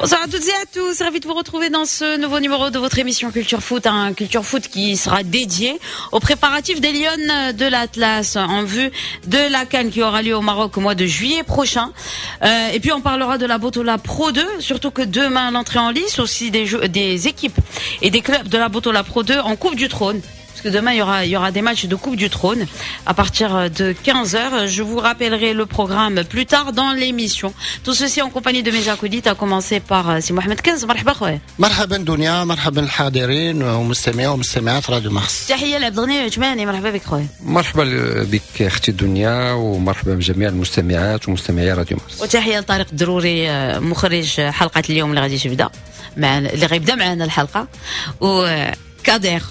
Bonsoir à toutes et à tous, ravi de vous retrouver dans ce nouveau numéro de votre émission Culture Foot, un Culture Foot qui sera dédié aux préparatifs des Lionnes de l'Atlas en vue de la CAN qui aura lieu au Maroc au mois de juillet prochain. Et puis on parlera de la Botola Pro 2, surtout que demain l'entrée en lice aussi des équipes et des clubs de la Botola Pro 2 en Coupe du Trône. Parce que demain, il y aura des matchs de Coupe du Trône à partir de 15h. Je vous rappellerai le programme plus tard dans l'émission. Tout ceci en compagnie de mes acolytes, à commencer par سي محمد كنز. مرحبا خويا. مرحبا دنيا، مرحبا الحاضرين ومستمعي ومستمعات راديو مارس. تحية لعبد الغني عثماني، مرحبا بك خويا. مرحبا بك اختي دنيا ومرحبا بجميع المستمعات ومستمعي راديو مارس. وتحية لطارق الدروري، مخرج حلقة اليوم اللي غادي تبدا مع اللي غيبدا معنا الحلقة، وكادير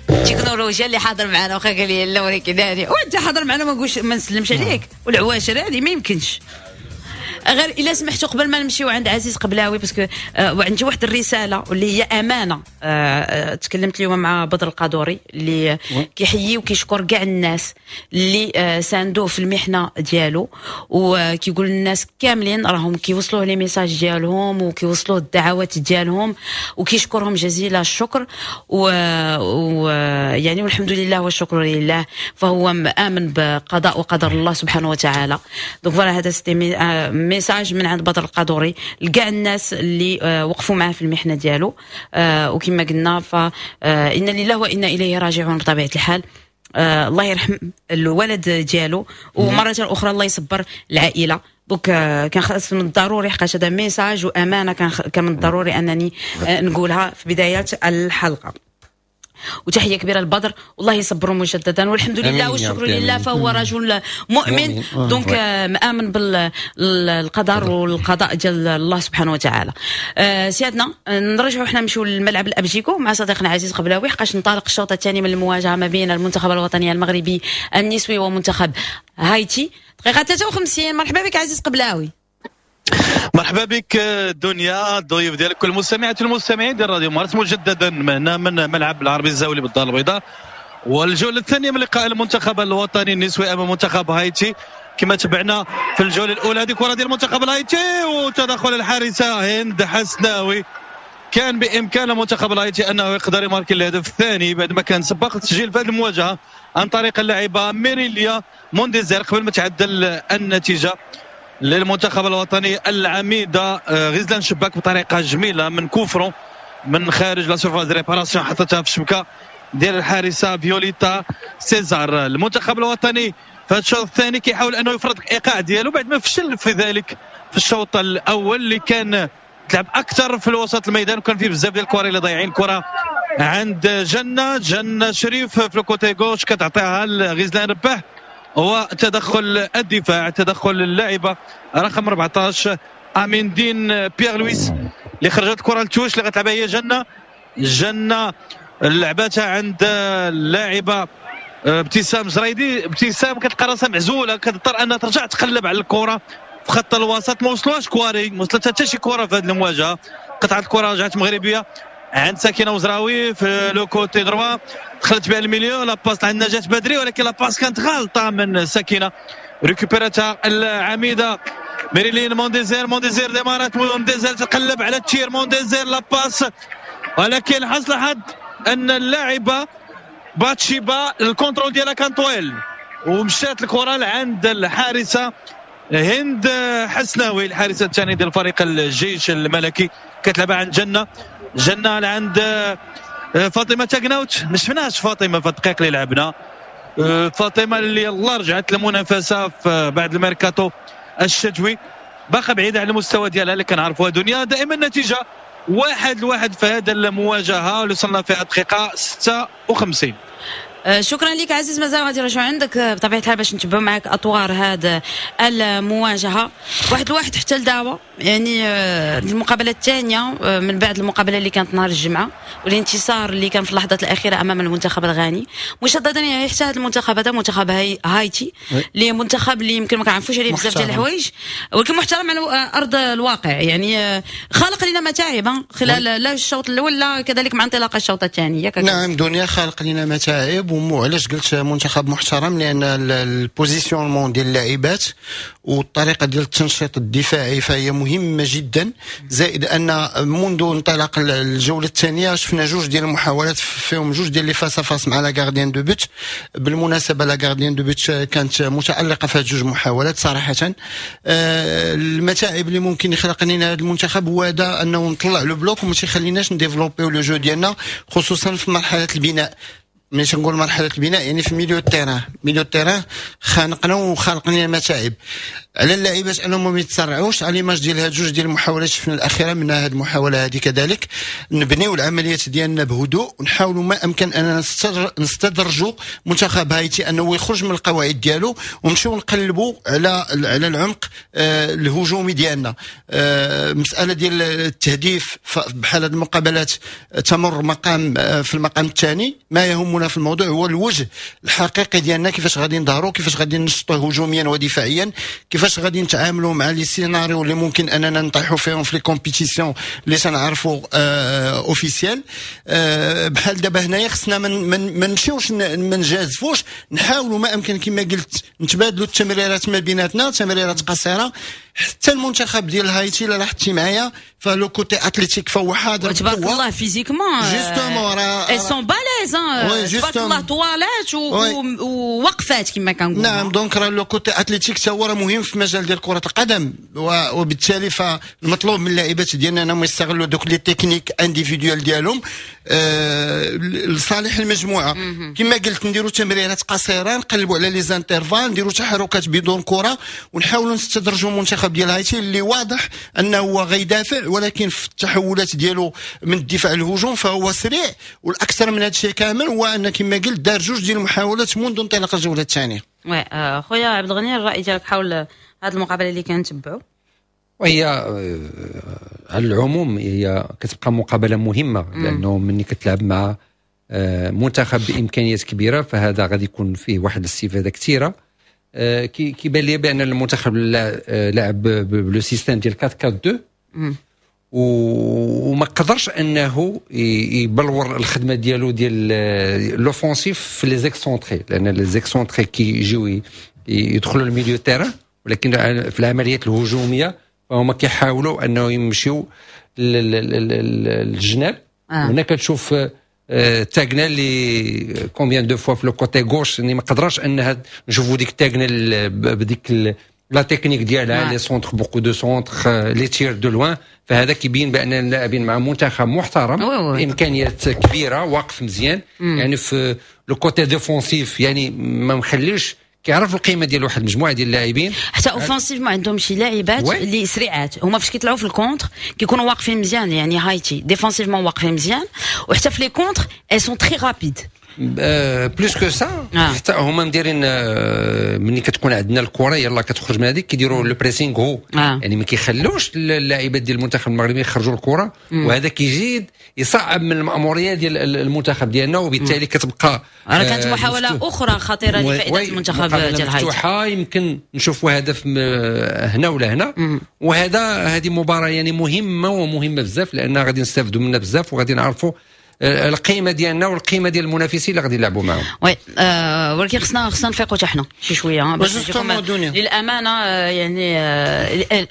التكنولوجيا اللي حاضر معنا، واخا قال لي لا ولكن هذه وانت حاضر معنا ما نقولش ما نسلمش عليك والعواشر هذه ما يمكنش. غير الا سمحتوا، قبل ما نمشيو عند عزيز قبلاوي، parce que وعندي واحد الرسالة واللي هي امانه. تكلمت اليوم مع بدر القادوري اللي كيحيي وكيشكر كاع الناس اللي ساندوه في المحنة ديالو، وكيقول الناس كاملين راهم كيوصلوه les messages ديالهم وكيوصلوه الدعوات ديالهم وكيشكرهم جزيل الشكر و يعني والحمد لله والشكر لله، فهو مآمن بقضاء وقدر الله سبحانه وتعالى. donc voilà، هذا c'était message من عند بدر القادوري لكاع الناس اللي وقفوا معاه في المحنة ديالو. وكما قلنا فإن لله وانا اليه راجعون. بطبيعة الحال الله يرحم الولد ديالو، ومرة اخرى الله يصبر العائله. donc كان خاص من الضروري، حقاش هذا message وامانه، كان من الضروري انني نقولها في بداية الحلقه. وتحية كبيرة لبدر والله يصبره مجددا، والحمد لله والشكر لله، فهو رجل مؤمن، donc مآمن بالقدر والقضاء ديال الله سبحانه وتعالى. سيادنا، نرجعوا حنا نمشيو للملعب الابجيكو مع صديقنا عزيز قبلاوي، حقاش انطلق الشوط الثاني من المواجهة ما بين المنتخب الوطني المغربي النسوي ومنتخب هايتي، دقيقة 53. مرحبا بك عزيز قبلاوي. مرحبا بك دنيا، الضيوف ديالك، كل المستمعات والمستمعين ديال راديو مارس. مجددا هنا من ملعب العربي الزاولي بالدار البيضاء، والجوله الثانية من لقاء المنتخب الوطني النسوي امام منتخب هايتي. كما تبعنا في الجولة الاولى، هذه كره ديال المنتخب الهايتي وتدخل الحارسه هند حسناوي. كان بامكان المنتخب الهايتي انه يقدر يماركي الهدف الثاني بعد ما كان سبق التسجيل في هذه المواجهة عن طريق اللاعبه ميريليا مونديزير قبل ما تعدل النتيجة للمنتخب الوطني العميده غزلان شباك بطريقة جميلة من coup franc من خارج la surface de réparation، حطتها في الشبكة ديال الحارسه فيوليتا سيزار. المنتخب الوطني في الشوط الثاني كيحاول انه يفرض الايقاع ديالو بعد ما فشل في ذلك في الشوط الاول اللي كان تلعب اكثر في الوسط الميدان وكان فيه بزاف ديال الكره اللي ضايعين. كره عند جنه، جنة شريف في ال côté gauche، كتعطيها لغزلان رباح وتدخل الدفاع، تدخل اللاعبه رقم 14 امين دين بيير لويس اللي خرجت الكره ل touche اللي غتلعبها هي جنه. جنة لعبتها عند اللاعبه ابتسام زريدي. ابتسام كتلقى راسها معزوله، كتضطر انها ترجع تقلب على الكره في خط الوسط. ما وصلوهاش كواري، ما وصلتها حتى شي كره في هذه المواجهه. قطعت الكره، رجعت مغربية عند سكينة وزراوي في le côté droit، دخلت بها ال milieu، la passe عند نجاة بدري ولكن la passe كانت غلطه من سكينه، récupérاتها العميده ميريلين مونديزير. مونديزير démarrات، مونديزير تقلب على ال tir، مونديزير la passe، ولكن حسن الحظ ان اللاعبه باتشيبا ال contrôle ديالها كان طويل ومشات الكره لعند الحارسه هند حسناوي، الحارسه الثانية ديال فريق الجيش الملكي. كتلعبها عند جنه، جنة لعند فاطمة تاكناوت. ما شفناش فاطمة في الدقائق اللي لعبنا. فاطمة اللي يلاه رجعت للمنافسة في بعد الميركاتو الشتوي، باقا بعيدة على المستوى ديالها اللي كنعرفوها دنيا. دائما النتيجة 1-1 في هذا المواجهة اللي وصلنا فيها دقيقة 56. شكرا لك عزيز، مازال غادي نرجعوا عندك بطبيعة الحال باش نتبعوا معك اطوار هذا المواجهه. 1-1 حتى لدابا، يعني المقابلة الثانية من بعد المقابلة اللي كانت نهار الجمعة والانتصار اللي كان في اللحظات الاخيرة امام المنتخب الغاني. مجددا يعني حتى هذا المنتخب، هذا منتخب هايتي اللي منتخب اللي يمكن ما كنعرفوش عليه بزاف ديال الحوايج، ولكن محترم على ارض الواقع، يعني خلق لنا متاعب خلال لا الشوط الاول لا كذلك مع انطلاق الشوط الثاني. نعم دنيا، خلق لنا متاعب. وعلاش قلت منتخب محترم؟ لان ال positionnement ديال اللاعبات والطريقة ديال التنشيط الدفاعي فهي مهمة جدا. زائد ان منذ انطلاق الجولة الثانية شفنا جوج ديال المحاولات فيهم جوج ديال les face à face مع la gardienne de but. بالمناسبة la gardienne de but كانت متالقه في هاد جوج محاولات صراحه. المتاعب اللي ممكن يخلق لنا هذا المنتخب هو هذا، انه نطلع le bloc وما تيخليناش نديفلوبيو le jeu ديالنا، خصوصا في مرحلة البناء. ملي تنقول مرحلة البناء يعني في milieu terrain، milieu terrain خانقنا وخالق لنا المتاعب. على اللاعبات انهم ما يتسرعوش على l'image ديال هاد جوج ديال المحاولات شفنا الاخيره، منها هاد المحاولة هذه كذلك. نبنيو العمليات ديالنا بهدوء ونحاولوا ما امكن اننا نستدرجوا منتخب هايتي انه يخرج من القواعد ديالو، ونمشيو نقلبوا على العمق الهجومي ديالنا. مسالة ديال التهديف بحال هاد المقابلات تمر مقام في المقام الثاني. ما يهمنا في الموضوع هو الوجه الحقيقي ديالنا، كيفاش غادي نظهروا، كيفاش غادي نشطوا هجوميا ودفاعيا، كيفاش غادي نتعاملوا مع les scénarios اللي ممكن اننا نطيحوا فيهم في les compétitions اللي تنعرفوا officielles. بحال دابا هنايا خصنا ما نمشيوش، ما نجازفوش، نحاولوا ما امكن كما قلت نتبادلوا التمريرات ما بيناتنا، تمريرات قصيره. حتى المنتخب ديال هايتي لا لاحظتي معايا ف le côté athlétique فهو حاضر. تبارك الله physiquement justement راه ils sont balèzes، تبارك الله، طوالات ووقفات كما كنقولوا. نعم، donc راه le côté athlétique هو راه مهم في مجال ديال كره القدم، وبالتالي فالمطلوب من اللاعبات ديالنا انهم يستغلوا دوك les techniques individuelles ديالهم لصالح المجموعه. كما قلت نديروا تمريرات قصيره، نقلبوا على les intervalles، نديروا تحركات بدون كره، ونحاولوا نستدرجوا المنتخب ديال هايتي اللي واضح انه هو غيدافع، ولكن في التحولات ديالو من الدفاع للهجوم فهو سريع. والاكثر من هذا الشيء كامل هو ان كما قلت دار جوج ديال المحاولات منذ انطلاق الجولة الثانيه. oui خويا عبد الغني، الراي ديالك حول هذه المقابلة اللي كنتبعوا؟ وهي على العموم هي كتبقى مقابله مهمه، لانه ملي كتلعب مع منتخب بامكانيات كبيرة فهذا غادي يكون فيه واحد الاستفادة كثيره. كيبان لي بان المنتخب لعب ب le système ديال 4 4 2 وما قدرش انه يبلور الخدمة ديالو ديال l'offensif في les excentrés، لان les excentrés كيجيو يدخلوا ال milieu terrain، ولكن في العمليات الهجومية فهما كيحاولوا انه يمشيو للجناب. هنا كتشوف تاغنا اللي combien de fois في le côté gauche، يعني ما قدرش انها نشوفوا ديك تاغنا بديك la technique ديالها، les centres، beaucoup de centres، les tirs de loin. فهذا كيبين بان اللاعبين مع منتخب محترم بامكانيات كبيره، واقف مزيان، يعني في le côté défensif، يعني ما مخليش، كيعرف القيمة ديال واحد المجموعة ديال اللاعبين. حتى offensivement عندهم شي لاعبات اللي سريعات، هما فاش كيطلعوا في ال contre كيكونوا واقفين مزيان، يعني هايتي défensivement واقفين مزيان، وحتى في les contres elles sont très rapides. plus que ça، حتى هما مديرين ملي كتكون عندنا الكره يلا كتخرج من هذيك كيديروا le pressing haut، يعني ما كيخلوش اللاعبات ديال المنتخب المغربي يخرجوا الكره، وهذا كيزيد يصعب من الماموريه ديال المنتخب ديالنا، وبالتالي كتبقى راه كانت محاولة اخرى خطيرة لفائدة المنتخب ديال هايتي. مفتوحه، يمكن نشوفوا هدف هنا ولا هنا. وهذا هذه مباراة يعني مهمة ومهمة بزاف، لان غادي نستافدوا منها بزاف وغادي نعرفوا القيمة ديالنا والقيمة ديال المنافسين اللي غادي يلعبوا معاهم. oui ولكن خصنا نفيقوا حتى حنا شي شوية باش للامانه، يعني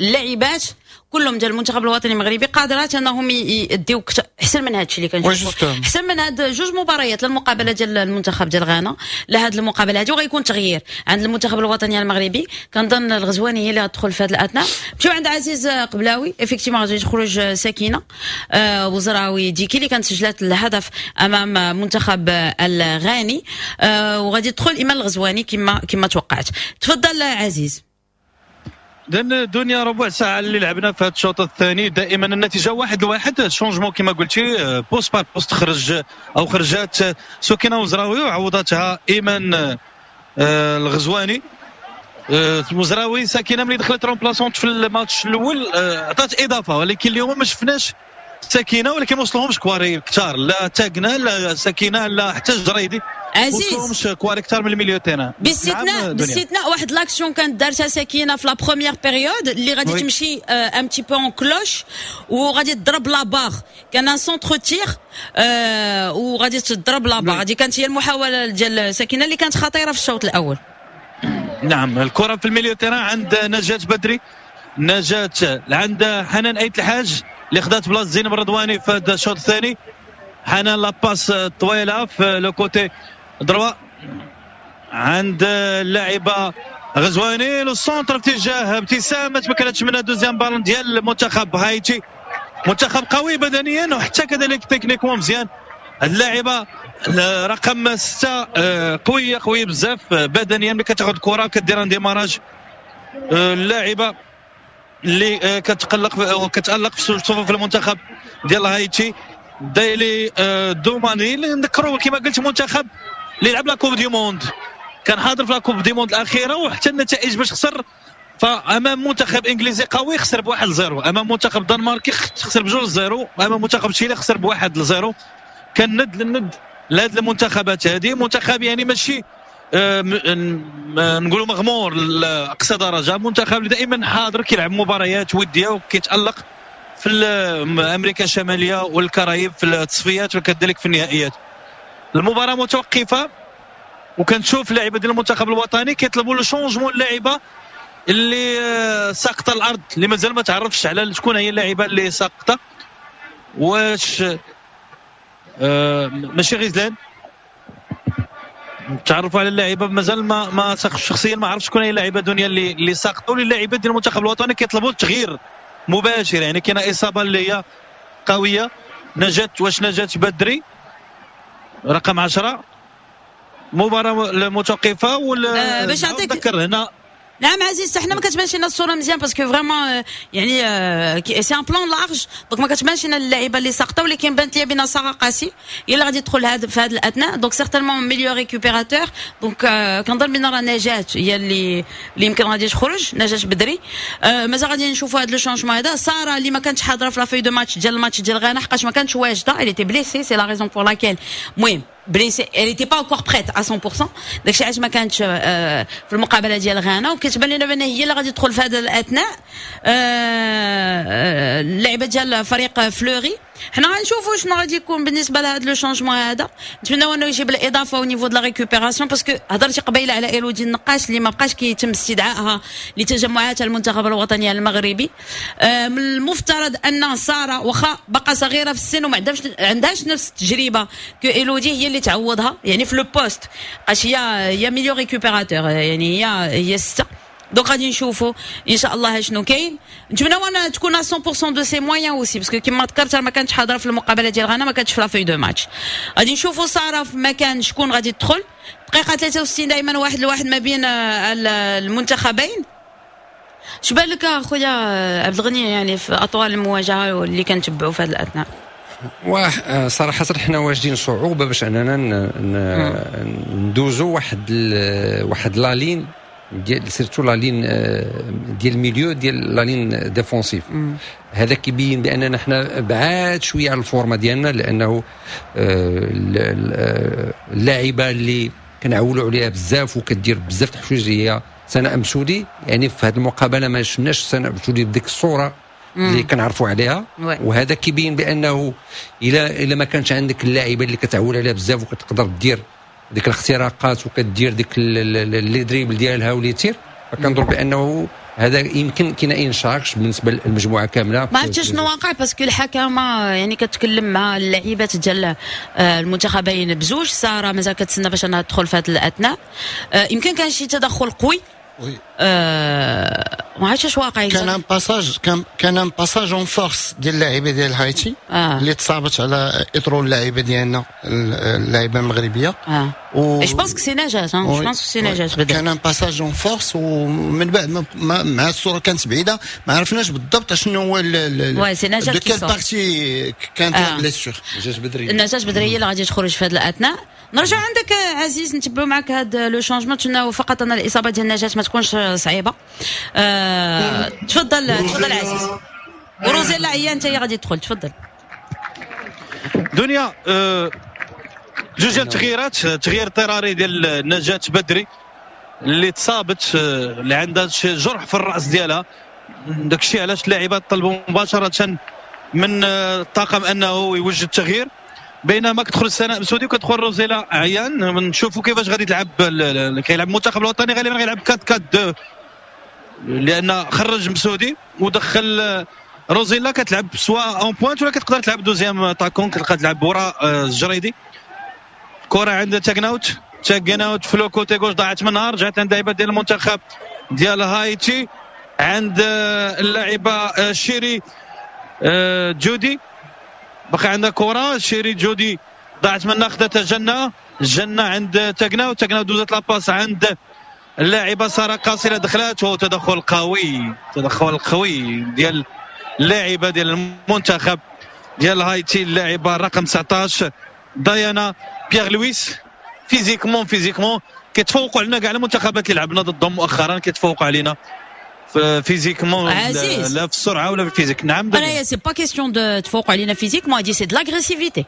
اللاعبات كلهم ديال المنتخب الوطني المغربي قادرات انهم يديو احسن من هذا الشيء اللي كنشوفوا، احسن من هاد جوج مباريات، لا المقابلة ديال المنتخب ديال غانا لا هاد المقابلة هذه. وغيكون تغيير عند المنتخب الوطني المغربي، كنظن الغزواني هي اللي غتدخل في هذه الاثناء. نمشيو عند عزيز قبلاوي. effectivement غادي تخرج سكينة وزراوي ديكي اللي كانت سجلت الهدف امام منتخب الغاني، وغادي تدخل ايمان الغزواني كما توقعت. تفضل عزيز. لان دنيا، ربع ساعة اللي لعبنا في هذا الشوط الثاني، دائما النتيجة 1-1. changement كما قلتي poste par poste، خرج او خرجات سكينة وزراوي وعوضتها ايمان الغزواني. وزراوي سكينة ملي دخلت remplaçante في الماتش الاول عطات اضافه، ولكن اليوم ما شفناش سكينه، ولكن ما وصلهمش كواري كثار، لا تاكنا لا سكينة لا حتى الجريدي. عزيز كوار اكثر من ال milieu terrain. باستثناء واحد l'action كانت دارتها سكينة في la première période اللي غادي تمشي un petit peu en cloche وغادي تضرب la barre، كان un centre-tir وغادي تضرب la barre. هذه كانت هي المحاولة ديال سكينة اللي كانت خطيرة في الشوط الاول. نعم، الكره في ال milieu terrain عند نجاة بدري، نجاة عند حنان ايت الحاج اللي خدات بلاصة زينب الرضواني في هذا الشوط الثاني. حنان la passe طويلة في le côté droit عند اللاعبه غزواني، le centre اتجاه ابتسام ما تمكنتش منها. deuxième ballon ديال المنتخب هايتي، منتخب قوي بدنيا وحتى كذلك techniquement مزيان. اللاعبه رقم 6 قوية قوية بزاف بدنيا، ملي كتاخذ الكره كدير un démarrage. اللاعبه اللي كتقلق وكتالق في صفوف المنتخب ديال هايتي دايلي دوماني، اللي نذكروا كما قلت منتخب اللي لعب la Coupe du monde، كان حاضر في la Coupe du monde الاخيرة، وحتى النتائج باش خسر فامام منتخب انجليزي قوي خسر ب1-0، امام منتخب دنماركي خسر ب2-0، امام منتخب تشيلي خسر ب1-0. كان ند للند لهاد المنتخبات هذه، منتخب يعني ماشي نقولوا مغمور لاقصى درجه، منتخب اللي دائما حاضر كيلعب مباريات وديه وكيتالق في امريكا الشمالية والكاريب في التصفيات وكذلك في النهائيات. المباراة متوقفه وكنشوف اللاعبه ديال المنتخب الوطني كيطلبوا le changement، اللاعبه اللي ساقطه الارض اللي مازال ما تعرفش على شكون هي اللاعبه اللي ساقطه، واش ماشي غزلان، تعرفوا على اللاعبه مازال ما شخصيا ما عرفتش شكون هي اللاعبه دنيا اللي ساقطوا. اللاعبات ديال المنتخب الوطني كيطلبوا التغيير مباشر، يعني كاينه اصابه اللي هي قوية. نجاة، واش نجاة بدري رقم 10، مباراة متوقفه ولا باش نعطيك نذكر هنا. نعم عزيز، حنا ما كتبانش لنا الصورة مزيان parce que vraiment يعني c'est un plan large، donc ما كتبانش لنا اللعيبة اللي ساقطه، ولكن بانت لي بان ساره قاسي هي اللي غادي تدخل هذا في هذا الاثناء، donc certainement milieu récupérateur. donc كنظن بان راه نجاة هي اللي يمكن غادي تخرج، نجاة بدري. مازال غادي نشوفوا هذا le changement هذا. ساره اللي ما كانتش حاضره في la feuille de match ديال الماتش ديال غانا حقاش ما كانتش واجدة، elle était blessée، c'est la raison pour laquelle المهم blessée، elle était pas encore prête à 100%، داكشي علاش ما كانتش في المقابلة ديال غانا، وكتبان لنا بان هي اللي غادي تدخل في هذا الاثناء. اللعبة ديال فريق فلوري، حنا غنشوفوا شنو غادي يكون بالنسبة لهذا le changement هذا. نتمناو انه يجيب الاضافة au niveau de la récupération، parce que هضرتي قبيلة على ايلودي النقاش اللي ما بقاش كيتم استدعائها لتجمعات المنتخب الوطني المغربي. من المفترض ان ساره واخا باقا صغيرة في السن وما عندهاش نفس التجربة que ايلودي، هي اللي تعوضها يعني في le poste، بقاش هي milieu récupérateur، يعني هي 6. donc غادي نشوفوا ان شاء الله شنو كاين. نتمناو ان تكون 100% de ses moyens aussi، parce que كيما ذكرت ما كانتش حاضره في المقابلة ديال غانا، ما كانتش في la feuille de match. غادي نشوفوا ساره في مكان شكون غادي تدخل. دقيقة 63 دائما 1-1 ما بين المنتخبين. اش بان لك اخويا عبد الغني يعني في اطوال المواجهة اللي كنتبعوا في هذا الاثناء؟ صراحة حنا واجدين صعوبة باش اننا ندوزو واحد la ligne ديال surtout la ligne ديال ال milieu ديال la ligne défensive. هذا كيبين باننا حنا بعاد شوية على ال forme ديالنا، لانه اللاعبه اللي كنعولوا عليها بزاف وكدير بزاف الحوايج هي سناء مسودي، يعني في هذه المقابلة ما شفناش سناء مسودي بديك الصورة اللي كنعرفوا عليها. وهذا كيبين بانه الى ما كانش عندك اللاعبه اللي كتعول عليها بزاف وكتقدر دير ديك الاختراقات وكدير ديك les dribbles ديالها و les tirs، فكنظن بانه هذا يمكن كاين une charge بالنسبة للمجموعة كاملة. ما عرفتش شنو واقع، parce que الحكمة يعني كتكلم مع اللاعبات ديال المنتخبين بزوج. ساره مازال كتسنى باش انها تدخل في هذه الاثناء. يمكن كان شي تدخل قوي. oui. ما عرفتش اش واقع. كان un passage en force ديال اللاعبه ديال هايتي اللي تصابت على اطرو اللاعبه ديالنا، اللاعبه المغربية. و je pense que c'est نجاة، je pense que c'est نجاة. كان un passage en force، ومن بعد مع الصورة كانت بعيده، ما عرفناش بالضبط شنو هو. oui، c'est نجاة. de quelle partie كانت la blessure. نجاة بدري. نجاة بدري هي اللي غادي تخرج في هذه الاثناء. نرجع عندك عزيز، نتبعوا معك هذا le changement. نتمناو فقط ان الاصابة ديال نجاة ما تكونش صعيبة. تفضل تفضل عزيز، وروزيلا هي انت هي غادي تدخل، تفضل. دنيا. جوج ديال التغييرات، تغيير اضطراري ديال نجاة بدري اللي تصابت، اللي عندها جرح في الراس ديالها، داكشي علاش اللاعبات طلبوا مباشرة من الطاقم انه يوجد التغيير. بينما كتدخل سناء مسودي وكتدخل روزيلا عيان، نشوفوا كيفاش غادي تلعب. كيلعب المنتخب الوطني غالبا غيلعب 4-4-2، لان خرج مسودي ودخل روزيلا، كتلعب soit en pointe ولا كتقدر تلعب deuxième attaquante، كتقدر تلعب وراء الجريدي. كرة عند تاكناوت، تاكناوت في le côté gauche ضاعت منها، رجعت عند لاعبات ديال المنتخب ديال هايتي، عند اللاعبة شيري جودي، بقى عندها كرة شيري جودي ضاعت منها، خدتها جنة، جنة عند تاكناوت، تاكناوت دوزت la passe عند اللاعبة سارة قاصرة، دخلات، وتدخل قوي، تدخل قوي ديال اللاعبة ديال المنتخب ديال هايتي، اللاعبة رقم 19 ديانا بيير لويس. physiquement كيتفوقوا علينا كاع المنتخبات اللي لعبنا ضدهم مؤخرا، كيتفوقوا علينا physiquement، لا في السرعة ولا في ال physique. نعم، انا c'est pas question de تفوقوا علينا physiquement، هادي c'est de l'agressivité.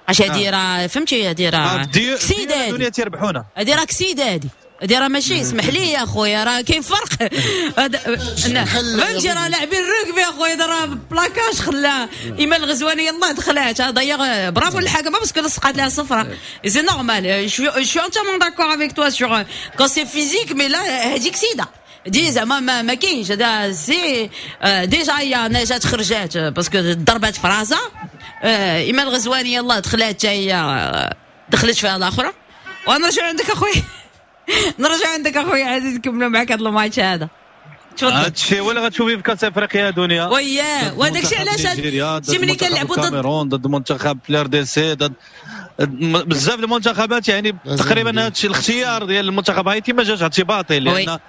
اش هادي راه فهمتي، هادي راه كسيده، الدنيا تيربحونا، هادي راه كسيده، هادي راه ماشي، اسمح لي يا خويا راه كاين فرق، فهمتي، راه لاعبين الركبي يا خويا، راه placage خلا ايمان الغزواني يلاه دخلات، d'ailleurs bravo الحكمة parce que لصقات لها صفرة، c'est normal، je suis entièrement d'accord avec toi sur quand c'est physique، mais là هذيك سيده دي زعما ما كاينش. هذا c'est déjà هي نجاة خرجات parce que ضربات في راسها، ايمان الغزواني يلاه دخلات حتى هي دخلت فيها الاخرى. ونرجع عندك اخويا، نرجع عندك اخويا عزيز، نكملوا معك هذا الماتش هذا. تفضل. هادشي هو اللي غتشوفي في كاس افريقيا دنيا. وياه، وهذاك الشيء علاش شي ملي كنلعبوا ضد الكاميرون، ضد منتخب RDC، ضد بزاف المنتخبات، يعني تقريبا هادشي الاختيار ديال المنتخب هايتي ما جاش اعتباطي، لان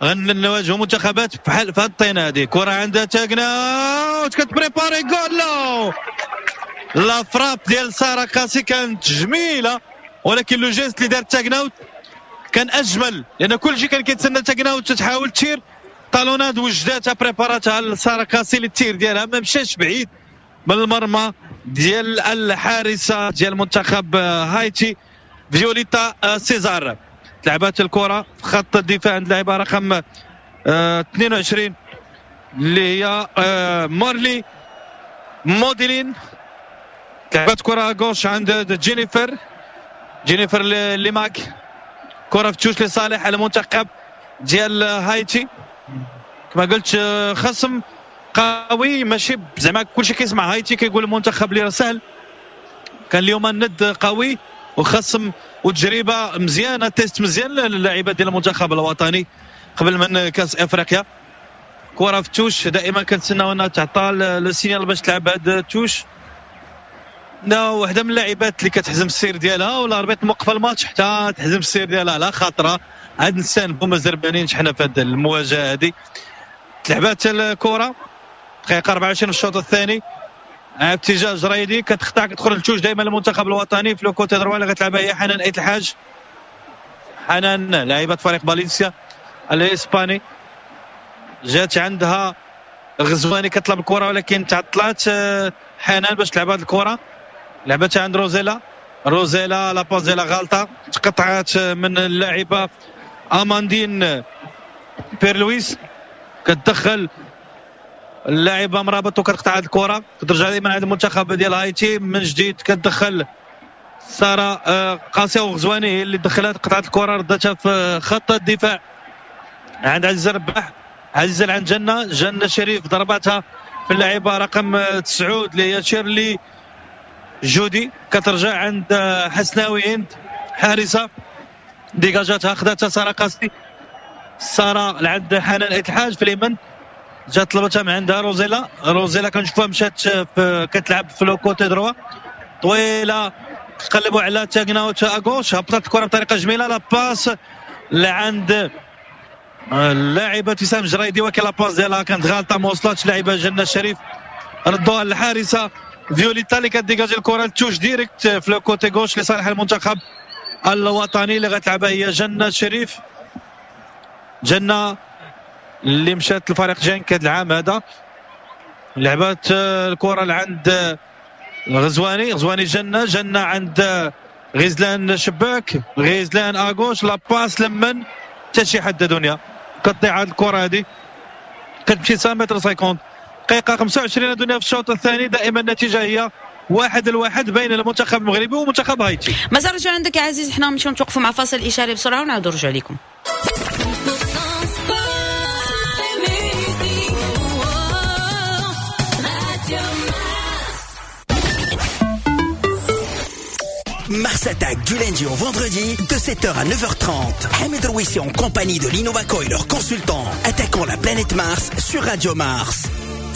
غنواجهوا منتخبات بحال في هاد الطينه هذه. كره عندها تاكنا كت préparer، goal! la frappe ديال ساره قاسي كانت جميله، ولكن le geste اللي دار تاكناوت كان اجمل، لان كل شيء كان كيتسنى تاكناوت تحاول تير talonnade، وجداتها préparer اتها لساره قاسي لل tir ديالها، ما مشاش بعيد من المرمى ديال الحارسه ديال منتخب هايتي فيوليتا سيزار. لعبات الكره في خط الدفاع عند اللاعبه رقم 22 اللي هي مارلي موديلين. لعبات كره gauche عند جينيفر، جينيفر ليماك، كره في touche لصالح المنتخب ديال هايتي. كما قلت خصم قوي، ماشي زعما كلشي كيسمع هايتي كيقول المنتخب اللي سهل، كان اليوم الند قوي وخصم وتجربه مزيانه، test مزيان للاعيبه ديال المنتخب الوطني قبل من كاس افريقيا. كره في touche، دائما كنتسناو انها تعطى le signal باش تلعب هاد touche. لا، وحده من اللاعبات اللي كتحزم السير ديالها، ولا l'arbitre موقفه الماتش حتى تحزم السير ديالها على خاطرها. عاد نستانفوا، ما زربانينش حنا في هذه المواجهة هذه. تلعبات الكره دقيقة 24 في الشوط الثاني، اتجاه جريدي، كتخطع كتخرج ال touche دائما المنتخب الوطني في le côté droit اللي غتلعبها هي حنان ايت الحاج. حنان لاعبه فريق فالنسيا الاسباني، جات عندها الغزواني كطلب الكره ولكن تعطلات حنان باش تلعب هذه الكره. لعبتها عند روزيلا، روزيلا la passe ديالها غلطه، تقطعات من اللاعبه اماندين بيرلويس. كتدخل اللاعبه مرابط وكتقطع هذه الكره، كترجع دائما عند المنتخب ديال هايتي من جديد. كتدخل ساره قاسية وغزواني هي اللي دخلت، قطعت الكره، ردتها في خط الدفاع عند عزيز رباح، عزيز عند جنة، جنة شريف ضربتها في اللاعبه رقم 9 اللي هي شيرلي جودي. كترجع عند حسناوي هند حارسه، dégage اتها، خداتها ساره قاسي، ساره لعند حنان ايت الحاج في اليمين، جات طلبتها من عندها روزيلا. روزيلا كنشوفها مشات كتلعب في le côté droit، طويلة، قلبوا على تاكناوت à gauche، هبطت الكره بطريقة جميله، la passe لعند اللاعبه ابتسام جريدي، ولكن la passe ديالها كانت غلطه، ما وصلتش لاعبه جنة الشريف، ردوها للحارسه فيوليتا اللي كت dégager الكره ال touche directe في le côté gauche لصالح المنتخب الوطني اللي غتلعبها هي جنة شريف. جنة اللي مشات لفريق جانك هذا العام هذا، لعبات الكره لعند غزواني، غزواني جنة، جنة عند غزلان شباك، غزلان à gauche، la passe لمن حتى شي حد دنيا، كتضيع هذه الكره هذه، كتمشي 5 متر 50. دقيقة 25 دنيا في الشوط الثاني، دائما النتيجة هي 1-1 بين المنتخب المغربي ومنتخب هايتي. مازال رجعوا عندك يا عزيز، حنا نمشيو نتوقفوا مع فاصل اشاري بسرعة ونعاودوا نرجعوا لكم. Mars Attack du lundi au vendredi de 7h à 9h30. Hamid Rouissi en compagnie de Lino Baco et leurs consultants attaquant la planète Mars sur Radio Mars.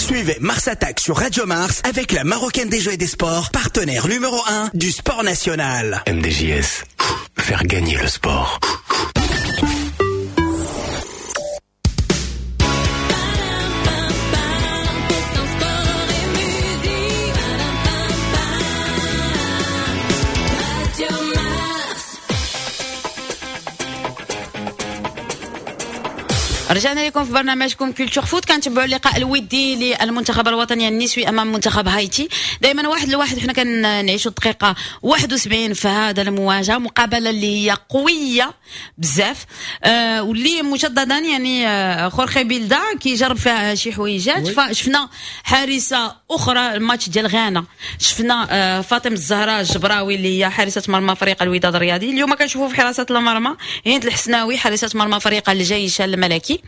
Suivez Mars Attack sur Radio Mars avec la Marocaine des Jeux et des Sports, partenaire numéro 1 du sport national. MDJS, faire gagner le sport. رجعنا لكم في برنامجكم Culture Foot. كنتبعوا اللقاء الودي للمنتخب الوطني النسوي امام منتخب هايتي، دائما 1-1. حنا كنعيشوا الدقيقة 71 في هذا المواجهة، مقابله اللي هي قوية بزاف، واللي مجددا يعني خورخي بيلدا كيجرب فيها شي حويجات. فشفنا حارسه اخرى الماتش ديال غانا، شفنا فاطمة الزهراء الجبراوي اللي هي حارسه مرمى فريق الوداد الرياضي. اليوم كنشوفوا في حراسة المرمى هند الحسناوي حارسه مرمى فريق الجيش الملكي.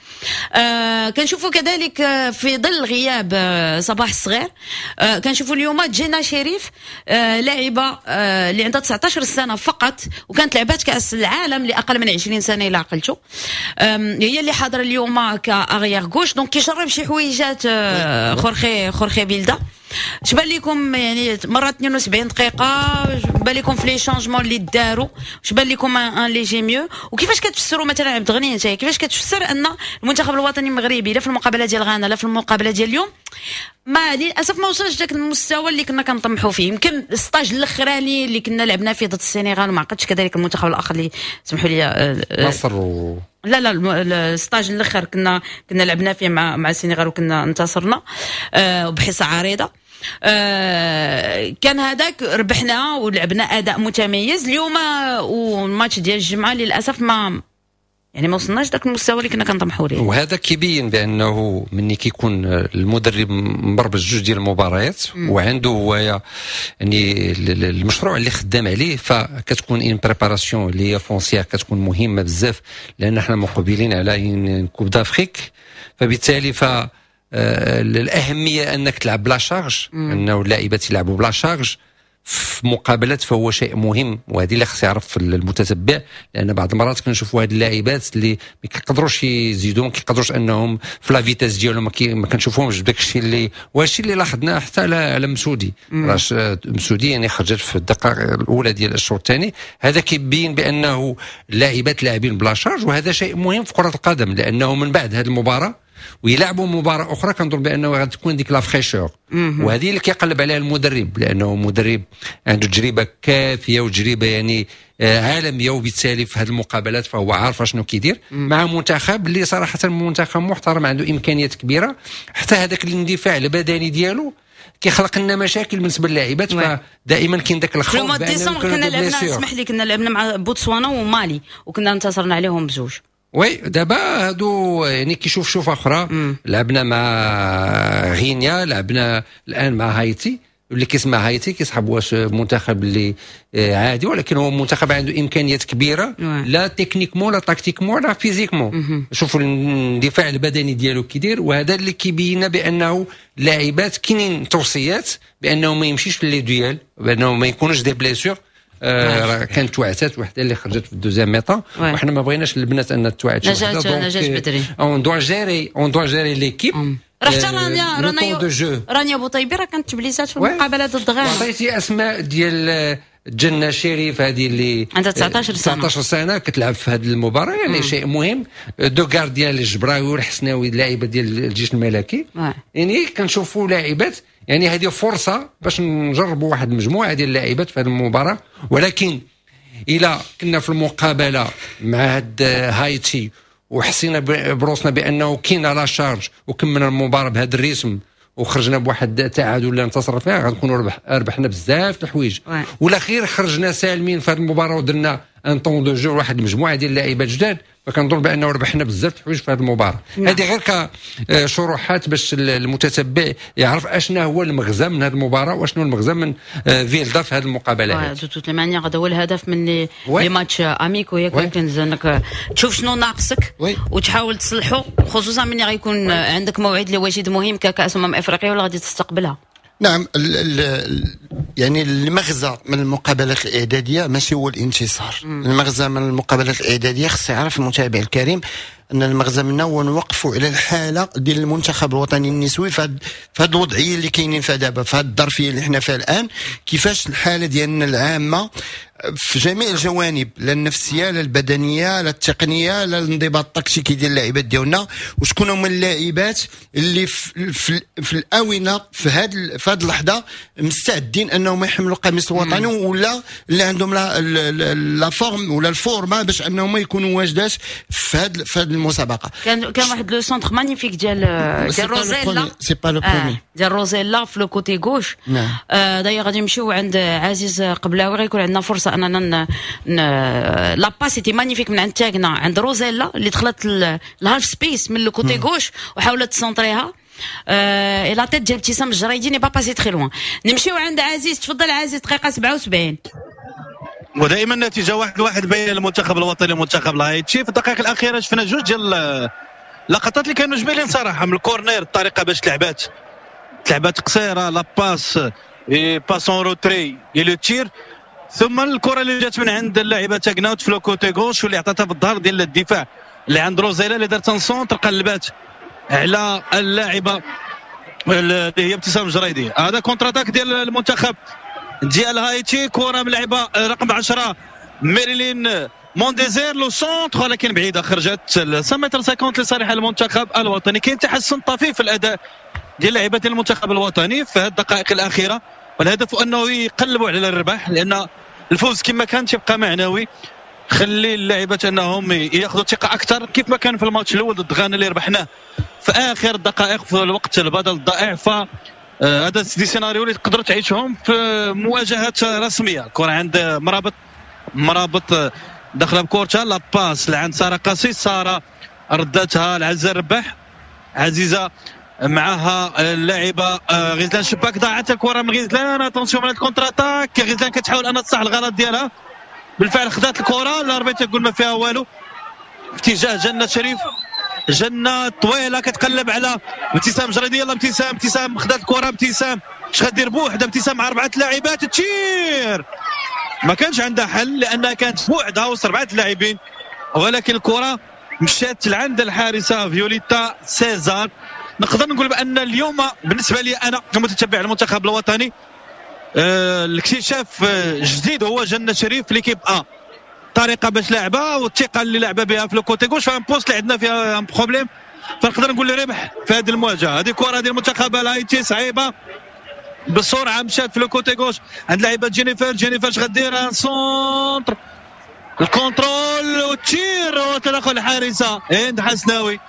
كنشوفوا كذلك في ظل غياب صباح الصغير، كنشوفوا اليوم جينا شريف، لاعبه اللي عندها 19 سنة فقط وكانت لعبات كاس العالم لاقل من 20 سنة الى عقلتو، هي اللي حاضره اليوم ك arrière gauche. donc كيجرب شي حويجات خورخي بيلدا. اش بان لكم يعني مرات 72 دقيقة، بان لكم في les changements اللي داروا، اش بان لكم un léger mieux؟ وكيفاش كتفسروا مثلا عبد الغني انت، كيفاش كتفسر ان المنتخب الوطني المغربي لا في المقابلة ديال غانا لا في المقابلة ديال اليوم ما للاسف ما وصلش داك المستوى اللي كنا كنطمحوا فيه؟ يمكن ال stage الاخراني اللي كنا لعبنا فيه ضد السنغال، وما عقدتش كذلك المنتخب الاخر اللي سمحوا لي مصر لا ال stage الاخر كنا لعبنا فيه مع السنغال وكنا انتصرنا بحصة عريضة. كان هذاك ربحنا ولعبنا اداء متميز. اليوم والماتش ديال الجمعة للاسف ما يعني ما وصلناش داك المستوى اللي كنا كنطمحوا ليه. وهذا كيبين بانه مني كيكون المدرب مبربج جوج ديال المباريات وعنده هو يعني المشروع اللي خدام عليه، فكتكون une préparation اللي هي foncière كتكون مهمة بزاف، لان حنا مقبلين على Coupe d'Afrique، فبالتالي ف الاهمية انك تلعب ب la charge، انه اللاعبات يلعبوا ب la charge في مقابلات، فهو شيء مهم، وهذه اللي خص يعرف المتتبع، لان بعض المرات كنشوفوا هاد اللاعبات اللي ما كيقدروش يزيدوا، ما كيقدروش انهم في la vitesse ديالهم ما كنشوفوهمش بداك الشيء اللي وهادشي اللي لاحظناه حتى على مسودي. راش مسودي يعني خرجت في الدقائق الاولى ديال الشوط الثاني، هذا كيبين بانه اللاعبات لاعبين ب la charge، وهذا شيء مهم في كره القدم، لانه من بعد هذه المباراة ويلعبوا مباراة اخرى كنظن بانه غتكون ديك la fraîcheur، وهذه اللي كيقلب عليها المدرب، لانه مدرب عنده تجربه كافيه وتجربه يعني عالمية، وبالتالي في هذه المقابلات فهو عارف شنو كيدير مع منتخب اللي صراحة منتخب محترم عنده امكانيات كبيرة. حتى هذاك الاندفاع البدني ديالو كيخلق لنا مشاكل بالنسبة للاعبات، فدائما كاين ذاك الخوف. في ديسمبر كنا لعبنا، اسمح لي، كنا لعبنا مع بوتسوانا ومالي وكنا انتصرنا عليهم بزوج. oui دابا هادو يعني كيشوف شوفه اخرى. لعبنا مع غينيا، لعبنا الان مع هايتي، واللي كيسمع هايتي كيسحب واش منتخب اللي عادي، ولكن هو منتخب عنده امكانيات كبيرة، لا techniquement لا tactiquement لا physiquement. شوفوا الاندفاع البدني ديالو كيدير، وهذا اللي كيبين بانه اللاعبات كاينين توصيات بانه ما يمشيش في les duels، بانه ما يكونوش des blessures. كانت توعتات وحده اللي خرجت في ال deuxième mi-temps، وحنا ما بغيناش البنات ان توعد شي وحده. نجاة بدري on doit gérer، on doit gérer l'équipe. راه حتى رانيا بوطيبي راه كانت تبليسات في المقابلة ضد غانا. عطيتي اسماء ديال جنة شريف هذه اللي عندها 19 سنة، 19 سنة كتلعب في هذه المباراة، يعني شيء مهم. deux gardiens الجبراوي والحسناوي اللاعبه ديال الجيش الملكي، يعني كنشوفوا لاعبات، يعني هذه فرصة باش نجربوا واحد المجموعة ديال اللاعبات في هذه المباراة. ولكن الى كنا في المقابلة مع هاد هايتي وحسينا بروسنا بانه كاين la charge وكملنا المباراة بهذا ال rythme وخرجنا بواحد التعادل ولا انتصر فيها، غنكونوا ربحنا بزاف الحوايج. ولا خير خرجنا سالمين في هذه المباراة ودرنا un temps de jeu واحد المجموعة ديال اللاعبات جداد، فكنظن بانه ربحنا بزاف الحوايج في هذه المباراه. هذه غير كشروحات باش المتتبع يعرف اشنا هو المغزى من هذه المباراة واشنو المغزى من فيلدا في هذه المقابله. هذه de toutes les manières هذا هو الهدف من les matchs amicaux، ياك؟ انك تشوف شنو ناقصك وتحاول تصلحه، خصوصا من غيكون عندك موعد اللي واجد مهم ككاس افريقيا ولا غادي تستقبلها. نعم، ال ال يعني المغزى من المقابلات الاعدادية ماشي هو الانتصار. المغزى من المقابلات الاعداديه، خص يعرف المتابع الكريم ان المغزى منها هو نوقفوا على الحالة ديال المنتخب الوطني النسوي في هذه الوضعية اللي كاينين فيها دابا، في هذه الظرفية اللي حنا فيها الان، كيفاش الحالة ديالنا العامة في جميع الجوانب، لا النفسيه، لا البدنيه، لا التقنيه، لا الانضباط التكتيكي ديال اللاعبات ديالنا، وشكون هما اللاعبات اللي في الاونة في هذه اللحظة مستعدين انهم يحملوا قميص الوطني، ولا اللي عندهم la forme ولا الفورما باش انهم يكونوا واجدات في هذه المسابقه. كان واحد le centre magnifique ديال روزيلا. c'est pas le premier. ديال روزيلا في le côté gauche. نعم، دايوغ غادي نمشيو عند عزيز قبلاوي، غيكون عندنا فرصة اننا la passe était magnifique من عند تاغنا عند روزيلا اللي دخلت ال half space من le côté gauche وحاولت تسونطريها، et la tête ديال ابتسام الجريدي n'est pas passée très loin. نمشيو عند عزيز، تفضل عزيز، دقيقة 77. ودائما النتيجة 1-1 بين المنتخب الوطني والمنتخب الهايتي. في الدقائق الاخيرة شفنا جوج ديال اللقطات اللي كانوا جميلين صراحه، من ال corner الطريقة باش تلعبات قصيره، la passe، passe en retrait et le tir، ثم الكره اللي جات من عند اللاعبه تاكناوت في le côté gauche واللي عطاتها في الظهر ديال الدفاع اللي عند روزيلا اللي دارت centre قلبات على اللاعبه اللي هي ابتسام جريدي. هذا contre-attaque ديال المنتخب ديال هايتي، كره من لعبه رقم 10 ميريلين مونديزير، le centre ولكن بعيده، خرجت 5 متر 50 لصالح المنتخب الوطني. كاين تحسن طفيف في الاداء ديال لاعبات المنتخب الوطني في هذه الدقائق الاخيره، والهدف انه يقلبوا على الربح، لان الفوز كما كان تيبقى معنوي، خلي اللاعبات انهم ياخذوا ثقة اكثر كيف ما كان في الماتش الاول ضد غانا اللي ربحناه في اخر الدقائق في الوقت البدل الضائع. ف هذا des scénarios اللي تقدروا تعيشهم في مواجهات رسميه. كره عند مرابط، مرابط داخله بكورتها، la passe لعند ساره قاسي، ساره ردتها لعزيزه الرباح، عزيزه معها اللاعبه غزلان شباك، ضاعت الكره من غزلان. attention من ال contre-attaque، غزلان كتحاول ان تصلح الغلط ديالها، بالفعل خدات الكره، l'arbitre تقول ما فيها والو. في اتجاه جنة شريف، جنة طويلة كتقلب على ابتسام جريدي، يلا ابتسام، ابتسام خدات الكره، ابتسام اش غدير بوحدها؟ ابتسام مع اربعة لاعبات، tir، ما كانش عندها حل لانها كانت بوحدها وسط اربعة لاعبين، ولكن الكره مشات لعند الحارسه فيوليتا سيزار. نقدر نقول بان اليوم بالنسبة لي انا كمتتبع المنتخب الوطني الاكتشاف الجديد هو جنة شريف في l'équipe A، الطريقة باش لعبه والثقة اللي لعبه بها في le côté gauche، في un poste اللي عندنا فيها un problème، فنقدر نقول ربح في هذه المواجهه. هذه كره ديال المنتخب الهايتي صعيبه، بسرعة مشات في le côté gauche عند لاعبه جينيفر، جينيفر اش غدير؟ un centre، ال contrôle وال tir وتدخل الحارسه هند حسناوي،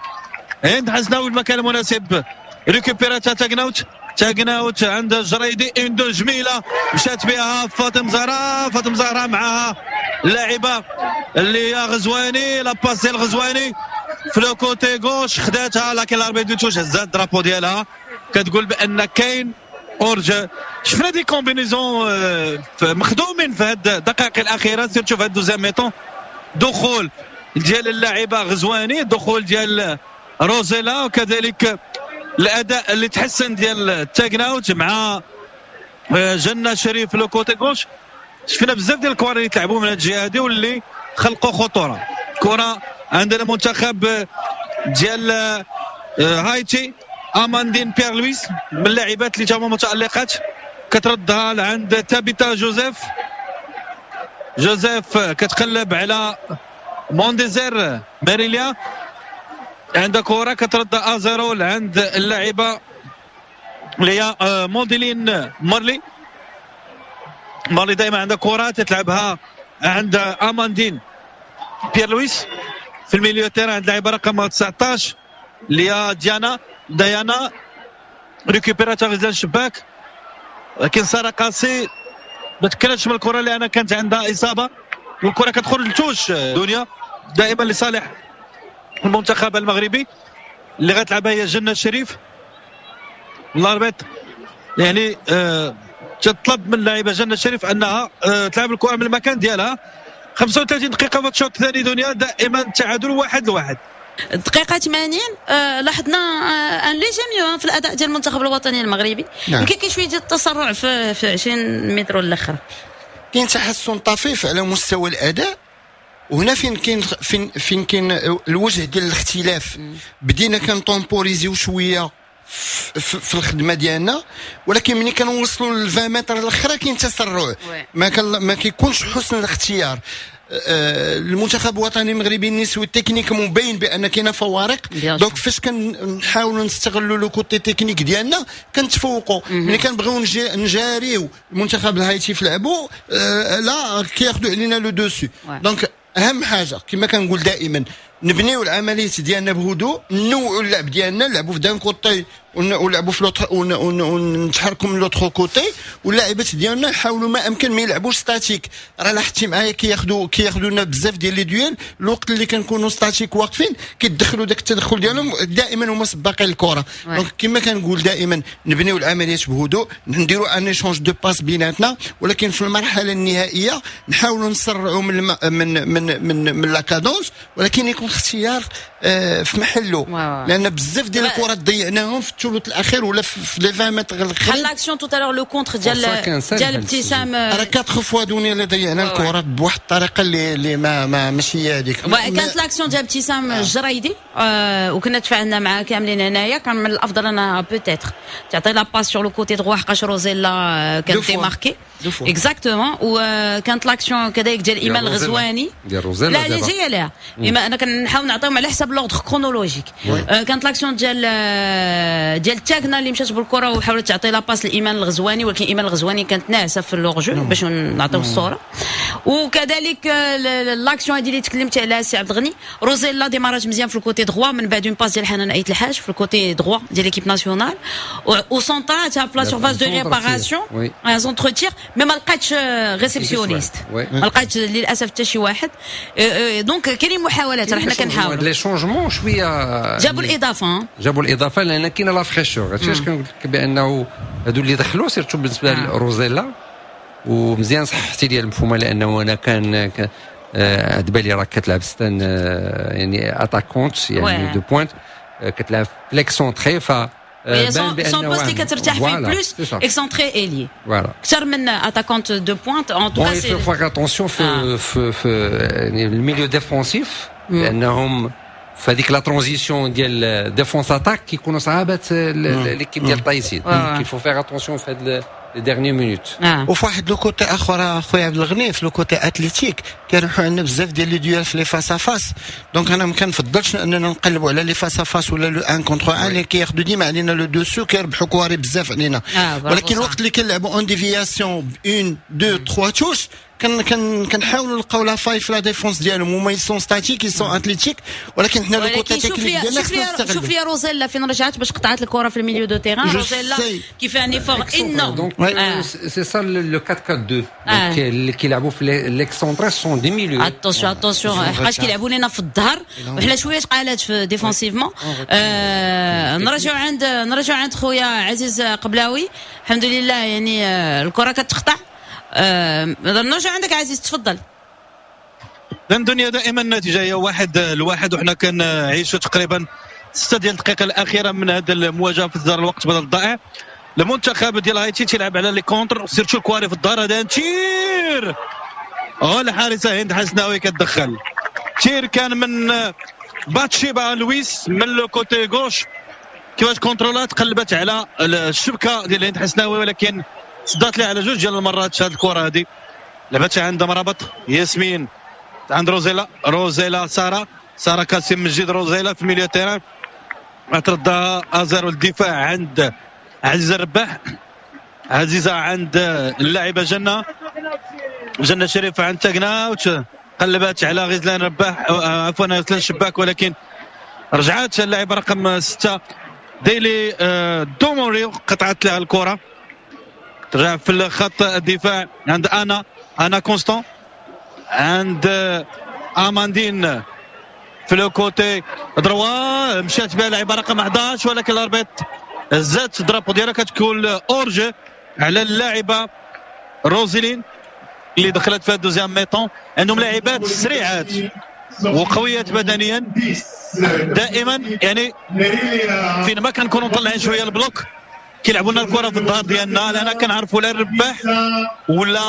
هند حسناوي المكان المناسب، récupér اتها تاكناوت، تاكناوت عند جريدي، une-deux جميلة مشات بها فاطم زهراء، فاطم زهراء معها اللاعبه اللي هي غزواني، la passe ديال غزواني في le côté gauche خداتها، لكن l'arbitre de touche هزات ال drapeau ديالها كتقول بان كاين hors-jeu. شفنا des combinaisons مخدومين في هاد الدقائق الاخيره، surtout في هاد deuxième mi-temps، دخول ديال اللاعبه غزواني، دخول ديال روزيلا، وكذلك الاداء اللي تحسن ديال تاغناوت مع جنة شريف le côté gauche. شفنا بزاف ديال الكوار اللي تلعبوا من هذه الجهة هذه واللي خلقوا خطوره. كره عندنا منتخب ديال هايتي، اماندين بيير لويس من اللاعبات اللي تاهما متالقات، كتردها لعند تابيتا جوزيف، جوزيف كتقلب على مونديزير ماريليا، عندها كره كترد à zéro لعند اللاعبه اللي هي مونديلين مارلي، مارلي دائما عندها كره تتلعبها عند اماندين بيير لويس في ال milieu terrain عند اللاعبه رقم 19 اللي هي ديانا، ديانا récupérer اتها غزلان الشباك، لكن ساره قاسي ما تكلتش من الكره لان كانت عندها اصابه، والكره كتخرج ل touche دنيا دائما لصالح المنتخب المغربي. اللي غتلعبها هي جنة الشريف. l'arbitre يعني تطلب من اللاعبه جنة الشريف انها تلعب الكره من المكان ديالها. 35 دقيقة في الشوط الثاني دنيا، دائما تعادل 1-1. الدقيقة 80 لاحظنا un léger mieux في الاداء ديال المنتخب الوطني المغربي. يمكن كاين شوية ديال التسرع في 20 متر الاخر، كاين تحسن طفيف على مستوى الاداء، وهنا فين كاين فين كاين الوجه ديال الاختلاف. بدينا كن temporiser يو شوية في الخدمة ديالنا، ولكن ملي كنوصلوا ل 20 متر الاخرى كاين تسرع، ما كيكونش حسن الاختيار. المنتخب الوطني المغربي النسوي techniquement مبين بان كاينه فوارق، donc فاش كنحاولوا نستغلوا le côté technique ديالنا كنتفوقوا. ملي كنبغيو نجاريو المنتخب الهايتي في لعبوا لا كياخذوا علينا le dessus. donc اهم حاجة كما كنقول دائما نبنيو العمليات ديالنا بهدوء، نوعوا اللعب ديالنا، نلعبوا في d'un côté ونلعبوا في l'autre ونتحركوا من l'autre côté، واللاعبات ديالنا يحاولوا ما امكن ما يلعبوش statique. راه لاحظتي معايا كياخذوا لنا بزاف ديال les duels. الوقت اللي كنكونوا statiques واقفين كيدخلوا داك التدخل ديالهم، دائما هما سباقين الكره. donc كما كنقول دائما نبنيو العمليات بهدوء، نديروا un échange de passes بيناتنا، ولكن في المرحلة النهائية نحاولوا نسرعوا من من من من, من la cadence، ولكن يكون اختيار في محله، لان بزاف ديال الكرات ضيعناهم في الثلث الاخير ولا في les 20 متر الاخرين. بحال l'action tout à l'heure، le contre ديال ابتسام، راه 4 fois دوني اللي ضيعنا الكرات بواحد الطريقة اللي ما ماشي هي هذيك. كانت l'action ديال ابتسام الجريدي وكنا تفاعلنا معاه كاملين هنايا، كان من الافضل انا peut-être تعطي la passe sur le côté droit، حقاش روزيلا كانت démarquée exactement. وكانت l'action كذلك ديال ايمان الغزواني. ديال روزيلا. لا، اللي جاية لها انا كنحاول نعطيهم على حسب l'ordre chronologique. كانت l'action ديال تاكنا اللي مشات بالكرة وحاولت تعطي la passe لايمان الغزواني، ولكن ايمان الغزواني كانت ناعسه في l'hors-jeu باش نعطيو الصوره. وكذلك l'action هذه اللي تكلمت عليها سي عبد الغني، روزيلا démarrage مزيان في ال côté droit، من بعد une passe ديال حنان ايت الحاج في ال côté droit ديال l'équipe nationale وسونطراتها في la surface de réparation، un centre-tir، mais ما لقاتش réceptionniste، ما لقاتش للاسف حتى شي واحد. donc كاينين محاولات، راه حنا كنحاولوا. les changements شويه. جابوا الاضافه. جابوا الاضافه، لان كاينه la fraîcheur. هادشي علاش كنقول لك بانه هادو اللي دخلوا، surtout بالنسبة لروزيلا، ومزيان صححتي لي المفهومه، لانه انا كان عند بالي راه كتلعب c'est une يعني attaquante يعني de pointe، كتلعب في l'excentré، ف son poste اللي كترتاح فيه plus excentré ailier اكثر من attaquante de pointe en tout cas. il faut faire attention في يعني ال milieu défensif، لانهم في هذيك la transition ديال défense attaque كيكونوا صعابات l'équipe ديال تايسين. qu'il faut faire attention في هاد les dernières minutes. وفي واحد le côté اخر اخويا عبد الغني، في le côté athlétique كيربحوا عندنا بزاف ديال les duels في les face à face. donc انا ما كنفضلش اننا نقلبوا على les face à face ولا le 1 contre 1، اللي كياخذوا ديما علينا le dessus، كيربحوا كواري بزاف علينا. ولكن الوقت اللي كنلعبوا en déviation 1 2 3 touches، كان كان كنحاولوا نلقاو la faille في la défense ديالهم. هما ils sont statiques، ils sont athlétiques، ولكن حنا le côté technique ديالنا خصنا نستغلوا. شوف لي روزيلا فين رجعت باش قطعت الكره في ال milieu de terrain، روزيلا qui fait un effort énorme. donc c'est ça le 4 4 2 اللي كيلعبوا في l'excentré sont des milieux. attention attention، حقاش كيلعبوا لنا في الظهر وحنا شوية قالات في défensivement. نرجعوا عند خويا عزيز قبلاوي. الحمد لله، يعني الكره كتقطع. نرجع عندك عزيز، تفضل. دنيا، دائما النتيجة هي 1-1، وحنا كنعيشوا تقريبا 6 ديال الدقائق الاخيرة من هذه المواجهة في الدار الوقت بدل الضائع. المنتخب ديال هايتي تيلعب على les contres، surtout الكواري في الدار. هذا tir، الحارسه هند حسناوي كتدخل. tir كان من باتشيبا لويس من le côté gauche، كيفاش contrôle ات قلبت على الشبكة ديال هند حسناوي، ولكن صدات لها على جوج ديال المرات هذه الكره. هذه لعبتها عند مرابط ياسمين، عند روزيلا، روزيلا ساره، ساره كاسم مجيد، روزيلا في milieu terrain تردها ازر الدفاع عند عزيزه الرباح، عزيزه عند اللاعبه جنه، جنة شريفه عند تاكناوت، قلبات على غزلان رباح، عفوا غزلان شباك، ولكن رجعات اللاعبه رقم 6. ديلي دوموري قطعت لها الكره، ترجع في الخط الدفاع عند انا كونستون، عند اماندين في le côté droit، مشات بها لاعبه رقم 11 ولكن l'arbitre هزات drapeau ديالها، كتكون hors-jeu على اللاعبه روزيلين اللي دخلت في ال deuxième mi-temps. عندهم لاعبات سريعات وقويات بدنيا دائما، يعني فين ما كنكونوا مطلعين شوية ال bloc كيلعبوا لنا الكره في الظهر ديالنا، لان كنعرفوا لا الرباح ولا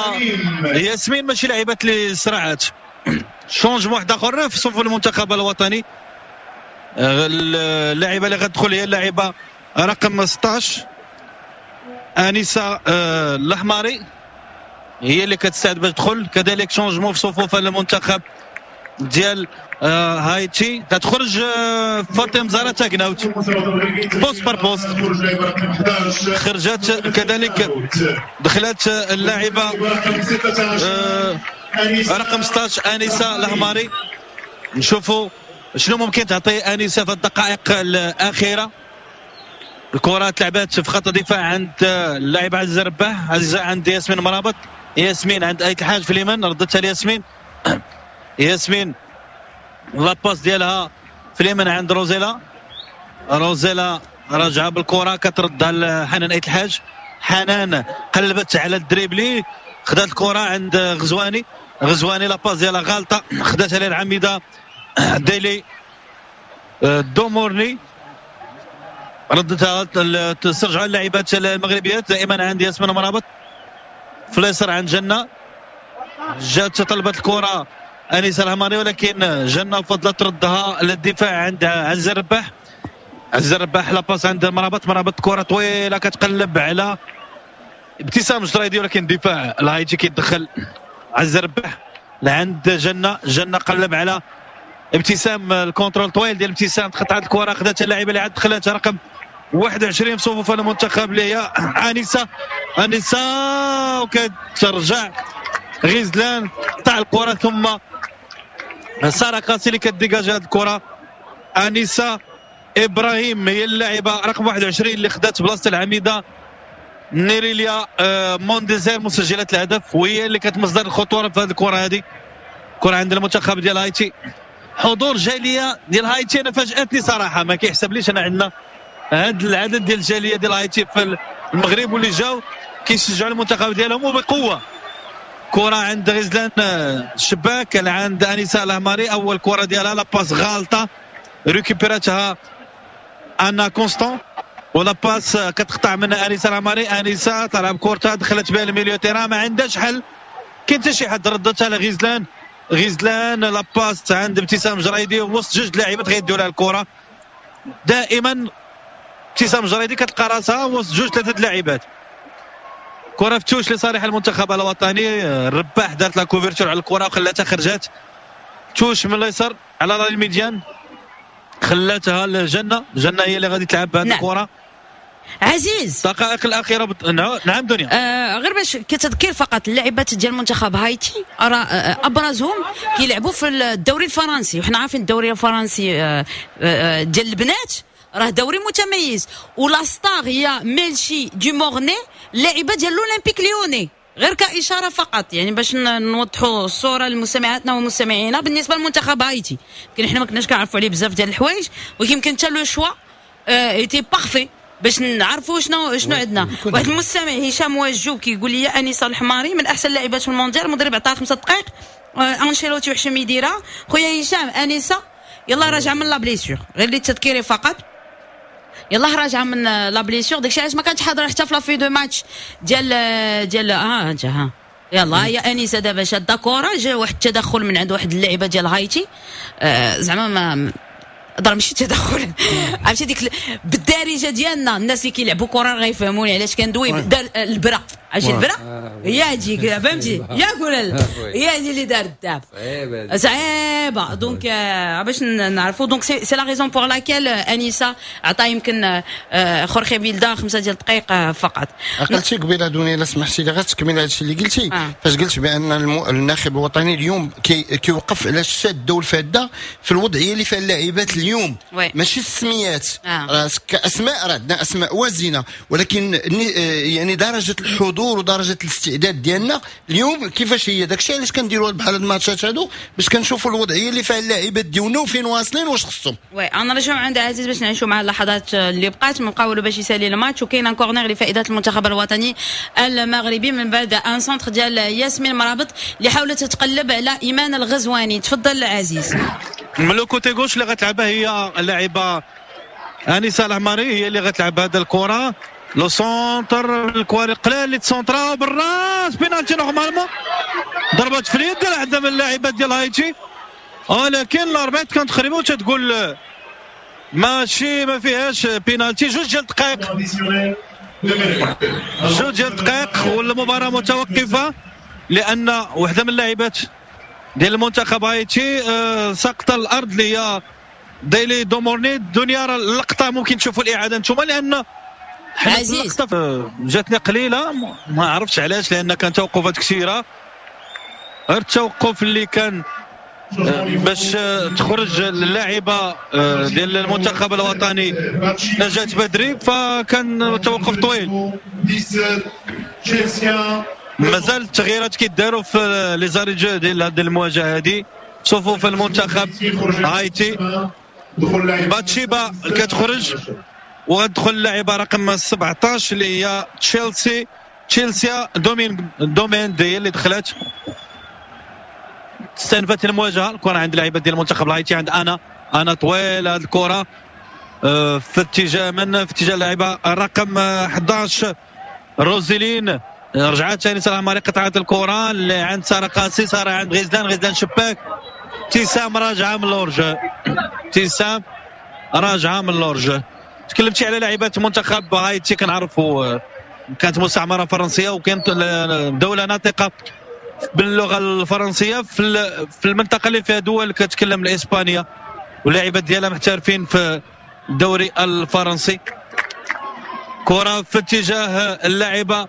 ياسمين ماشي لاعبات اللي سرعات. changement واحد اخر في صفوف المنتخب الوطني، اللاعبه اللي غتدخل هي اللاعبه رقم 16 انيسة الاحمري، هي اللي كتستعد باش تدخل. كذلك changement في صفوف المنتخب ديال هايتي، كتخرج فاطمة زهره تاكناوت poste par poste، خرجت كذلك دخلت اللاعبه رقم 16 انيسة الاحمري. نشوفوا شنو ممكن تعطي انيسة في الدقائق الاخيرة. الكره تلعبات في خط الدفاع عند اللاعب عزيز رباح، عزيزه عند ياسمين مرابط، ياسمين عند ايت الحاج في اليمين، ردتها لياسمين، ياسمين la passe ديالها في اليمين عند روزيلا، روزيلا راجعه بالكرة كتردها لحنان ايت الحاج، حنان قلبت على ال dribbler، خدات الكره عند غزواني، غزواني la passe ديالها غالطه، خداتها للعميده ديلي دومورني، ردتها تسترجع اللاعبات المغربيات دائما عند ياسمين مرابط، في اليسار عند جنة، جات طلبت الكره انيسة الهماني ولكن جنة فضلت تردها للدفاع عند عز الرباح، عز الرباح la passe عند مرابط، مرابط كره طويلة كتقلب على ابتسام جريدي ولكن الدفاع الهايتي كيتدخل. عز الرباح لعند جنة، جنة قلب على ابتسام، ال contrôle طويل ديال ابتسام، تقطعت الكره، خداتها اللاعبه اللي عاد دخلت رقم 21 في صفوف المنتخب اللي هي انيسة، انيسة وكترجع غزلان تاع الكره، ثم ساره قاسي اللي ك dégager هذه الكره. انيسة ابراهيم هي اللاعبه رقم 21 اللي خدات بلاصة العميده نيريليا مونديزير مسجله الهدف، وهي اللي كانت مصدر الخطورة في هذه الكره. هذه كره عند المنتخب ديال هايتي. حضور جالية ديال هايتي انا فاجاتني صراحة، ما كيحسبليش انا عندنا هذا العدد ديال الجالية ديال هايتي في المغرب واللي جاو كيشجعوا المنتخب ديالهم وبقوة. كره عند غزلان الشباك عند انيسة الهماري، اول كره ديالها la passe غالطه ريكوبيراتها انا كونستون، و la passe كتقطع من انيسة الهماري، انيسة تلعب كورتها دخلت بها ال milieu terrain، ما عندهاش حل، كاين حتى شي حد، ردتها لغزلان، غزلان la passe عند ابتسام جريدي وسط جوج لاعبات غيديو لها الكره. دائما ابتسام جريدي كتلقى راسها وسط جوج ثلاثة لاعبات. كره في touche لصالح المنتخب الوطني، الرباح دارت la couverture على الكره وخلاتها خرجت touche من اليسار على la ligne médiane، خلاتها لجنة، جنة هي اللي غادي تلعب بهذه الكره. عزيز الدقائق الاخيرة نعم دنيا. غير باش كتذكير فقط، اللاعبات ديال منتخب هايتي راه ابرزهم كيلعبوا في الدوري الفرنسي، وحنا عارفين الدوري الفرنسي ديال البنات راه دوري متميز، و la star هي ميلشي دومورني اللاعبه ديال l'Olympique Lyonnais. غير كاشاره فقط يعني باش نوضحوا الصورة لمستمعاتنا ومستمعينا بالنسبة لمنتخب هايتي، يمكن حنا ما كناش كنعرفوا عليه بزاف ديال الحوايج، ولكن يمكن حتى le choix était parfait باش نعرفوا شنو عندنا. واحد المستمع هشام واجو كيقول لي انيسة الحماري من احسن اللاعبات في المونديال، المدرب عطاها 5 دقائق، انشيلوتي وحشم يديرها. خويا هشام انيسة يلا راجعه من la blessure، غير للتذكير فقط، يلاه راجعه من la blessure، داكشي علاش ما كانتش حاضره حتى في la feuille de match ديال ها يلا يا انيسة دابا شاده كره، جا واحد التدخل من عند واحد اللاعبه ديال هايتي، زعما ما ضرب ماشي تدخل، عرفتي ديك بالدارجة ديالنا الناس اللي كيلعبوا كره غيفهموني علاش كندوي، دار البرا عرفتي البرا هي هذيك، فهمتي؟ ياك ولا لا؟ هي هذه اللي دارت دابا صعيبه. donc باش نعرفوا، donc c'est la raison pour laquelle انيسة عطا يمكن خورخي فيلدا 5 ديال الدقائق فقط. عقلتي قبيلة دنيا، الا سمحتي لي غير تكمل هادشي اللي قلتي. فاش قلت بان الناخب الوطني اليوم كيوقف على الشاده والفاده في الوضعية اللي فيها اللاعبات اليوم، ماشي السميات. راه كاسماء راه عندنا اسماء وازنه، ولكن يعني درجه الحضور ودرجة الاستعداد ديالنا اليوم كيفاش هي. داكشي علاش كنديروا بحال هاد الماتشات هادو، باش كنشوفوا الوضعية اللي فيها اللاعبات ديالنا وفين واصلين واش خصهم. oui، انا نرجعوا عند عزيز باش نعيشوا مع اللحظات اللي بقات من قاولوا باش يسالي الماتش. وكاين un corner لفائدة المنتخب الوطني المغربي من بعد un centre ديال ياسمين مرابط اللي حاولت تتقلب على ايمان الغزواني. تفضل عزيز. من le côté gauche اللي غتلعبها هي اللاعبه انيسة العماري، هي اللي غتلعب هذا الكره. le centre، الكواري قلال اللي تسونطرا بالراس، penalty normalement، ضربت في اليد واحدة من اللاعبات ديال هايتي، ولكن l'arbitre كانت قريبه وتتقول ماشي، ما فيهاش بينالتي. 2 ديال الدقائق، 2 ديال الدقائق والمباراة متوقفه لان وحده من اللاعبات ديال المنتخب هايتي سقط الارض، اللي هي ديلي دومورني. دنيا اللقطة ممكن تشوفوا الاعادة انتم، لان عزيز. اللقطة جاتني قليله، ما عرفتش علاش، لان كان توقفات كثيره. غير التوقف اللي كان باش تخرج اللاعبه ديال المنتخب الوطني نجاة بدري، فكان توقف طويل. مازال التغييرات كيداروا في les arrêts de jeu ديال هذه المواجهة هذه. صفوف المنتخب هايتي، باتشيبا كتخرج وغتدخل اللاعبه رقم 17 اللي هي تشيلسي، تشيلسيا دومين دومين دي اللي دخلت. استنفت المواجهه. الكره عند اللاعبه ديال المنتخب الهايتي، عند انا انا طويل هذه الكره في اتجاه من؟ في اتجاه اللاعبه رقم 11 روزيلين. رجعت ثاني ساره ماري، قطعت الكره اللي عند ساره قاسي، ساره عند غزلان، غزلان شباك، ابتسام راجعه من l'hors-jeu، ابتسام راجعه من l'hors-jeu. تكلمتي على لاعبات منتخب هايتي، كنعرفوا كانت مستعمرة فرنسية وكانت دولة ناطقه باللغة الفرنسية في المنطقة اللي فيها دول كتكلم الاسبانيه، واللاعبات ديالها محترفين في الدوري الفرنسي. كره في اتجاه اللاعبه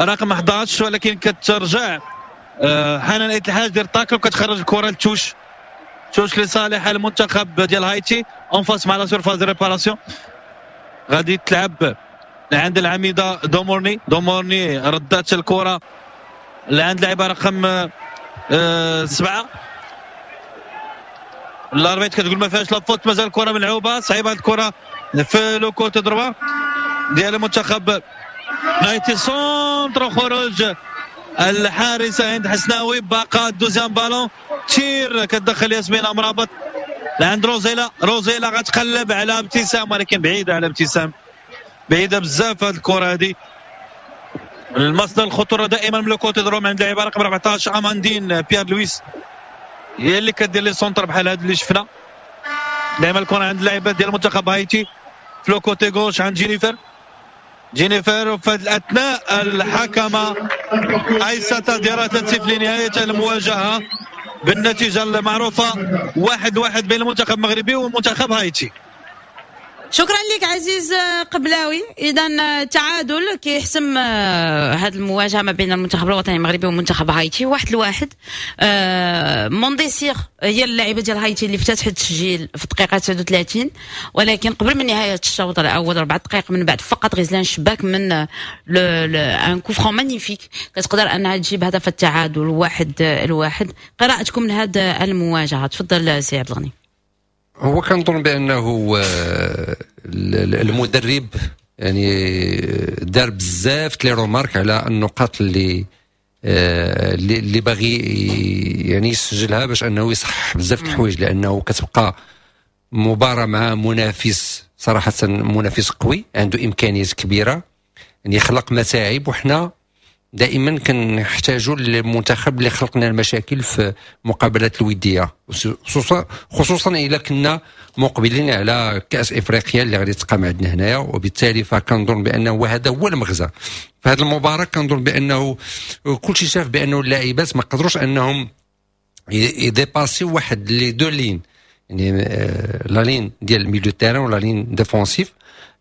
رقم 11 ولكن كترجع حنان ايت الحاج، دير tacle وكتخرج الكره ل touche، touche لصالح المنتخب ديال هايتي en face مع la surface de réparation. غادي تلعب عند العميده دومورني. دومورني ردات الكره لعند لاعبه رقم 7. l'arbitre كتقول ما فيهاش la faute، مازال الكره ملعوبه. صعيبة الكره في le côté droit ديال المنتخب هايتي، centre، خروج الحارسه هند حسناوي. باقا deuxième ballon، tir، كتدخل ياسمين امرابط لعند روزيلا. روزيلا غتقلب على ابتسام ولكن بعيدة على ابتسام، بعيدة بزاف هذه الكره هذه. المصدر الخطورة دائما من le côté droit عند اللاعب رقم 14 اماندين بيير لويس، هي اللي كدير les centres بحال هذا اللي شفنا. دائما الكره عند اللاعبات ديال المنتخب هايتي في le côté gauche عند جينيفر، جينيفر. وفي هذه الاثناء الحكمة ايساتا ديارة تسيف لنهاية المواجهة بالنتيجة المعروفة 1-1 بين المنتخب المغربي ومنتخب هايتي. شكرا لك عزيز قبلاوي. اذا تعادل كيحسم هذه المواجهة ما بين المنتخب الوطني المغربي ومنتخب هايتي 1-1. مونديسير هي اللاعبه ديال هايتي اللي افتتحت التسجيل في الدقيقة 39، ولكن قبل من نهاية الشوط الاول 4 دقائق من بعد فقط غزلان شباك من un coup franc magnifique كتقدر انها تجيب هدف التعادل 1-1. قراءتكم لهذه المواجهه؟ تفضل سي عبد الغني. هو كنظن بانه المدرب يعني دار بزاف les remarques على النقاط اللي باغي يعني يسجلها باش انه يصحح بزاف الحوايج، لانه كتبقى مباراة مع منافس صراحة منافس قوي عنده امكانيات كبيره، يعني خلق متاعب، وحنا دائما كنحتاجوا للمنتخب اللي خلقنا المشاكل في مقابلات الوديه، خصوصا اذا كنا مقبلين على كاس افريقيا اللي غادي تقام عندنا هنايا. وبالتالي فكنظن بانه هذا هو المغزى في هذه المباراه. كنظن بانه كل شيء شاف بانه اللاعبات ما قدروش انهم ي dépasser واحد les deux lignes، يعني la ligne ديال milieu terrain و la ligne défensive.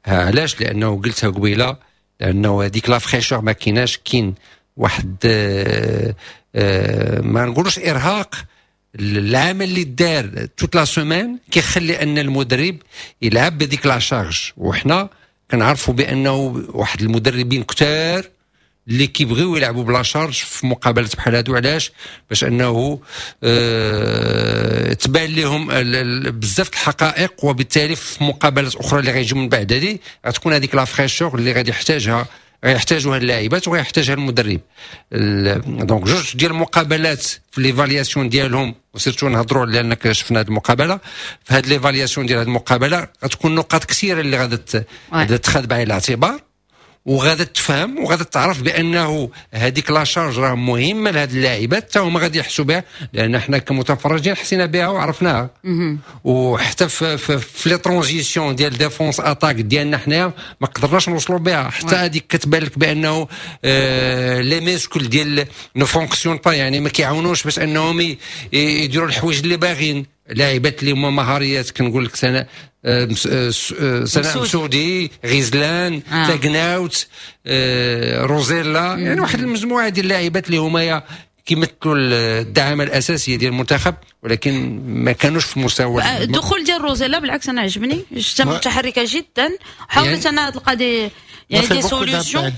علاش؟ لانه قلتها قبيله، لانه هذيك la fraîcheur ما كايناش، كاين واحد ما نقولوش ارهاق، العمل اللي دار toute la semaine كيخلي ان المدرب يلعب بهذيك la charge. وحنا كنعرفوا بانه واحد المدربين كثار اللي كيبغيو يلعبوا ب la charge في مقابلات بحال هادو. علاش؟ باش انه تبان لهم بزاف الحقائق، وبالتالي في مقابلات اخرى اللي غيجيو من بعد هذه غتكون هذيك la fraîcheur اللي غادي يحتاجها، غيحتاجوها اللاعبات وغيحتاجها المدرب. donc جوج ديال المقابلات في l'évaluation ديالهم، و surtout نهضروا لان شفنا هذه المقابله، في هذه l'évaluation ديال هذه المقابلة غتكون نقاط كثيرة اللي غادي تخذ بعين الاعتبار، وغادا تفهم وغادا تعرف بانه هذيك la charge راه مهمة لهاد اللاعبات، حتى هما غادي يحسوا بها، لان حنا كمتفرجين حسينا بها وعرفناها. وحتى في les transitions ديال défense attaque ديالنا حنايا ما قدرناش نوصلوا بها حتى هذيك. كتبان لك بانه les muscles ديال ne fonctionnent pas، يعني ما كيعاونوش باش انهم يديروا الحوايج اللي باغيين. لاعبات اللي هما مهاريات، كنقول لك سناء سناء مسودي، غزلان، تاكناوت، روزيلا، يعني واحد المجموعة ديال اللاعبات اللي هما كيمثلوا الدعامه الاساسية ديال المنتخب، ولكن ما كانوش في مستوى. الدخول ديال روزيلا بالعكس انا عجبني، شفتها متحركة جدا، حاولت يعني انا تلقى des يعني des solutions،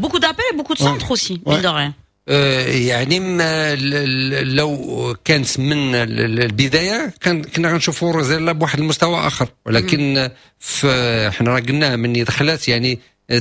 beaucoup d'appels، beaucoup de centres aussi، mine de rien. يعني لو كانت من البداية كان كنا غنشوفوا روزيلا بواحد المستوى اخر، ولكن في حنا راه قلنا من دخلات يعني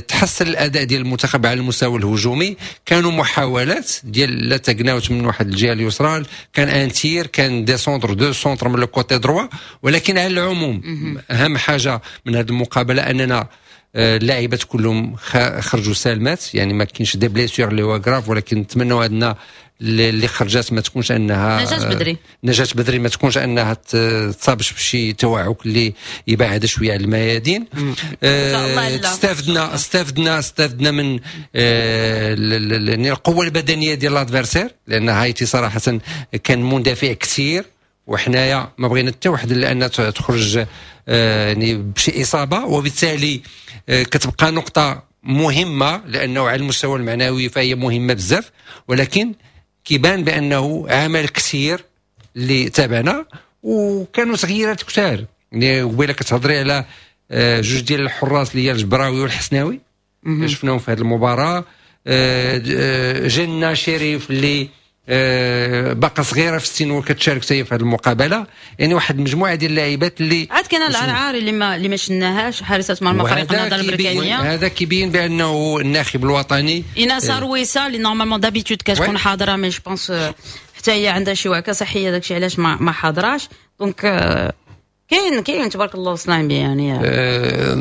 تحسن الاداء ديال المنتخب على المستوى الهجومي. كانوا محاولات ديال لا تقناوت من واحد الجهة اليسرى، كان un tir، كان des centres، deux centres من le côté droit. ولكن على العموم اهم حاجة من هذه المقابلة اننا اللاعبات كلهم خرجوا سالمات، يعني ما كاينش des blessures اللي هو graves، ولكن نتمنوا عندنا اللي خرجات ما تكونش انها نجاة بدري. نجاة بدري ما تكونش انها تصابش بشي توعك اللي يبعد شوية على الميادين. استفدنا من القوة البدنية ديال l'adversaire، لان هايتي صراحة كان مندفع كثير، وحنايا ما بغينا حتى واحد لان تخرج يعني بشي اصابه. وبالتالي كتبقى نقطة مهمه، لانه على المستوى المعنوي فهي مهمة بزاف، ولكن كيبان بانه عمل كثير اللي تابعنا وكانوا تغييرات كثار. يعني قبيلة كتهضري على جوج ديال الحراس اللي هي الجبراوي والحسناوي، شفناهم في هذه المباراه. جنة شريف اللي باقا صغيرة في السن وكتشارك حتى في هذه المقابله، يعني واحد المجموعة ديال اللاعبات اللي عاد كاين العرعاري اللي ما شناهاش، حارسه مرمى فريق النهضة البركانيه. هذا كيبين بانه الناخب الوطني ايناس رويسا اللي normalement d'habitude كتكون حاضره، mais je pense حتى هي عندها شي وعكه صحيه، داكشي علاش ما حاضراش. donc كاين تبارك الله وصلنا يعني.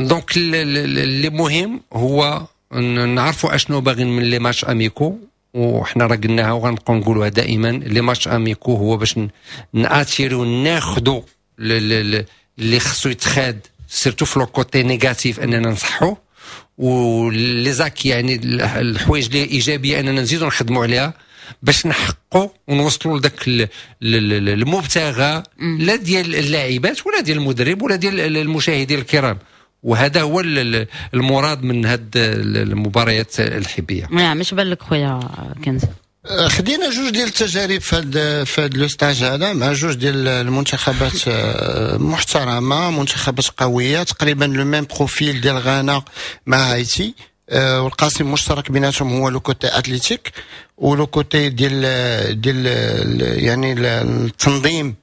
donc اللي مهم هو نعرفوا اشنو باغيين من les matchs amicaux، وحنا راه قلناها وغنبقاو نقولوها دائما، les matchs amicaux هو باش ن attirer ناخذوا اللي خصو يتخاد surtout في le côté négatif اننا نصحو، و les acquis، يعني الحوايج اللي ايجابية اننا نزيدو نخدموا عليها باش نحققوا ونوصلوا لذاك المبتغى، لا ديال اللاعبات ولا ديال المدرب ولا ديال المشاهدين الكرام. وهذا هو المراد من هذه المباريات الحبيه. نعم، مش بالك خويا كنز؟ خدينا جوج ديال التجارب في هاد le stage هذا مع جوج ديال المنتخبات محترمه، منتخبات قويه، تقريبا le même profil ديال غانا مع هايتي، والقاسم المشترك بيناتهم هو le côté athlétique و le côté ديال يعني التنظيم.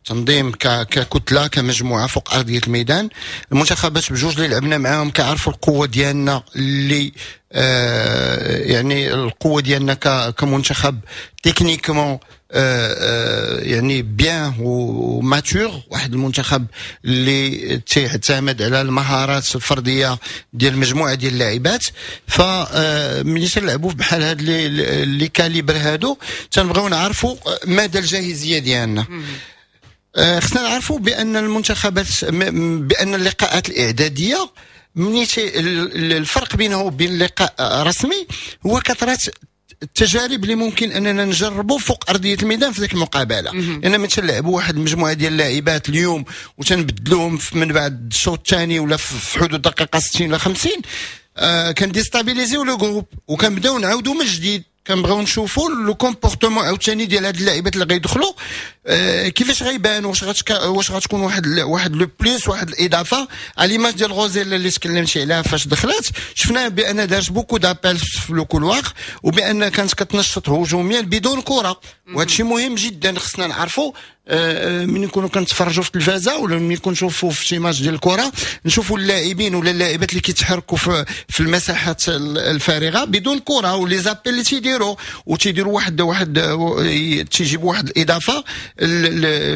تنظيم ككتله، كمجموعة فوق ارضية الميدان. المنتخبات بجوج اللي لعبنا معاهم كيعرفوا القوة ديالنا اللي يعني القوة ديالنا كمنتخب techniquement يعني bien و mature، واحد المنتخب اللي تعتمد على المهارات الفردية ديال مجموعة ديال اللاعبات. ف ملي تنلعبوا بحال هاد les calibres هادو تنبغيو نعرفوا مدى الجاهزيه ديالنا. خصنا نعرفوا بان المنتخبات، بان اللقاءات الاعدادية ملي الفرق بينه وبين لقاء رسمي هو كثرة التجارب اللي ممكن اننا نجربوا فوق ارضية الميدان في ذيك المقابله، لان ملي تنلعبوا واحد المجموعة ديال اللاعبات اليوم وتنبدلوهم من بعد الشوط الثاني ولا في حدود دقيقة 60 ولا 50، كن déstabiliser يو le groupe وكنبداو نعاودوا من جديد. كنبغيو نشوفوا le comportement عاوتاني ديال هاد اللاعبات اللي غيدخلوا كيفاش غيبانوا، واش غتكون واحد le plus، واحد الاضافة على l'image ديال غوزيل اللي تكلمتي عليها. فاش دخلت شفنا بان دارت beaucoup d'appels في le couloir وبان كانت كتنشط هجوميا بدون كره، وهذا الشيء مهم جدا. خصنا نعرفوا من نكونوا كنتفرجوا في التلفازه ولا ملي نشوفوا في شي ماتش ديال الكره، نشوفوا اللاعبين ولا اللاعبات اللي كيتحركوا في المساحات الفارغة بدون كره و les appels اللي تيديروا وتيديروا واحد تيجيبوا واحد الاضافة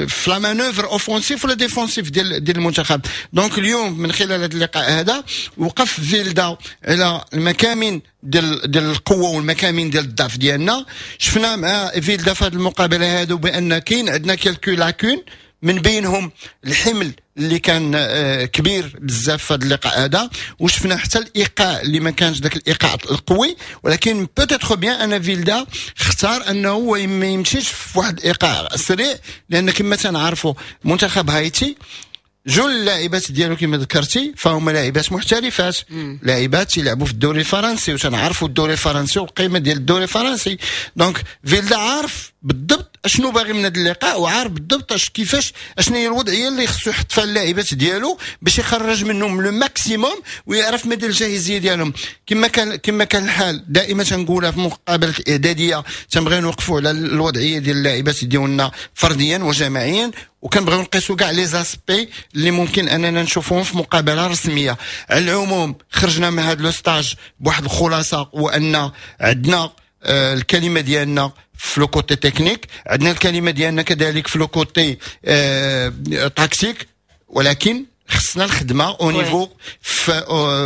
في la manœuvre offensive ولا défensive ديال المنتخب. donc اليوم من خلال هذا اللقاء هذا وقف فيلدا على المكامن ديال القوة والمكامن ديال الضعف ديالنا. شفنا مع فيلدا في هذه المقابلة هذو بان كاين عندنا quelques lacunes، من بينهم الحمل اللي كان كبير بزاف في هذا اللقاء هذا، وشفنا حتى الايقاع اللي ما كانش ذاك الايقاع القوي. ولكن peut-être bien ان فيلدا اختار انه ما يمشيش في واحد الايقاع سريع، لان كما تنعرفوا منتخب هايتي جل اللاعبات ديالو كما ذكرتي فهم لاعبات محترفات، لاعبات يلعبوا في الدوري الفرنسي، وتنعرفوا الدوري الفرنسي والقيمة ديال الدوري الفرنسي. donc فيلدا عارف بالضبط اشنو باغي من هذا اللقاء، وعارف بالضبط اش كيفاش اشنو هي الوضعية اللي خصو يحط فيها اللاعبات ديالو باش يخرج منهم le maximum ويعرف مدى الجاهزيه ديالهم. كما كان الحال دائما تنقولها في مقابله الاعداديه، تنبغيو نوقفوا على الوضعية ديال اللاعبات ديالنا فرديا وجماعيا، وكنبغيو نقيسوا كاع les aspects اللي ممكن اننا نشوفوهم في مقابله رسميه. على العموم خرجنا من هذا le stage بواحد الخلاصه، وان عندنا الكلمة ديالنا في le côté technique، عندنا الكلمة ديالنا كذلك في le côté tactique، ولكن خصنا الخدمة au niveau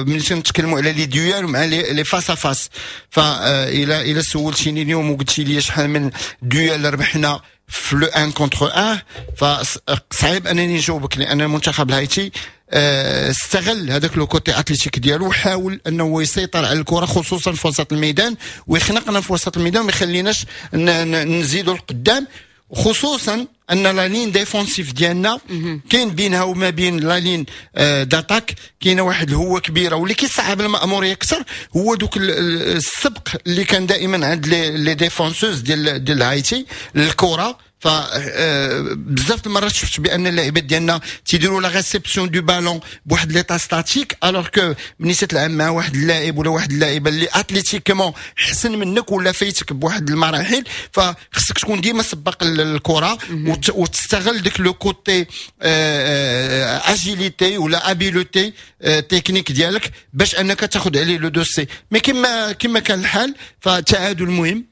ملي تنتكلموا على les duels مع les face à face. فالى الى سولتيني اليوم وقلتي لي شحال من duel ربحنا في le 1 contre 1، فصعيب انني نجاوبك، لان المنتخب الهايتي استغل هذاك le côté athlétique ديالو وحاول انه يسيطر على الكره خصوصا في وسط الميدان ويخنقنا في وسط الميدان وما يخليناش نزيدوا القدام، خصوصا ان la ligne défensive ديالنا كاين بينها وما بين la ligne d'attaque كاينه واحد الهوه كبيره، واللي كيصعب الماموريه اكثر هو دوك السبق اللي كان دائما عند les défenseuses ديال هايتي للكره. ف بزاف المرات شفت بان اللاعبات ديالنا تيديروا la réception du ballon بواحد l'état statique، alors que ملي تلعب مع واحد اللاعب ولا واحد اللاعبه اللي athlétiquement حسن منك ولا فايتك بواحد المراحل، فخصك تكون ديما سبق الكره وتستغل ديك le côté agilité ولا habileté technique ديالك باش انك تاخذ عليه le dessus. mais كما كان الحال فالتعادل مهم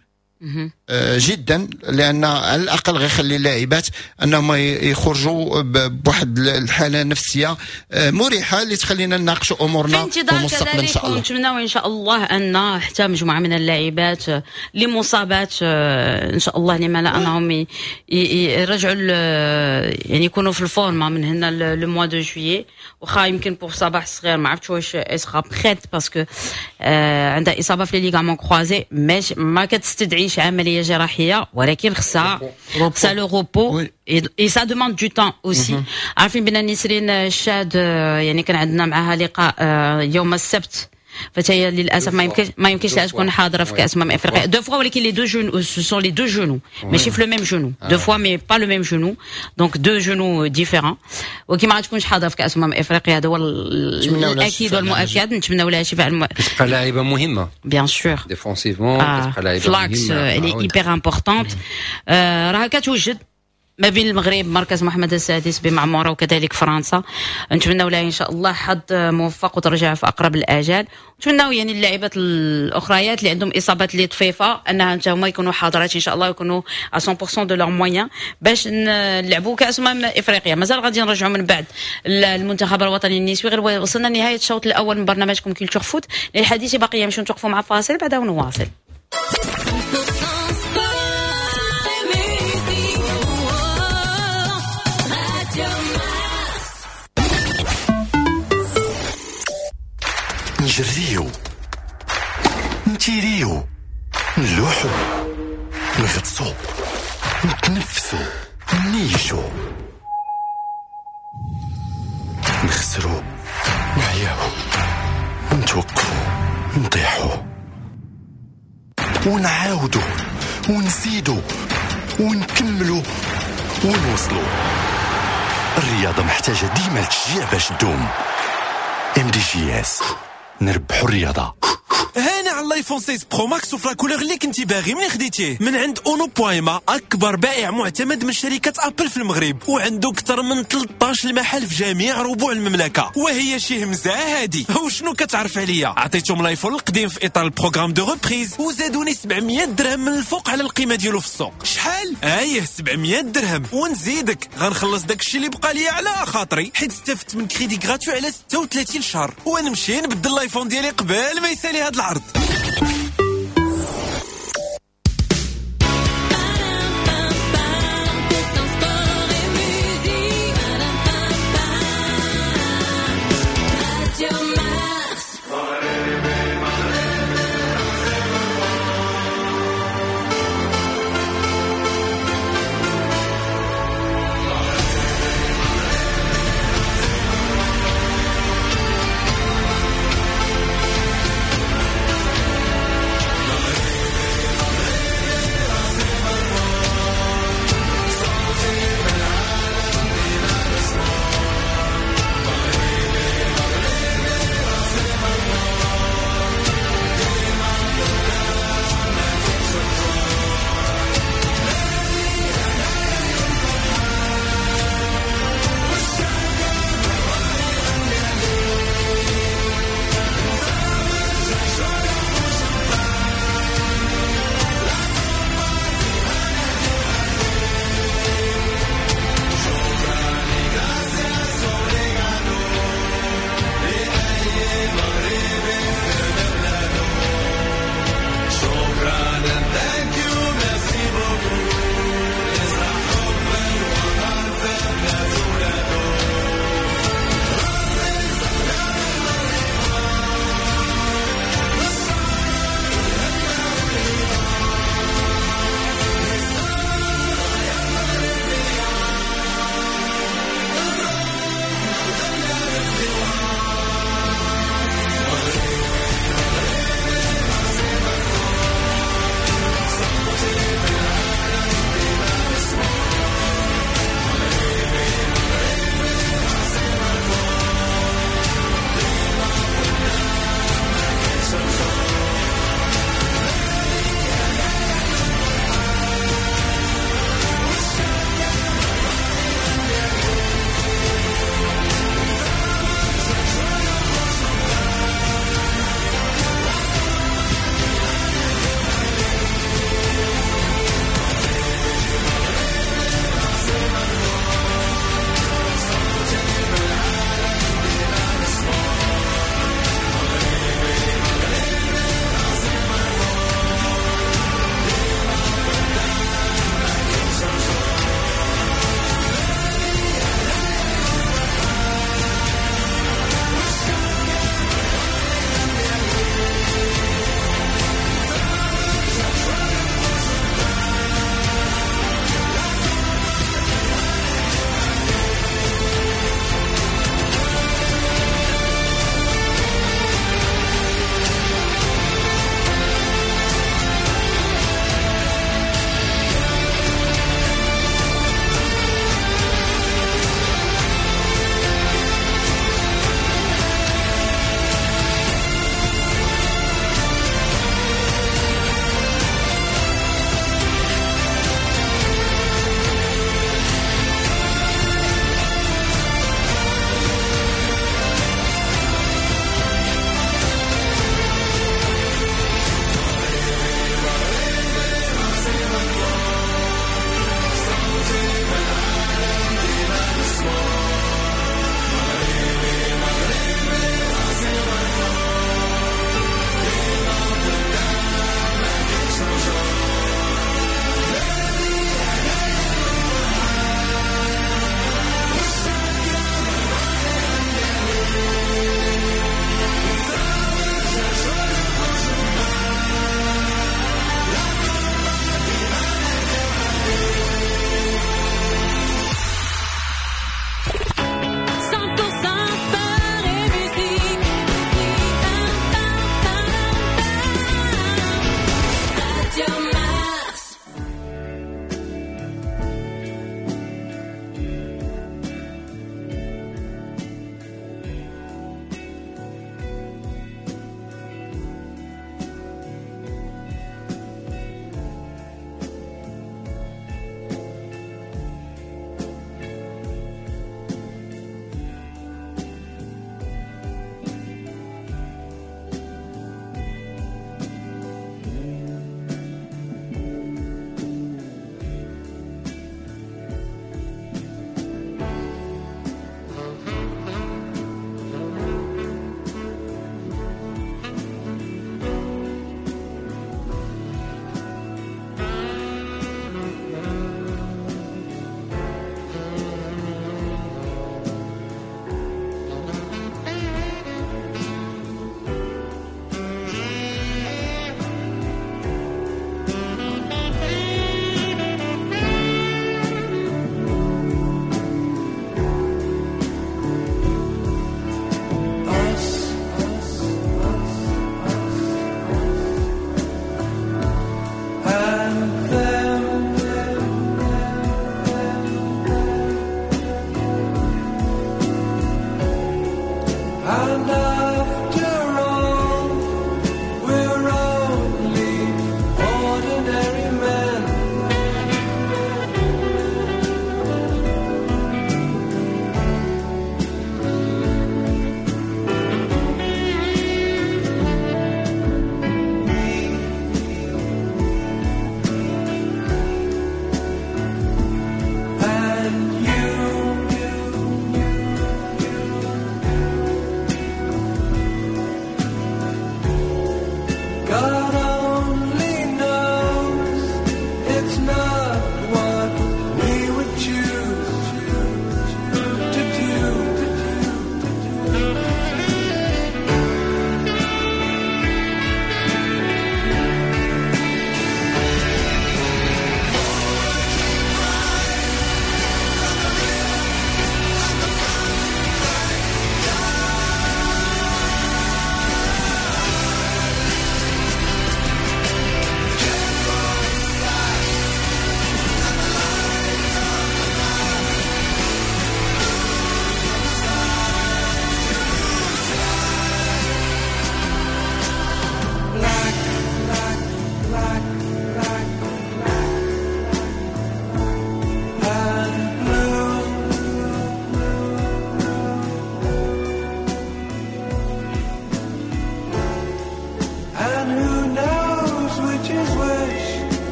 جدا، لان على الاقل غيخلي اللاعبات انهم يخرجوا بواحد الحالة النفسية مريحه اللي تخلينا نناقشوا امورنا في المستقبل ان شاء الله. ونتمناو ان شاء الله ان حتى مجموعة من اللاعبات اللي مصابات ان شاء الله لما لا انهم يرجعوا، يعني يكونوا في ال forme من هنا le mois de juillet. واخا يمكن pour صباح الصغير ما عرفتش واش sera prête parce que عندها اصابه في les ligaments croisés، ماشي ما كتستدعيش عملية جراحيه، ولكن خصها le repos et ça demande du temps aussi. عارفين بان نسرين الشاد يعني كان عندنا معها لقاء يوم السبت، فهي للاسف ما يمكنش لها تكون حاضره في كاس امم افريقيا. deux fois، ولكن les deux genoux، ce sont les deux genoux، ماشي في le même genou، deux fois mais pas le même genou، donc deux genoux différents. ولكن ما غاتكونش حاضره في كاس امم افريقيا، هذا هو الاكيد والمؤكد. نتمناو لها شفاء. كتبقى لاعبه مهمه. bien sûr. défensivement كتبقى لاعبه مهمه. ف l'axe elle est hyper importante. راها كتوجد. ما بين المغرب مركز محمد السادس بمعموره وكذلك فرنسا. نتمنوا لها ان شاء الله حظ موفق وترجع في اقرب الاجال. نتمنوا يعني اللاعبات الاخريات اللي عندهم اصابات اللي طفيفة انها حتى هما يكونوا حاضرات ان شاء الله، ويكونوا 100% de leurs moyens باش نلعبوا كاس افريقيا. مازال غادي نرجعوا من بعد المنتخب الوطني النسوي، غير وصلنا لنهاية الشوط الاول من برنامجكم Culture Foot. للحديث بقية، نمشيو نتوقفوا مع فاصل بعدها ونواصل. نجريو، نتيريو، نلوحو، نغطسو، نتنفسو، نيشو، نخسرو، نعياو، نتوقفو، نطيحو، ونعاودو، ونزيدو، ونكملو، ونوصلو. الرياضة محتاجة ديما لتشجيع باش تدوم. MDJS، نربحو الرياضة. هانا على ال iPhone 6 Pro Max وف la couleur اللي كنتي باغي من خديتيه من عند اونو بويما، اكبر بائع معتمد من شركة ابل في المغرب، وعنده اكثر من 13 محل في جميع ربوع المملكة. وهي شي همزه هادي. وشنو كتعرف عليا؟ عطيتهم ال iPhone القديم في اطار ال programme de reprise وزادوني 700 درهم من الفوق على القيمة ديالو في السوق. شحال؟ ايه 700 درهم. ونزيدك غنخلص داكشي اللي بقى ليا على خاطري، حيت استفدت من crédit gratuit على 36 شهر، ونمشي نبدل ال iPhone ديالي قبل ما يسالي هاد العرض.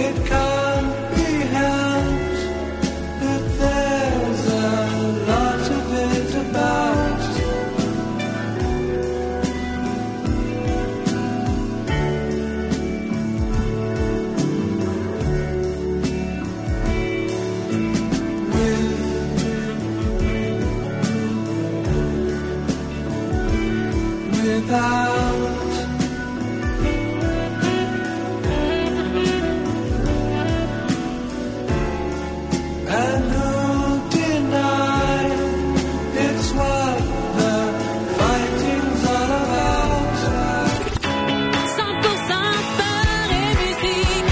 It can't be helped that there's a lot of it about. Without and who'll deny it's what the fighting's all about? 100% sport et musique.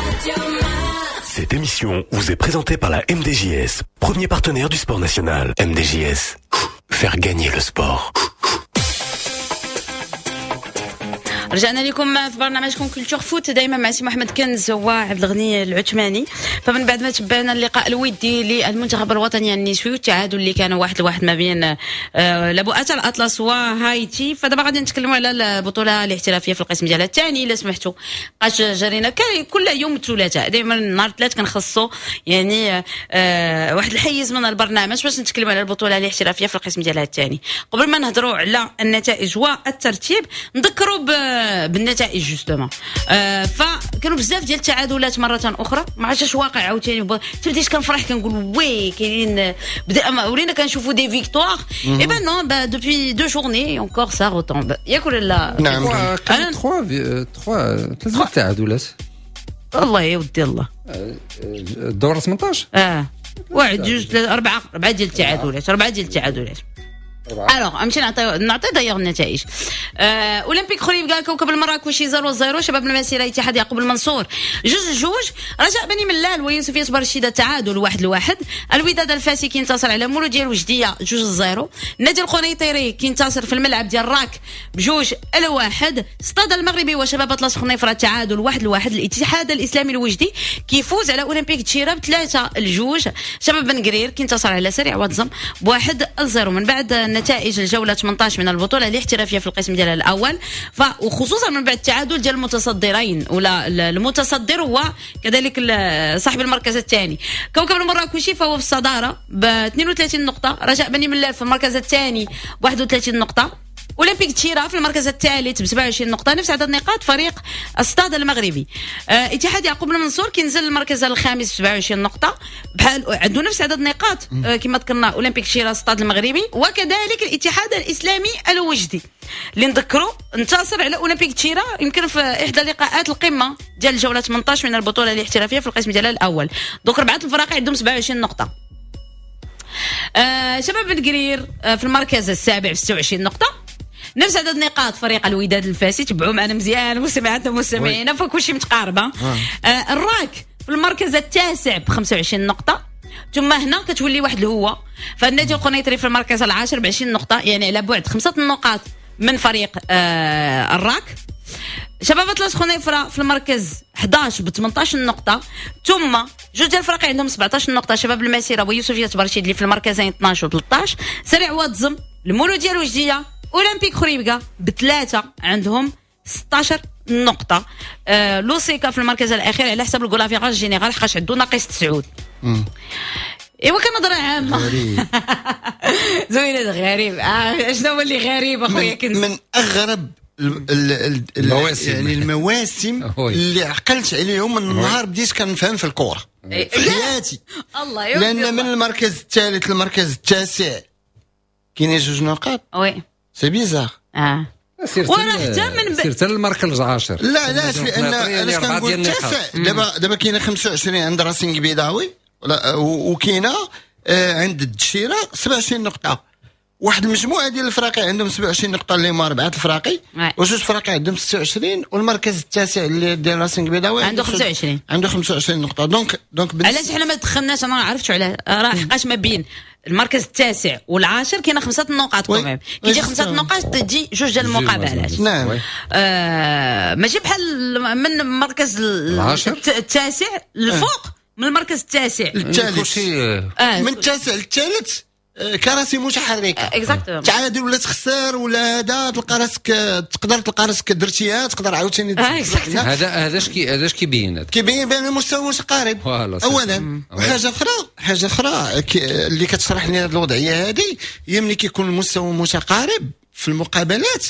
Radio Mars. Cette émission vous est présentée par la MDJS, premier partenaire du sport national. MDJS, faire gagner le sport. رجعنا لكم في برنامجكم Culture Foot، دائما مع سي محمد كنز وعبد الغني العثماني. فمن بعد ما تبعنا اللقاء الودي للمنتخب الوطني النسوي والتعادل اللي كان 1-1 ما بين لبؤات الاطلس وهايتي، فدابا غادي نتكلموا على البطولة الاحترافية في القسم ديالها الثاني. الا سمحتوا بقاش جرينا كل يوم الثلاثاء، دائما نهار الثلاث كنخصوا يعني واحد الحيز من البرنامج باش نتكلموا على البطولة الاحترافية في القسم ديالها الثاني. قبل ما نهضروا على النتائج والترتيب نذكروا بالنتائج justement. فكانوا بزاف ديال التعادلات مرة اخرى، ما عرفتش واقع عاوتاني، تبديت كنفرح كنقول oui كاينين، بدا ولينا كنشوفوا des victoires. eh ben non، depuis deux journées encore ça retombe، ياك ولا لا؟ نعم. كان 3 3 ثلاث تعادلات. الله يا ودي الله. الدور 18 واحد جوج ثلاثة أربعة ديال التعادلات، أربعة ديال التعادلات. alors نمشي نعطي دايوغ النتائج. اولمبيك خريبكا كوكب المراكشي 0-0، شباب المسيرة اتحاد يعقوب المنصور 2-2، رجاء بني ملال ويوسفيه برشيده تعادل 1-1، الوداد الفاسي كينتصر على مولوديه الوجديه 2-0، النادي القنيطري كينتصر في الملعب ديال راك ب2-1، ستاد المغربي وشباب اطلس خنيفره تعادل 1-1، الاتحاد الاسلامي الوجدي كيفوز على اولمبيك تشيرا ب3-2، شباب بن قرير كينتصر على سريع واتزم ب1-0. من بعد نتائج الجولة 18 من البطولة الاحترافية في القسم ديالها الأول، وخصوصا من بعد التعادل ديال المتصدرين ولا المتصدر وكذلك صاحب المركز الثاني. كوكب المراكشي فهو في الصدارة ب 32 نقطة، رجاء بني ملال في المركز الثاني ب 31 نقطة، اولمبيك تشيرا في المركز الثالث ب 27 نقطة، نفس عدد نقاط فريق الستاد المغربي. اتحاد يعقوب المنصور كينزل المركز الخامس ب 27 نقطة، بحال عنده نفس عدد نقاط كما ذكرنا اولمبيك تشيرا الستاد المغربي، وكذلك الاتحاد الاسلامي الوجدي اللي نذكروا انتصر على اولمبيك تشيرا يمكن في احدى لقاءات القمه ديال الجولة 18 من البطولة الاحترافية في القسم ديالها الاول. donc اربعة الفرق عندهم 27 نقطة. شباب بن قرير في المركز السابع ب 26 نقطة، نفس عدد نقاط فريق الوداد الفاسي. تبعوا معنا مزيان مستمعاتنا ومستمعينا، فكلشي متقاربة. الراك في المركز التاسع ب 25 نقطة، ثم هنا كتولي واحد الهوه، فالنادي القنيطري في المركز العاشر ب 20 نقطة، يعني على بعد 5 نقاط من فريق الراك. شباب اطلس خنيفره في المركز 11 ب 18 نقطة، ثم جوج ديال الفرق عندهم 17 نقطة، شباب المسيرة ويوسفيه برشيد اللي في المركزين 12 و 13، سريع واتزم المولوديه الوجديه اولمبيك خريبكا بثلاثة عندهم 16 نقطة. لوسيكا في المركز الاخير على حساب ال goal average général حقاش عنده ناقص 9. ايوا كنظره عامة غريب. زوينة غريب. شنو هو اللي غريب اخويا كنز؟ من اغرب المواسم، يعني المواسم اللي عقلت عليهم من النهار بديت كنفهم في الكره في حياتي. الله يودي. لان من المركز الثالث للمركز التاسع كاينين 2 نقاط. oui c'est bizarre. وراه حتى من سيرت المركز العاشر. لا علاش؟ لان علاش كنقول التاسع؟ دابا كاينه 25 عند راسينغ بيضاوي وكاينه عند الدشيره 27 نقطة. واحد المجموعة ديال الفراقي عندهم 27 نقطة اللي هما اربعة الفراقي، وجوج فراقي عندهم 26، والمركز التاسع اللي ديال راسينغ بيضاوي عنده 25، عنده 25 نقطة. donc علاش حنا ما دخلناش؟ انا ما عرفتش علاه. راه حقاش ما بين المركز التاسع والعاشر كاينه 5 نقاط quand même، كي تجي 5 نقاط تجي جوج ديال المقابلات. نعم. ماشي بحال من المركز التاسع للفوق، من المركز التاسع للثالث، من التاسع للثالث كراسي متحركة. exactement. تعادل ولا تخسر ولا هذا، تلقى راسك، تقدر تلقى راسك درتيها، تقدر عاوتاني. هذا اش كيبين؟ هذا كيبين بان المستوى متقارب. voilà، اولا. وحاجه اخرى، حاجة اخرى اللي كتشرح لنا هذه الوضعية هذه، هي ملي كيكون المستوى متقارب في المقابلات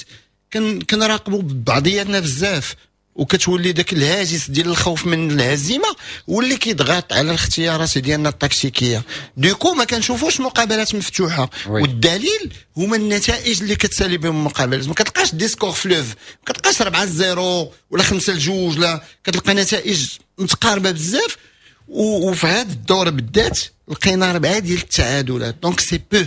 كنراقبوا بعضياتنا بزاف، وكتولي ذاك الهاجس ديال الخوف من الهزيمة واللي كيضغط على الاختيارات ديالنا التكتيكيه. du coup ما كنشوفوش مقابلات مفتوحه. والدليل هما النتائج اللي كتسالي بهم المقابلات، ما كتلقاش des scores fleuves، ما كتلقاش 4-0 ولا 5-2، لا، كتلقى نتائج متقاربة بزاف. وفي هذا الدور بالذات لقينا اربعة ديال التعادلات، donc c'est peu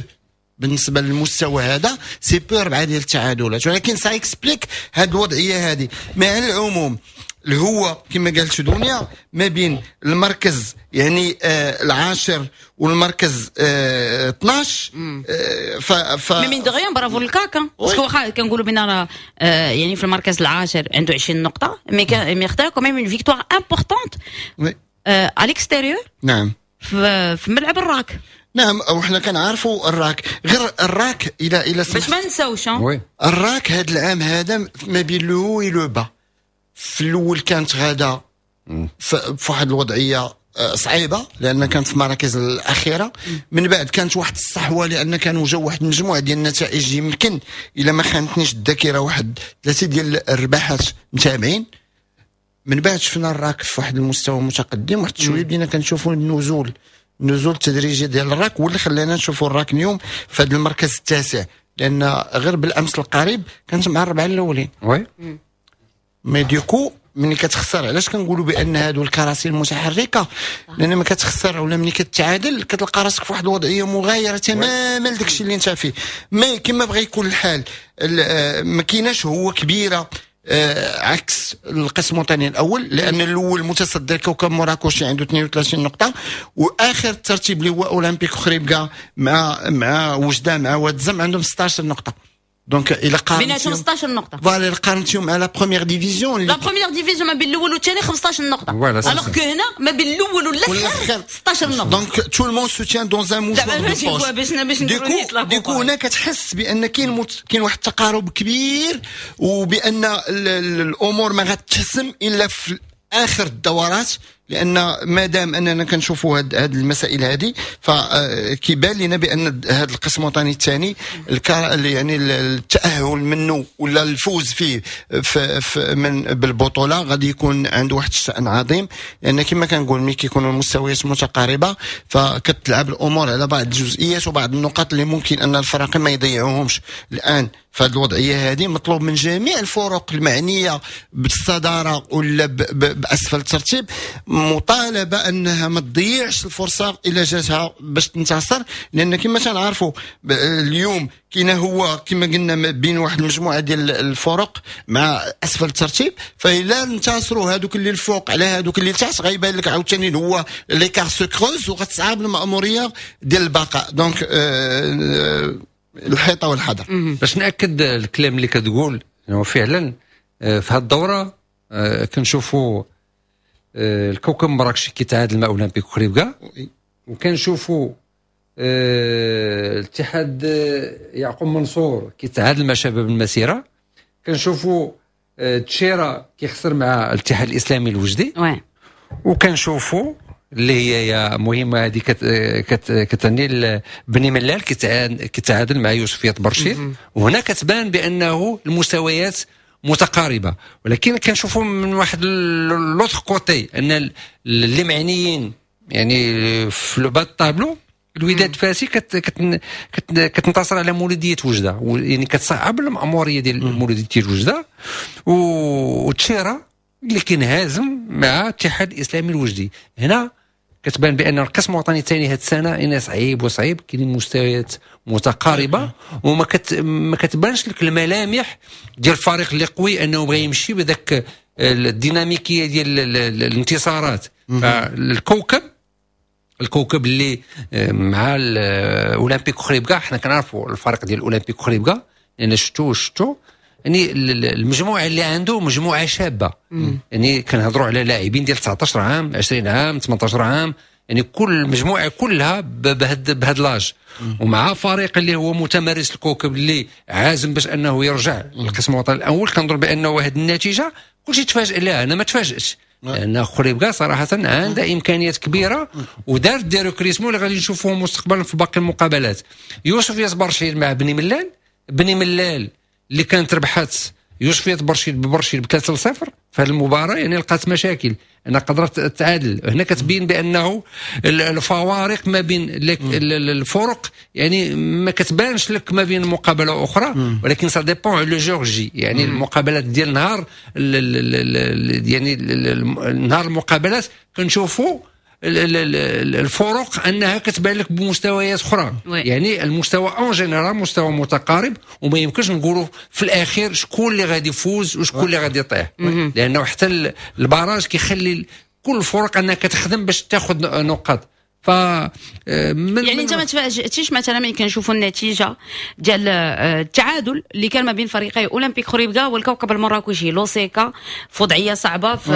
بالنسبة للمستوى هذا، c'est peu اربعة ديال التعادلات، ولكن ça explique هذه الوضعية هذه. مع العموم اللي هو كما قالت دنيا، ما بين المركز يعني العاشر والمركز 12 ف mais mine de rien، bravo الكاكا، parce que واخا كنقولوا بان راه يعني في المركز العاشر عنده 20 نقطه، mais خدا quand même une victoire importante à l'extérieur في ملعب الراك. نعم، وحنا كنعرفوا الراك، غير الراك الى باش ما نساوش. oui. الراك هذا العام هذا ما بين le haut et le bas. في الاول كانت غاده في واحد الوضعية صعيبة لان كانت في المراكز الاخيره. من بعد كانت واحد الصحوة لان كانوا جاو واحد المجموعة ديال النتائج، يمكن الا ما خانتنيش الذاكرة واحد ثلاثة ديال الرباحات متابعين. من بعد شفنا الراك في واحد المستوى متقدم، واحد شوية بدينا كنشوفوا النزول التدريجي ديال الراك، واللي خلانا نشوفوا الراك اليوم في هذا المركز التاسع، لان غير بالامس القريب كانت مع الربعه الاولين. Mais du coup ملي كتخسر، علاش كنقولوا بان هادو الكراسي المتحركه؟ لان ما كتخسر ولا ملي كتعادل كتلقى راسك في واحد الوضعية مغايرة تماما لداك الشيء اللي انت فيه. mais كما بغى يكون الحال، ما كايناش هو كبيرة عكس القسم الوطني الاول، لان الاول متصدر كوكب مراكشي عنده 32 نقطه، واخر الترتيب اللي هو اولمبيك خريبكا مع وجده مع واد زم عندهم 16 نقطه. donc الى قارنتيهم بيناتهم 16 نقطه. voilà، الى قارنتيهم مع la première division، la première division ما بين الاول والثاني 15 نقطه، alors que هنا ما بين الاول والاخر 16 نقطه. donc tout le monde se tient dans un mouchoir de poche. باش du coup هنا كتحس بان كاين واحد التقارب كبير، وبان الامور ما غتحسم الا في اخر الدورات، لان ما دام اننا كنشوفوا هاد المسائل هذه فكيبان لنا بان هذا القسم الوطني الثاني يعني التاهل منه ولا الفوز فيه في من بالبطولة غادي يكون عنده واحد الشان عظيم، لان كما كنقول ملي كيكونوا المستويات متقاربة فكتلعب الامور على بعض الجزئيات وبعض النقاط اللي ممكن ان الفرق ما يضيعوهمش. الان في هذه الوضعية هذه مطلوب من جميع الفرق المعنية بالصداره ولا باسفل الترتيب مطالبه انها ما تضيعش الفرصة الا جاتها باش تنتصر، لان كما تنعرفوا اليوم كاين هو كما قلنا بين واحد المجموعة ديال الفرق مع اسفل الترتيب، فإلا انتصروا هذوك اللي الفوق على هذوك اللي تحت غيبان لك عاوتاني هو l'écart se creuse وغتصعب الماموريه ديال البقاء. donc الحيطة والحذر. باش ناكد الكلام اللي كتقول، انه فعلا في هذه الدورة كنشوفوا الكوكب مراكشي كيتعادل مع اولمبيك خريبكا، وكنشوفوا الاتحاد يعقوب منصور كيتعادل مع شباب المسيره، كنشوفوا تشيرا كيخسر مع الاتحاد الاسلامي الوجدي، وكنشوفوا اللي هي مهمة هذه كتعني بني ملال كيتعادل مع يوسفيه برشيد. وهنا كتبان بانه المستويات متقاربه، ولكن كنشوفوا من واحد l'autre côté ان اللي معنيين يعني في le bas tableau، الوداد فاسي كتنتصر على مولوديه وجده، يعني كتصعب المأموريه ديال مولوديه وجده، وتشيرا اللي كينهزم مع الاتحاد الاسلامي الوجدي. هنا كتبان بان القسم الوطني الثاني هذه السنة انه صعيب وصعيب، كاينين مستويات متقاربة وما ما كتبانش لك الملامح ديال الفريق اللي قوي انه بغى يمشي بذاك الديناميكيه ديال الانتصارات. فالكوكب الكوكب اللي مع الاولمبيك خريبكا، حنا كنعرفوا الفريق ديال الاولمبيك خريبكا لان شفتو يعني المجموعة اللي عنده مجموعة شابه، يعني كنهضروا على لاعبين ديال 19 عام، 20 عام، 18 عام. يعني كل المجموعة كلها بهاد l'âge، ومع فريق اللي هو متمرس الكوكب اللي عازم باش انه يرجع للقسم الوطني الاول. كنظن بانه هذه النتيجة كلشي تفاجئ لها، انا ما تفاجئش، لان خريبكا صراحة عندها امكانيات كبيرة ودارت des recrutements اللي غادي نشوفوهم مستقبلا في باقي المقابلات. يوسفية برشيد مع بني ملال، بني ملال اللي كانت ربحت يوسفية برشيد ببرشيد ب 3-0 في هذه المباراه، يعني لقات مشاكل انها قدرت تعادل. هنا كتبين بانه الفوارق ما بين الفرق يعني ما كتبانش لك ما بين مقابله اخرى، ولكن ça dépend le jour J، يعني المقابلات ديال نهار، يعني نهار المقابلات كنشوفوا الفرق انها كتبان لك بمستويات اخرى. يعني المستوى en général مستوى متقارب، وما يمكنش نقولوا في الاخير شكون اللي غادي يفوز وشكون اللي غادي يطيح، لانه حتى ال barrage كيخلي كل الفرق انها كتخدم باش تاخذ نقاط. ف يعني انت ما تفاجئتيش مثلا ملي كنشوفوا النتيجة ديال التعادل اللي كان ما بين فريقي اولمبيك خريبكا والكوكب المراكشي لوسيكا في وضعية صعبة في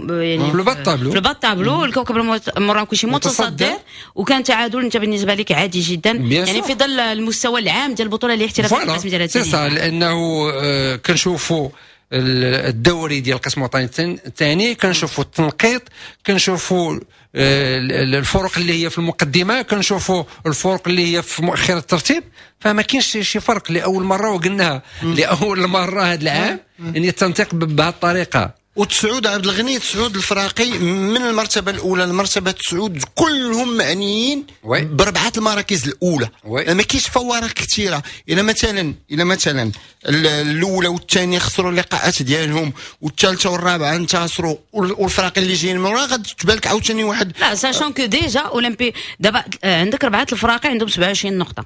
يعني في ال bas tableau، في ال bas tableau، الكوكب المراكشي متصدر، وكان تعادل انت بالنسبة لك عادي جدا، يعني في ظل المستوى العام ديال البطولة الاحترافية القسم ديال c'est ça، لانه كنشوفوا الدوري ديال القسم الوطني الثاني، كنشوفوا التنقيط، كنشوفوا الفرق اللي هي في المقدمه، كنشوفوا الفرق اللي هي في مؤخره الترتيب، فما كاينش شي فرق. لاول مرة، وقلناها لاول مرة هذا العام، يعني التنطيق بهذه الطريقه. وتسعود عبد الغني، تسعود الفراقي من المرتبة الاولى للمرتبه تسعود كلهم معنيين بربعه المراكز الاولى. ما كاينش فوارق كثيره. الى مثلا الاولى والثانية خسروا اللقاءات ديالهم والثالثة والرابعة انتصروا، والفرق اللي جايين من ورا غادي تبان لك عاوتاني واحد. لا، sachant que déjà اولمبي دابا عندك اربعة الفراقي عندهم 27 نقطه.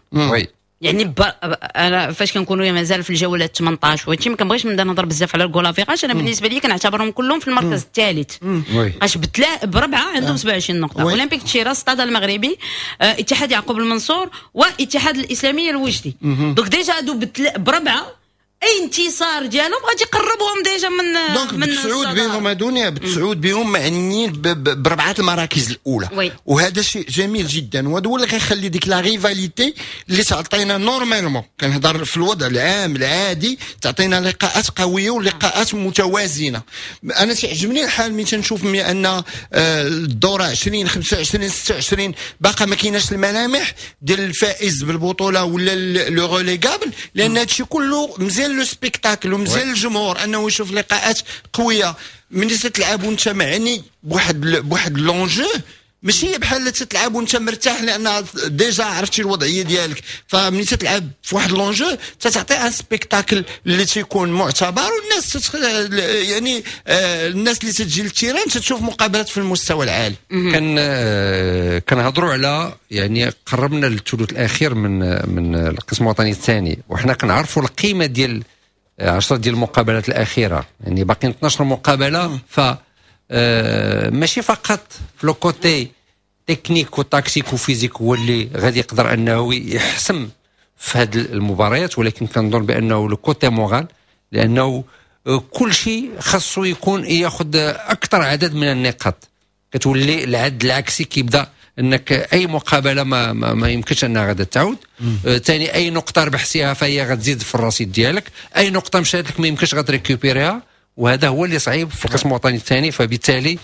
يعني انا فاش كنكونوا مازال في الجولة 18 وهادشي ما كنبغيش نبدا نهضر بزاف على ال goal average، انا بالنسبة لي كنعتبرهم كلهم في المركز الثالث، اش بربعه عندهم 27 نقطه: اولمبيك تشيرا، ستاد المغربي، اتحاد يعقوب المنصور، واتحاد الاسلامي الوجدي. donc déjà هادو بربعه اي انتصار ديالهم غادي يقربهم déjà من donc من بتسعود بهم دنيا، بتسعود بهم معنيين بربعه المراكز الاولى. وهذا شيء جميل جدا، وهذا هو اللي غيخلي ديك la rivalité اللي تعطينا normalement، كنهضر في الوضع العام العادي، تعطينا لقاءات قوية ولقاءات متوازنه. انا تعجبني الحال ملي تنشوف ان الدورة 20، 25، 26 باقا ما كايناش الملامح ديال الفائز بالبطولة ولا le relégable، لان هادشي كله مزيان le spectacle ومزيان الجمهور انه يشوف لقاءات قويه. ملي تتلعب وانت معني بواحد l'enjeu، ماشي بحال تتلعب وانت مرتاح لان déjà عرفتي الوضعية ديالك. فملي تتلعب في واحد l'enjeu تتعطي un spectacle اللي تيكون معتبر، والناس يعني الناس اللي تجي لل terrain تتشوف مقابلات في المستوى العالي. كان كنهضروا على يعني قربنا للثلث الاخير من القسم الوطني الثاني، وحنا كنعرفوا القيمة ديال 10 ديال المقابلات الاخيره، يعني باقيين 12 مقابله. ف ماشي فقط في le côté technique و tactique و physique هو اللي غادي يقدر انه يحسم في هذه المباريات، ولكن كنظن بانه le côté moral، لانه كل شيء خاصو يكون ياخذ اكثر عدد من النقاط. كتولي العد العكسي كيبدا، انك اي مقابله ما يمكنش انها غادا تعاود ثاني. اي نقطة ربحتيها فهي غتزيد في الرصيد ديالك، اي نقطة مشات لك ما يمكنش غت récupérer ها، وهذا هو اللي صعيب في القسم الوطني الثاني. فبالتالي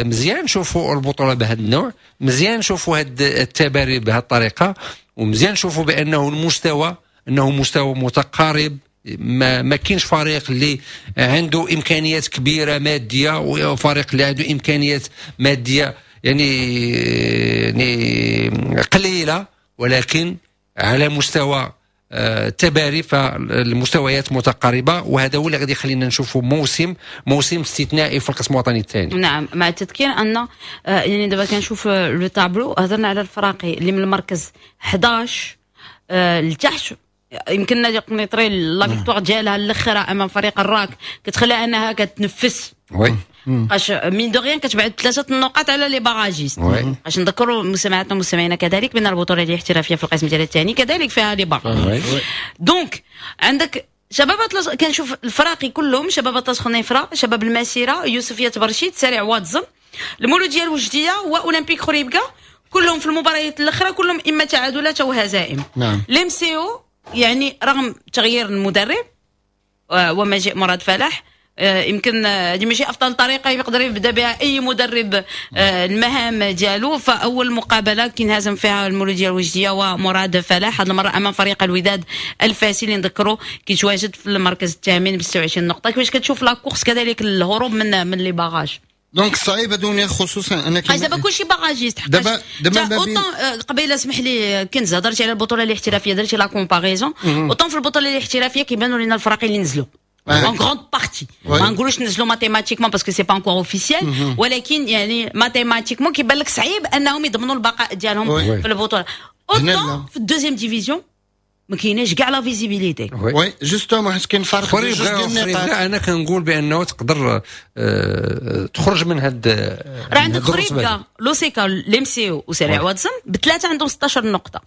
مزيان نشوفوا البطولة بهذا النوع، مزيان نشوفوا هذا التباري بهذه الطريقه، ومزيان نشوفوا بانه المستوى انه مستوى متقارب، ما كاينش فريق اللي عنده امكانيات كبيرة مادية وفريق اللي عنده امكانيات مادية يعني قليله، ولكن على مستوى التباري فالمستويات متقاربه، وهذا هو اللي غادي يخلينا نشوفوا موسم استثنائي في القسم الوطني الثاني. نعم، مع التذكير ان يعني دابا كنشوف le tableau، هضرنا على الفراقي اللي من المركز 11 لتحت، يمكن نادي قنيطري la victoire ديالها الاخرى امام فريق الراك كتخليها انها كتنفس، باش mine de rien كتبعد ثلاثة النقاط على les barragistes. باش نذكروا مستمعاتنا ومستمعينا كذلك بان البطولة الاحترافية في القسم ديال الثاني كذلك فيها les barrages. donc عندك شباب اطلس، كنشوف الفراقي كلهم: شباب اطلس خنيفره، شباب المسيره، يوسفيه برشيد، سريع واد زم. المولوديه الوجديه واولمبيك خريبكا كلهم في المباريات الاخرى كلهم اما تعادلات او هزائم. نعم. l'MCO يعني رغم تغيير المدرب ومجيء مراد فلاح، يمكن هذه ماشي افضل طريقه يقدر يبدا بها اي مدرب المهام ديالو. فاول مقابله كينهزم فيها المولوديه الوجديه ومراد فلاح، هذه المرة امام فريق الوداد الفاسي اللي نذكروا كيتواجد في المركز الثامن ب 26 نقطة. كيفاش كتشوف la course كذلك الهروب من les barrages؟ donc صعيبة دنيا، خصوصا انك دابا كلشي barragiste. دابا قبيلة اسمح لي كنز، هضرتي على البطولة الاحترافية، درتي la comparaison، autant في البطولة الاحترافية كيبانوا لنا الفرق اللي نزلوا en grande partie، ما نقولوش نزلوا mathématiquement parce que c'est pas encore officiel، ولكن يعني mathématiquement كيبان لك صعيب انهم يضمنوا البقاء ديالهم في البطوله. autant في ال deuxième division ما كايناش كاع la visibilité. oui justement، حيت كاين فرق ديال جوج ديال النقاط. انا كنقول بانه تقدر تخرج من هاد. راه عندك خريبكا، لوسيكا، l'MCO وسريع واد زم بثلاثة عندهم 16 نقطه.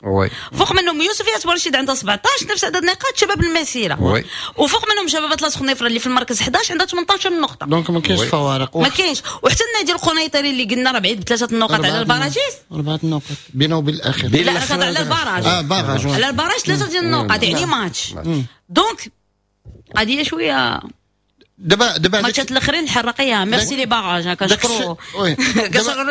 فوق منهم يوسفية برشيد عندها 17، نفس عدد النقاط شباب المسيره. وفوق منهم شباب اطلس خنيفره اللي في المركز 11 عندها 18 نقطه. donc ما كاينش فوارق. ما كاينش، وحتى النادي القنيطري اللي قلنا راه بعيد بثلاثة النقط على ال barragistes. اربعة النقط بينه وبين الاخير. لا، على ال barrage. اه barrage. على ال barrage ثلاثة ديال النقط، يعني match. donc قضية شوية دابا ماتشات الاخرين الحراقيه، merci les barrages، كنشكروا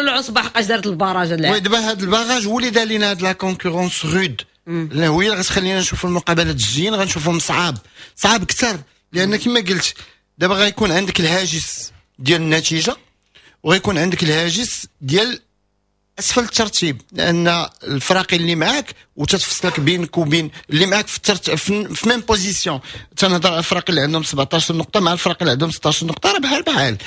العصبة حقاش دارت ال barrage. oui، دابا هذا ال barrage هو اللي دار لنا هاد la concurrence rude، اللي هو اللي غتخلينا نشوفوا المقابلات الجايين غنشوفهم صعاب صعاب اكثر، لان كما قلت دابا غيكون عندك الهاجس ديال النتيجة وغيكون عندك الهاجس ديال اسفل الترتيب، لان الفرق اللي معاك وتتفصلك بينك وبين اللي معاك في même position. تنهضر على الفرق اللي عندهم 17 نقطة مع الفرق اللي عندهم 16 نقطه، راه بحال بحال،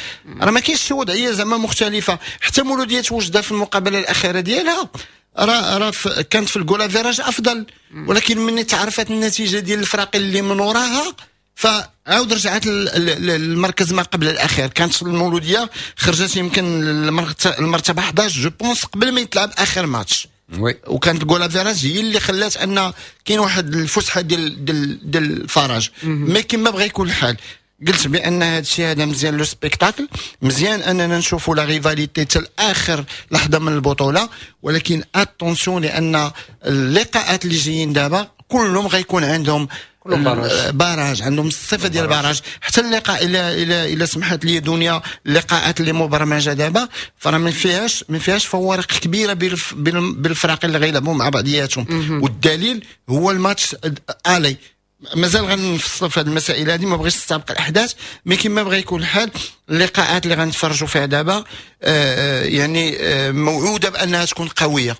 راه ما كاينش شي وضعية زعما مختلفه. حتى مولوديه وجده في المقابلة الاخيرة ديالها راه كانت في ال goal average افضل، ولكن من تعرفت النتيجة ديال الفرق اللي من وراها فعاود رجعت المركز ما قبل الاخير. كانت المولوديه خرجت يمكن المرتبة 11 je pense قبل ما يتلعب اخر ماتش. وكانت ال goal average هي اللي خلات ان كاين واحد الفسحة ديال الفرج. mais كما بغى يكون الحال، قلت بان هذا الشيء هذا مزيان le spectacle، مزيان اننا نشوفوا la rivalité حتى اخر لحظة من البطوله، ولكن attention لان اللقاءات اللي جايين دابا كلهم غيكون عندهم barrage. barrage، عندهم الصفة ديال barrage. حتى اللقاء الى سمحت لي دنيا، اللقاءات اللي مبرمجه دابا فراه ما فيهاش فوارق كبيرة بين بالفرق اللي غيلعبوا مع بعضياتهم، والدليل هو الماتش aller. مازال غنفصلوا في هذه المسائل هذه، ما بغيتش نستبق الاحداث، mais كما بغى يكون الحال اللقاءات اللي غنتفرجوا فيها دابا يعني موعوده بانها تكون قويه.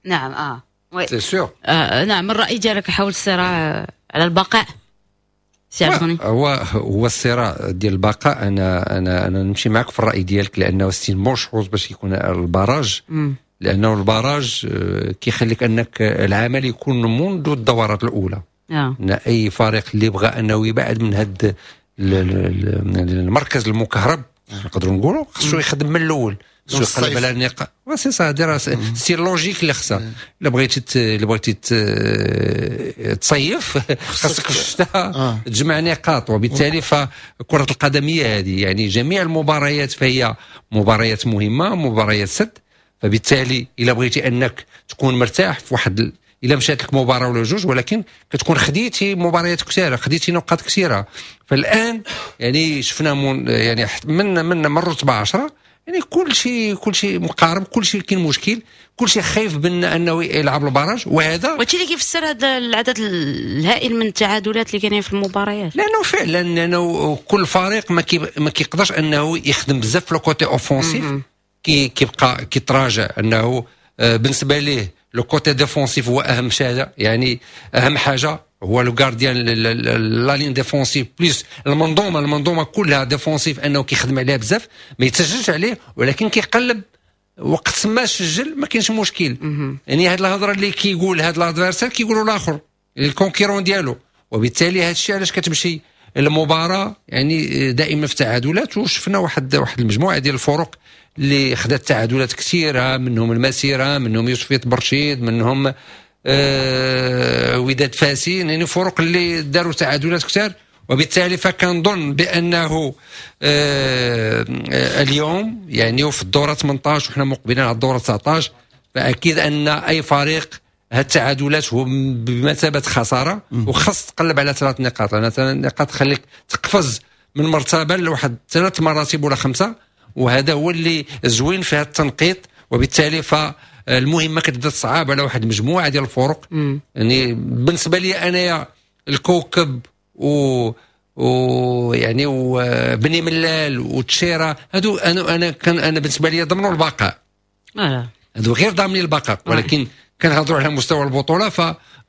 نعم oui. c'est sûr. نعم، الراي ديالك حول الصراع على البقاء سي عبد الغني؟ هو الصراع ديال البقاء، انا نمشي معك في الراي ديالك، لانه c'est une bonne chose باش يكون ال barrage، لانه ال barrage كيخليك انك العمل يكون منذ الدورات الاولى. ان اي فريق اللي بغى انه يبعد من هذا المركز المكهرب نقدروا نقولوا خصو يخدم من الاول، خصو يقلب على النقاط. c'est ça، c'est logique اللي خصها. الا بغيتي تصيف خاصك في الشتاء تجمع نقاط، وبالتالي فكرة القدم هي هذه، يعني جميع المباريات فهي مباريات مهمه، مباريات سد. فبالتالي الا بغيتي انك تكون مرتاح في واحد الا مشات لك مباراة ولا جوج، ولكن كتكون خديتي مباريات كثيره، خديتي نقاط كثيره. فالان يعني شفنا من يعني من الرتبة 10 يعني كل شيء مقارب، كل شيء كاين مشكل، كل شيء خايف بان انه يلعب ال barrage وهذا. وهادشي اللي كيفسر هذا العدد الهائل من التعادلات اللي كاينين في المباريات. لانه فعلا لانه كل فريق ما كيقدرش انه يخدم بزاف في le côté offensif، كيبقى كيتراجع، انه بالنسبة ليه le côté défensif هو اهم حاجه، يعني اهم حاجة هو le gardien، la ligne défensive plus المنظومه كلها défensive، انه كيخدم عليها بزاف ما يتسجلش عليه، ولكن كيقلب وقت ما سجل ما كاينش مشكل. يعني هاد الهضرة اللي كيقول هاد l'adversaire كيقولوا الاخر ال concurrent ديالو، وبالتالي هذا الشيء علاش كتمشي المباراة يعني دائما في تعادلات. وشفنا واحد المجموعة ديال الفرق اللي خدات تعادلات كثيره، منهم المسيره، منهم يوسفية برشيد، منهم وداد فاسين، يعني فرق اللي داروا تعادلات كثار. وبالتالي فكنظن بانه اليوم يعني وفي الدورة 18 وحنا مقبلين على الدورة 19، فاكيد ان اي فريق هاد التعادلات هو بمثابة خساره، وخاص تقلب على ثلاث نقاط، لان ثلاث نقاط تخليك تقفز من مرتبه لواحد ثلاث مراتب ولا خمسه، وهذا هو اللي زوين في هذا التنقيط. وبالتالي فالمهمه كتبدا تصعب على واحد المجموعة ديال الفرق. يعني بالنسبة لي انايا الكوكب و يعني وبني ملال وتشيرا، هادو انا كان انا بالنسبة لي ضمنوا البقاء. هادو غير ضامنين البقاء، ولكن كنهضروا على مستوى البطوله، ف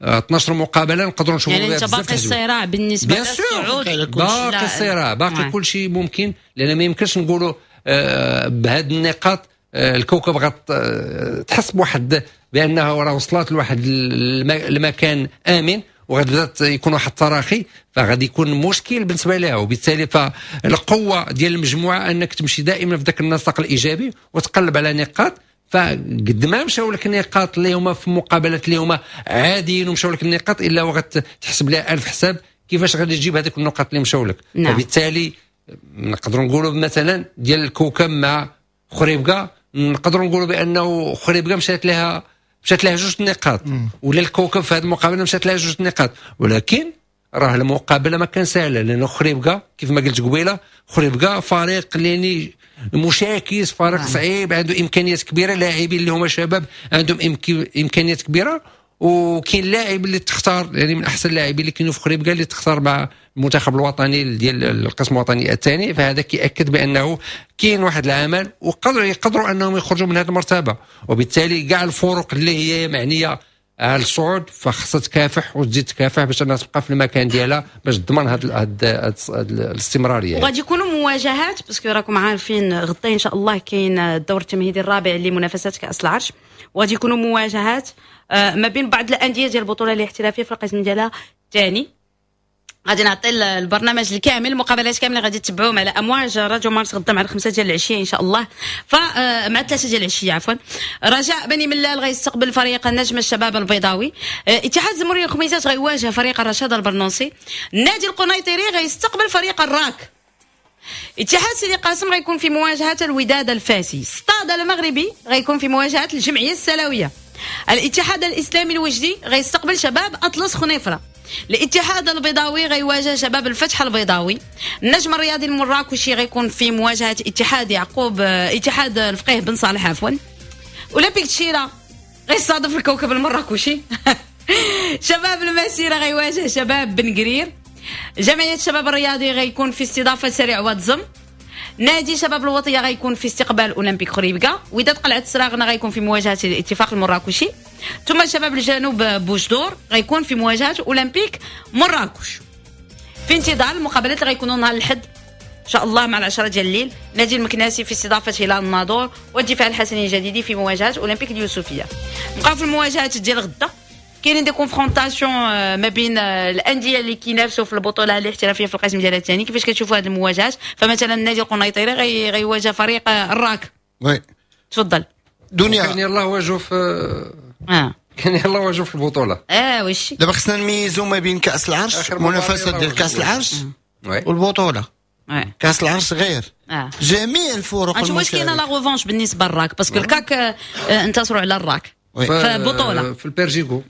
12 مقابله نقدروا نشوفوا. يعني انت باقي الصراع بالنسبة للصعود؟ باقي الصراع، باقي كل شيء ممكن، لان ما يمكنش نقولوا بهذه النقاط الكوكب غتحس بواحد بانه راه وصلت لواحد المكان امن وغتبدا يكون واحد التراخي، فغادي يكون مشكل بالنسبة لها. وبالتالي فالقوه ديال المجموعة انك تمشي دائما في ذاك النسق الايجابي وتقلب على نقاط، فقد ما مشاو لك النقاط اللي هما في مقابلات اللي هما عاديين ومشاو لك النقاط، الا وغتحسب لها ألف حساب كيفاش غادي تجيب هذوك النقاط اللي مشاو لك. فبالتالي نقدروا نقولوا مثلا ديال الكوكب مع خريبكا، نقدروا نقولوا بانه خريبكا مشات لها جوج نقاط، ولا الكوكب في هذه المقابلة مشات لها جوج نقاط، ولكن راه المقابلة ما كان سهله، لانه خريبكا كيف ما قلت قبيله، خريبكا فريق اللي مشاكس، فريق صعيب، عنده امكانيات كبيره، لاعبين اللي هما شباب عندهم امكانيات كبيره، وكاين لاعب اللي تختار يعني من احسن اللاعبين اللي كاينوا في خريبكا اللي تختار مع المنتخب الوطني ديال القسم الوطني الثاني. فهذا كياكد بانه كاين واحد العمل وقدروا يقدروا انهم يخرجوا من هذه المرتبه. وبالتالي كاع الفرق اللي هي معنية على الصعود فخصها تكافح وتزيد تكافح باش انها تبقى في المكان ديالها، باش تضمن هذه الاستمراريه. وغادي يكونوا مواجهات، parce que راكم عارفين غدا ان شاء الله كاين الدور التمهيدي الرابع لمنافسات كاس العرش، وغادي يكونوا مواجهات ما بين بعض الاندية ديال البطولة الاحترافية في القسم ديالها الثاني. غادي نعطي البرنامج الكامل، المقابلات كاملة غادي تتبعوهم على امواج راديو مارس غدا مع 5 ديال العشية ان شاء الله، فمع 3 ديال العشية عفوا. رجاء بني ملال غيستقبل فريق النجم الشباب البيضاوي، اتحاد زموري الخميسات غيواجه فريق الرشاد البرنوسي، النادي القنيطري غيستقبل فريق الراك، اتحاد سيدي قاسم غيكون في مواجهة الوداد الفاسي، ستاد المغربي غيكون في مواجهة الجمعية السلاويه، الاتحاد الاسلامي الوجدي غيستقبل شباب اطلس خنيفره، الاتحاد البيضاوي غيواجه شباب الفتح البيضاوي، النجم الرياضي المراكشي غيكون في مواجهة اتحاد يعقوب اتحاد الفقيه بن صالح عفوا، اولمبيك تشيرا غيستضيف الكوكب المراكشي، شباب المسيرة غيواجه شباب بن قرير، جمعية الشباب الرياضي غيكون في استضافة سريع واد نادي شباب الوطية غيكون في استقبال اولمبيك خريبكا، وداد قلعه السراغنه غيكون في مواجهة الاتفاق المراكشي، ثم شباب الجنوب بوجدور غيكون في مواجهة اولمبيك مراكش. في انتظار المقابلات اللي غيكونوا نهار الحد ان شاء الله مع 10 ديال الليل، نادي المكناسي في استضافة هلال الناظور، والدفاع الحسني الجديدي في مواجهة اولمبيك اليوسفيه. نبقاو في المواجهات ديال غدا، كاينين des confrontations ما بين الاندية اللي كينافسوا في البطولة الاحترافية في القسم ديال الثاني. كيفاش كتشوفوا هذه المواجهات؟ فمثلا النادي القنيطري غيواجه فريق الراك. oui. تفضل. دنيا. كان يلاه واجهوا في كان يلاه واجهوا في البطوله. اه وشي. دابا خصنا نميزوا ما بين كاس العرش، منافسه ديال كاس العرش والبطوله. كاس العرش غير جميع الفرق. واش كاينه la revanche بالنسبة للراك؟ parce que الكاك انتصروا على الراك في البطوله. في البيرجيكو.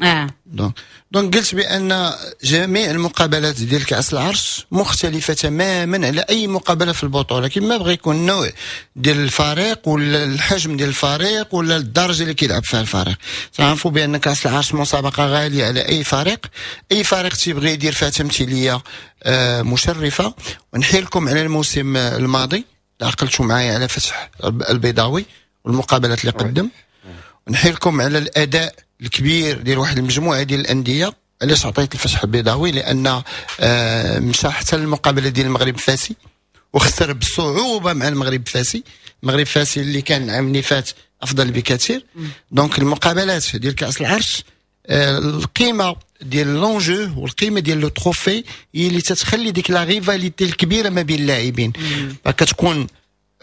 Donc قلت بان جميع المقابلات ديال كاس العرش مختلفة تماما على اي مقابله في البطوله، كما بغى يكون النوع ديال الفريق ولا الحجم ديال الفريق ولا الدرجة اللي كيلعب فيها الفريق. تعرفوا بان كاس العرش مسابقة غالية على اي فريق، اي فريق تيبغي يدير فيها تمثيلية مشرفه. ونحيلكم على الموسم الماضي، عقلتوا معايا على فتح البيضاوي والمقابلات اللي قدم، نحيلكم على الاداء الكبير ديال واحد المجموعة ديال الانديه. علاش عطيت الفتح البيضاوي؟ لان مشى حتى المقابلة ديال المغرب الفاسي وخسر بصعوبة مع المغرب الفاسي، المغرب الفاسي اللي كان العام اللي فات افضل بكثير. donc المقابلات ديال كاس العرش القيمة ديال l'enjeu والقيمة ديال le trophée هي اللي تتخلي ديك la rivalité الكبيرة ما بين اللاعبين، فكتكون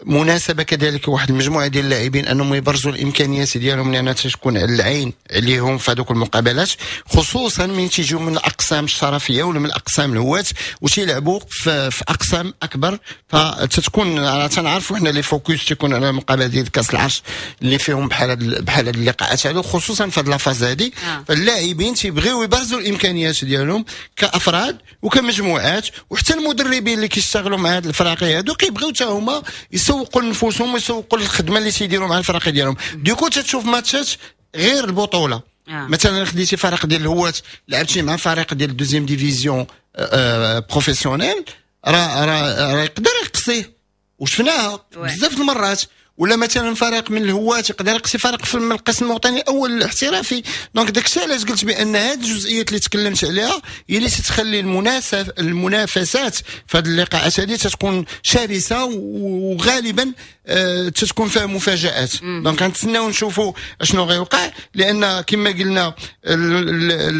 مناسبة كذلك واحد المجموعة ديال اللاعبين انهم يبرزوا الامكانيات ديالهم، لان تكون على العين عليهم في هذوك المقابلات، خصوصا من تيجيو من الاقسام الشرفيه ولا من الاقسام الهواة وتيلعبوا في اقسام اكبر. فتتكون تنعرفوا حنا les focus تيكون على المقابلة ديال كاس العرش اللي فيهم بحال هاد اللقاءات هادو، خصوصا في هاد la phase هادي. فاللاعبين تيبغيو يبرزوا الامكانيات ديالهم كافراد وكمجموعات، وحتى المدربين اللي كيشتغلوا مع هاد الفراقي هادو كيبغيو حتى هما يسوقوا لنفوسهم ويسوقوا للخدمة اللي تيديروا مع الفراقي ديالهم. du coup تتشوف ماتشات غير البطوله. مثلا خديتي فريق ديال الهواة لعبتي مع فريق ديال ال deuxième division professionnelle، راه يقدر يقصيه وشفناها بزاف المرات. ولا مثلا فريق من الهواة يقدر يقصي فريق في القسم الوطني الاول الاحترافي. donc داكشي علاش قلت بان هذه الجزئيات اللي تكلمت عليها هي اللي تتخلي المنافسات في هذه اللقاءات هذه تتكون شرسة وغالبا تتكون فيها مفاجات. donc غنتسناو نشوفوا اشنو غيوقع، لان كما قلنا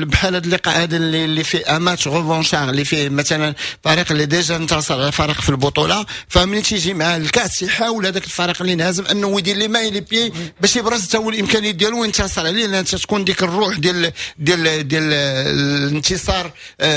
بحال هذا اللقاء هذا اللي فيه match revanchard، اللي فيه مثلا فريق اللي déjà انتصر على فريق في البطوله، فملي تيجي مع الكاس يحاول هذاك الفريق اللي انهزم انه يدير les mains les pieds باش يبرز حتى هو الامكانيات ديالو وينتصر عليه، لان تكون ديك الروح ديال الانتصار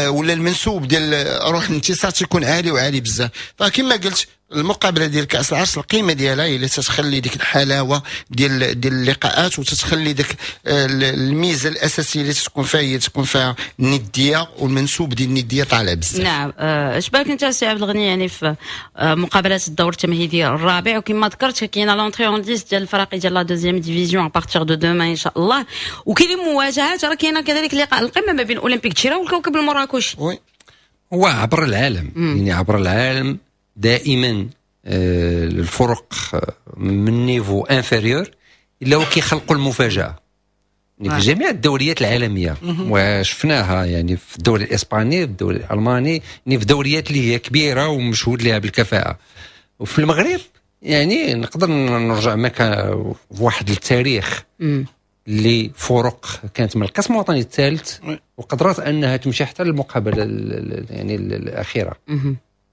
ولا المنسوب ديال روح الانتصار تيكون عالي وعالي بزاف. فكما قلت، المقابلة ديال كاس العرش القيمة ديالها هي اللي تتخلي ديك الحلاوة ديال اللقاءات، وتتخلي ديك الميزة الاساسية اللي تكون فيها هي تكون فيها الندية والمنسوب ديال الندية طالع بزاف. نعم، اش بالك انت سي عبد الغني يعني في مقابلات الدور التمهيدي الرابع؟ وكما ذكرت كاينه l'entrée en lice ديال الفرق ديال la deuxième division à partir de demain ان شاء الله، وكاين مواجهات، راه كاينه كذلك لقاء القمه ما بين اولمبيك دشيره والكوكب المراكشي. oui. هو عبر العالم، يعني عبر العالم دائما الفرق من niveau inférieur الا هو كيخلقوا المفاجاه، يعني في جميع الدوريات العالميه، وشفناها يعني في الدوري الاسباني، في الدوري الالماني، يعني في دوريات اللي هي كبيرة ومشهود لها بالكفاءه. وفي المغرب يعني نقدر نرجع معك في واحد التاريخ اللي فرق كانت من القسم الوطني الثالث وقدرت انها تمشي حتى للمقابله يعني الاخيره،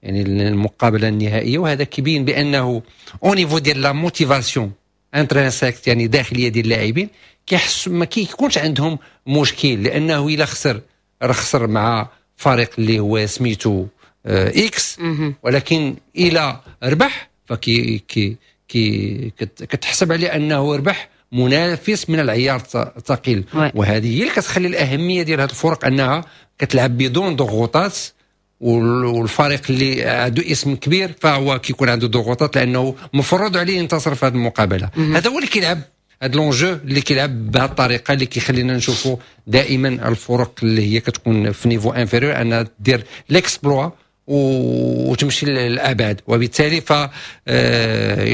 يعني المقابلة النهائيه. وهذا كيبين بانه au niveau ديال la motivation intrinsèque، يعني داخلية ديال اللاعبين، كيحس ما كيكونش عندهم مشكل، لانه الا خسر راه خسر مع فريق اللي هو سميتو X، ولكن الى ربح فكي كي كي كتحسب عليه انه ربح منافس من العيار الثقيل. وهذه هي اللي كتخلي الاهمية ديال هذه الفرق انها كتلعب بدون ضغوطات، والفريق اللي عنده اسم كبير فهو كيكون عنده ضغوطات لانه مفروض عليه ينتصر في هذه المقابله. هذا هو اللي كيلعب هذا l'enjeu اللي كيلعب بهذه الطريقه، اللي كيخلينا نشوفوا دائما الفرق اللي هي كتكون في niveau inférieur انها دير l'exploit وتمشي للابعد. وبالتالي ف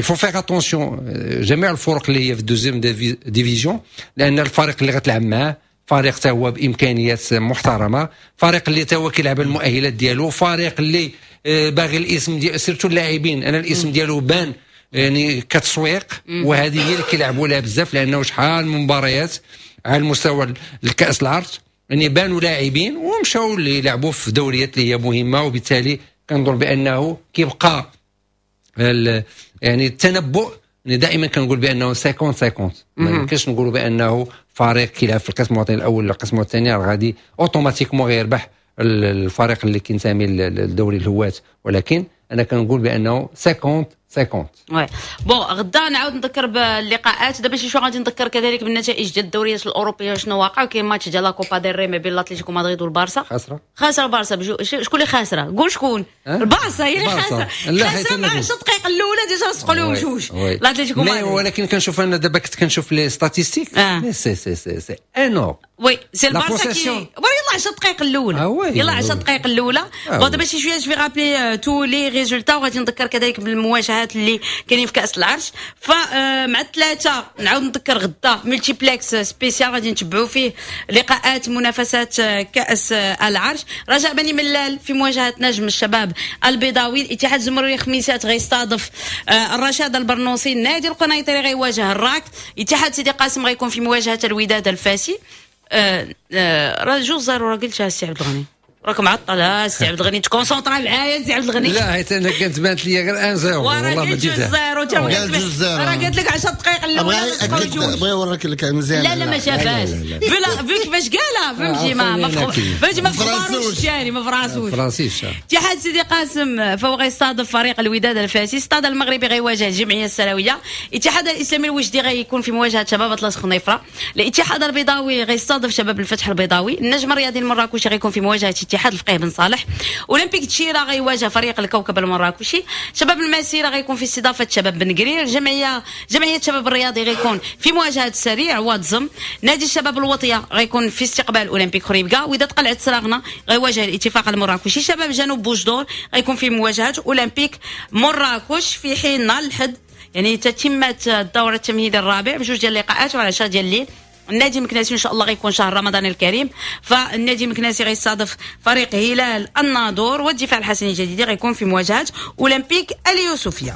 il faut faire attention جميع الفرق اللي هي في deuxième division، لان الفريق اللي غتلعب معاه فريق تا هو بامكانيات محترمه، فريق اللي تا هو كيلعب المؤهلات ديالو، فريق اللي باغي الاسم ديال surtout اللاعبين، انا الاسم ديالو بان يعني كتسويق، وهذه هي اللي كيلعبوا لها بزاف، لانه شحال من مباريات على المستوى الكاس العرش يعني بانوا لاعبين ومشاو اللي يلعبوا في دوريات اللي هي مهمه. وبالتالي كنظن بانه كيبقى يعني التنبؤ، يعني دائما كنقول بانه 50 50. ما يمكنش نقولوا بانه فريق كيلعب في القسم الوطني الاول ولا القسم الثاني راه غادي automatiquement غيربح الفريق اللي كينتمي للدوري الهواة، ولكن انا كنقول بانه 50 50. oui، bon، غدا نعاود نذكر باللقاءات. دابا شي شو غادي نذكر كذلك بالنتائج ديال الدوريات الاوروبيه، شنو واقع. كاين ماتش ديال la Copa del Rey ما بين الاتليتيكو مدريد والبارسا. خاسره. خاسرة البارسا. شكون اللي خاسره؟ قول شكون. البارسا هي اللي خاسره، خاسرة مع 10 دقائق الاولى déjà سقوا لهم جوج الاتليتيكو مدريد. ولكن كنشوف انا دابا كنت كنشوف les statistiques، c'est énorme. oui، c'est البارسا qui يلا 10 دقائق الاولى، يلا 10 دقائق الاولى. bon، دابا شي شوية je vais rappeler tous les résultats، وغادي نذكر كذلك بالمواجهات اللي كاينين في كاس العرش. فمع الثلاثة نعاود نذكر غدا multiplex spécial غادي نتبعوا فيه لقاءات منافسات كاس العرش. رجاء بني ملال في مواجهة نجم الشباب البيضاوي، الاتحاد الزمري خميسات غيستضيف الرشاد البرنوسي، النادي القنيطري غيواجه الراك، اتحاد سيدي قاسم غيكون في مواجهة الوداد الفاسي. راه 2-0، راه قلتها السي عبد الغني. راك معطل سي عبد الغني، ت concentra معايا سي عبد الغني. لا حيت انا كانت بانت لي غير 1-0 والله ما جيتها 0، راه قالت لك 10 دقائق الاولى بغا يوريك لك مزيان. لا لا ما شافهاش vu كيفاش قالها، فهمتي؟ ما فهمتي، ما فراسوش يعني، ما فراسوش فرانسيش. اتحاد سيدي قاسم فهو غيستضيف فريق الوداد الفاسي، ستاد المغربي غيواجه الجمعية السلاويه، الاتحاد الاسلامي الوجدي غيكون في مواجهة شباب اطلس خنيفره، الاتحاد البيضاوي غيستضيف شباب الفتح البيضاوي، النجم الرياضي المراكشي غيكون في مواجهة اتحاد الفقيه بن صالح، اولمبيك تشيرا غيواجه فريق الكوكب المراكشي، شباب المسيرة غيكون في استضافة شباب بن قرير، جمعية شباب الرياضي غيكون في مواجهة السريع وادزم، نادي الشباب الوطية غيكون في استقبال اولمبيك خريبكا، وداد قلعه سراغنه غيواجه الاتفاق المراكشي، شباب جنوب بوجدور غيكون في مواجهة اولمبيك مراكش. في حين نهار الحد يعني تتمت الدورة التمهيدي الرابع بجوج ديال اللقاءات وعلى 10 ديال الليل، النادي المكناسي ان شاء الله غيكون شهر رمضان الكريم، فالنادي المكناسي غيستضيف فريق هلال الناظور، والدفاع الحسني الجديد غيكون في مواجهة اولمبيك اليوسفيه.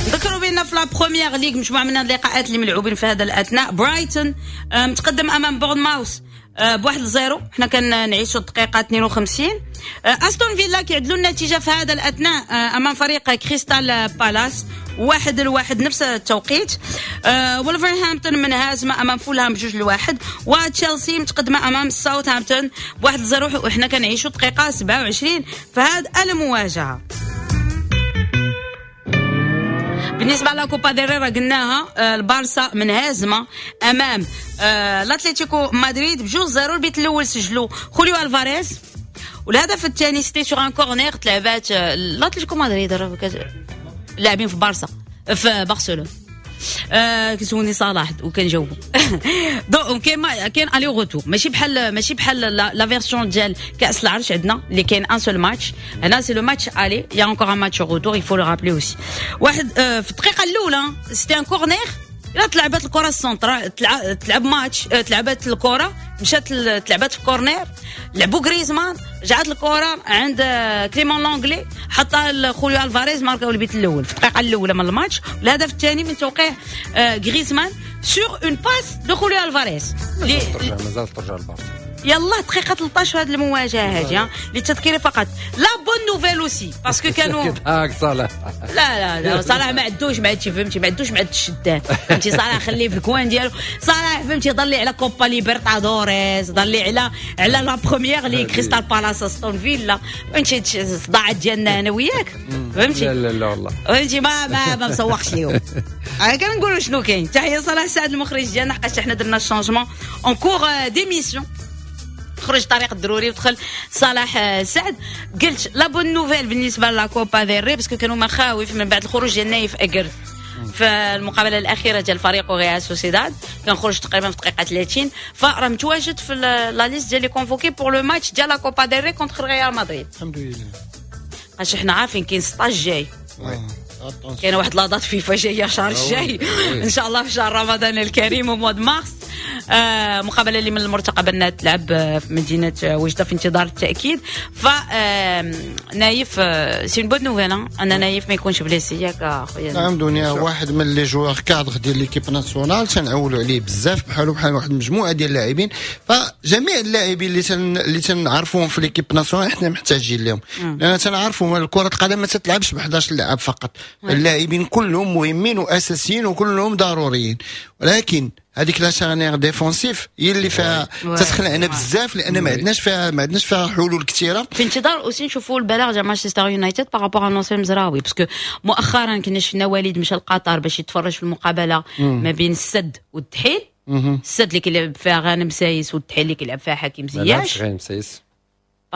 نذكروا بان في la Premier League مجموعة من اللقاءات اللي ملعوبين في هذا الاثناء، برايتون متقدم امام بورنماوث ب1-0، حنا كنعيشوا الدقيقة 52. استون فيلا كيعدلوا النتيجة في هذا الاثناء امام فريق كريستال بالاس 1-1 نفس التوقيت. ولفرهامبتون منهزمه امام فولهام 2-1، وتشيلسي متقدمة امام ساوثهامبتون 1-0، وحنا كنعيشوا دقيقة 27 في هذه المواجهة. بالنسبة la Copa del Rey راه قلناها، البارسا منهزمه امام الاتليتيكو مدريد 2-0. البيت الاول سجلوا خوليو الفاريز، والهدف الثاني c'était sur un corner تلعبات الاتليتيكو مدريد لاعبين في بارسا في برشلونة. كيسولني صلاح وكنجاوبو. donc كاين aller-retour، ماشي بحال la version ديال كاس العرش عندنا اللي كاين un seul match، هنا c'est le match aller، y a encore un match retour, il faut le rappeler aussi. واحد في الدقيقة الاولى c'était un corner، الا تلعبات الكره ال centre، تلعب ماتش، تلعبات الكره مشات تلعبات في corner، لعبوا غريزمان، رجعت الكره عند كليمون لونغلي، حطها خوليو الفاريز، ماركاو البيت الاول في الدقيقة الاولى من الماتش. الهدف الثاني من توقيع غريزمان sur une passe de خوليو الفاريز. مازال ترجع البارسا يلا دقيقة 13 في هذه المواجهة هذه للتذكير فقط. la bonne nouvelle aussi parce que كانوا صلاح، لا لا صلاح ما عندوش مع هادشي، فهمتي، ما عندوش مع الشدان، فهمتي. صلاح خليه في ال coin ديالو، صلاح فهمتي ضل على كوبا ليبرتادوريس، ضل على la Premier League كريستال بالاس استون فيلا، فهمتي الصداعات ديالنا انا وياك، فهمتي. لا لا لا والله فهمتي ما مسوقش ليهم. انا كنقولوا شنو كاين. تحية صلاح سعد المخرج ديالنا، حقاش حنا درنا ال changement en cours d'émission، خرج طريق الضروري ودخل صلاح سعد. قلت la bonne nouvelle بالنسبة la Copa del Rey parce que كانوا مخاوف من بعد الخروج ديال نايف اكرد في المقابلة الاخيرة ديال فريق ريال سوسيداد، كان خرج تقريبا في دقيقة 30، فراه متواجد في la liste ديال les convoqués pour le match ديال la Copa del Rey contre ريال مدريد. الحمد لله، عشان حنا عارفين كاين 16 جاي، كاين واحد la date FIFA جاية شهر الجاي ان شاء الله في شهر رمضان الكريم و mois de mars. مقابله اللي من المرتقب انها تلعب في مدينة وجده في انتظار التاكيد. ف نايف c'est une bonne nouvelle ان نايف ما يكونش blessé، ياك اخويا؟ نعم دنيا، واحد من les joueurs cadres ديال l'équipe nationale تنعولوا عليه بزاف، بحالو بحال واحد المجموعة ديال اللاعبين. فجميع اللاعبين اللي تنعرفوهم في l'équipe nationale حنا محتاجين لهم، لان تنعرفوا كره القدم ما تتلعبش ب 11 لاعب فقط، اللاعبين كلهم مهمين واساسيين وكلهم ضروريين، ولكن هذيك la charnière défensive هي اللي فيها تتخلعنا بزاف، لان ما عندناش فيها حلول كثيرة. في انتظار aussi نشوفوا البلاغ ديال مانشستر يونايتد par rapport نصير مزراوي، parce que مؤخرا كنا شفنا وليد مشى لقطر باش يتفرج في المقابلة ما بين السد والدحيل. السد اللي كيلعب فيها غانم سايس والدحيل اللي كيلعب فيها حكيم زياش. غانم سايس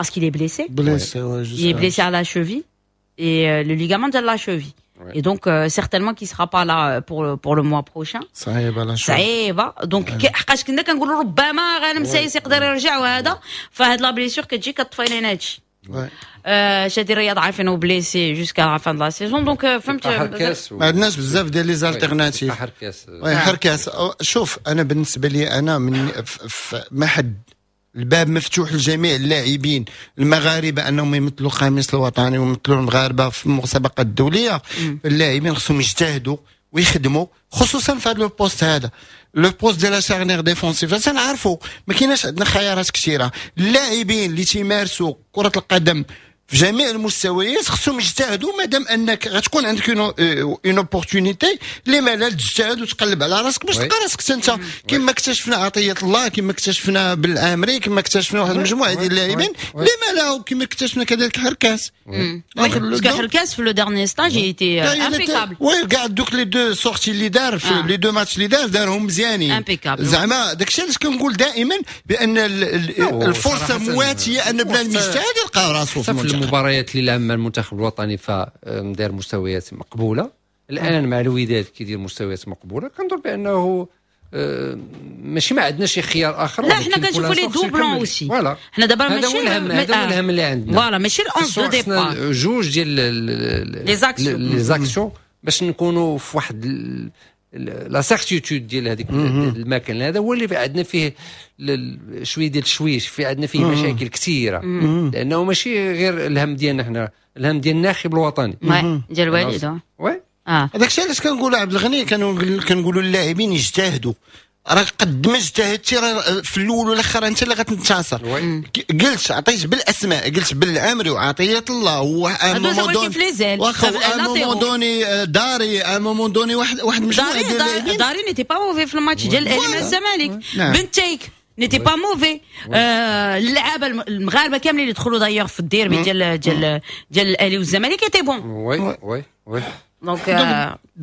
parce qu'il est blessé. Blessé, il est blessé à la cheville et le ligament de la cheville. Ouais. Et donc certainement qu'il sera pas là pour le mois prochain. صعيبة لا صعيبة. donc حقاش كنا كنقولوا ربما غانم سايس يقدر يرجع وهذا، فهاد la blessure كتجي كطفي لنا هادشي. شادي الرياض عارفينه blessé jusqu'à la fin de la saison، donc فهمت ما عندناش بزاف ديال les alternatives. حركاس حركاس. شوف انا بالنسبة لي انا من ما حد الباب مفتوح لجميع اللاعبين المغاربة انهم يمثلوا القميص الوطني ويمثلوا المغاربة في المسابقات الدولية. اللاعبين خصهم يجتهدوا ويخدموا، خصوصا في هذا ال poste هذا. le poste ديال la charnière défensive تنعرفوا ما كايناش عندنا خيارات كثيره. اللاعبين اللي تيمارسوا كره القدم في جميع المستويات خصهم يجتهدوا، مادام انك غتكون عندك une opportunité، لما لا تجتهد وتقلب على راسك باش تلقى راسك انت، كما اكتشفنا عطية الله، كما اكتشفنا بالعامري، كما اكتشفنا واحد المجموعة ديال اللاعبين، لما لا، وكما اكتشفنا كذلك حركاس. parce que حركاس في le dernier stage était impeccable. oui، كاع دوك les deux sorties اللي دار في les deux matchs اللي دار، دارهم مزيانين. impeccable. زعما داكشي علاش كنقول دائما بان الفرصة مواتيه ان بنادم يجتهد يلقى راسو في المباريات اللي لعب مع المنتخب الوطني فدار مستويات مقبوله. الان مع الوداد كيدير مستويات مقبوله. كنظن بانه ماشي ما عندنا شي خيار اخر. لا، حنا كنشوفوا les doublons aussi. voilà، حنا دابا ماشي هذا هو الهم، هذا هو الهم اللي عندنا. voilà، ماشي ال 11 de départ. جوج ديال les actions. les actions باش نكونوا في واحد la certitude ديال هذيك المكان. هذا هو اللي عندنا فيه شوية ديال التشويش، في عندنا فيه مشاكل كثيره، لانه ماشي غير الهم ديالنا حنا، الهم ديال الناخب الوطني. ديال الوالد. oui. هذاك الشيء علاش كنقولوا عبد الغني، كنقولوا اللاعبين يجتهدوا، راه قد ما اجتهدتي راه في الاول والاخر انت اللي غتنتصر. قلت عطيت بالاسماء، قلت بالعمري وعطية الله و à un moment donné، واخا à un moment donné داري، à un moment donné واحد المجموعة ديال اللاعبين. داري n'était pas mauvais في الماتش ديال الاهلي مع الزمالك. بنتيك n'était pas mauvais. اللعابه المغاربة كاملين اللي دخلوا d'ailleurs في الديربي ديال الاهلي والزمالك étaient bons. oui. donc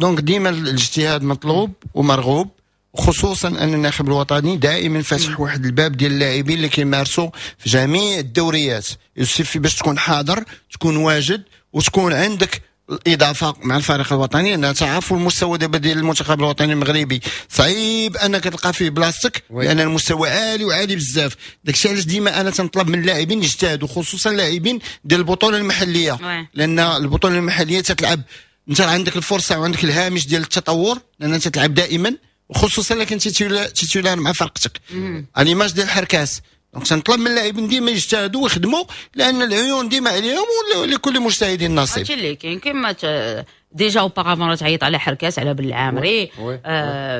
donc ديما الاجتهاد مطلوب ومرغوب، خصوصا ان الناخب الوطني دائما فاتح واحد الباب ديال اللاعبين اللي كيمارسوا في جميع الدوريات. يكفي باش تكون حاضر، تكون واجد، وتكون عندك الاضافة مع الفريق الوطني، لان تعرفوا المستوى دابا ديال المنتخب الوطني المغربي صعيب انك تلقى فيه بلاصتك، لان المستوى عالي وعالي بزاف. داكشي علاش ديما انا تنطلب من اللاعبين يجتهدوا، خصوصا اللاعبين ديال البطولة المحليه، لان البطولة المحلية تتلعب، انت عندك الفرصة وعندك الهامش ديال التطور، لان انت تلعب دائما، وخصوصا الا كنتي titulaire مع فرقتك، à l'image ديال الحركاس. donc تنطلب من اللاعبين ديما يجتهدوا ويخدموا، لان العيون ديما عليهم، ولكل مجتهد نصيب. هادشي اللي كاين. كما déjà auparavant تعيط على حركاس، على بالعامري،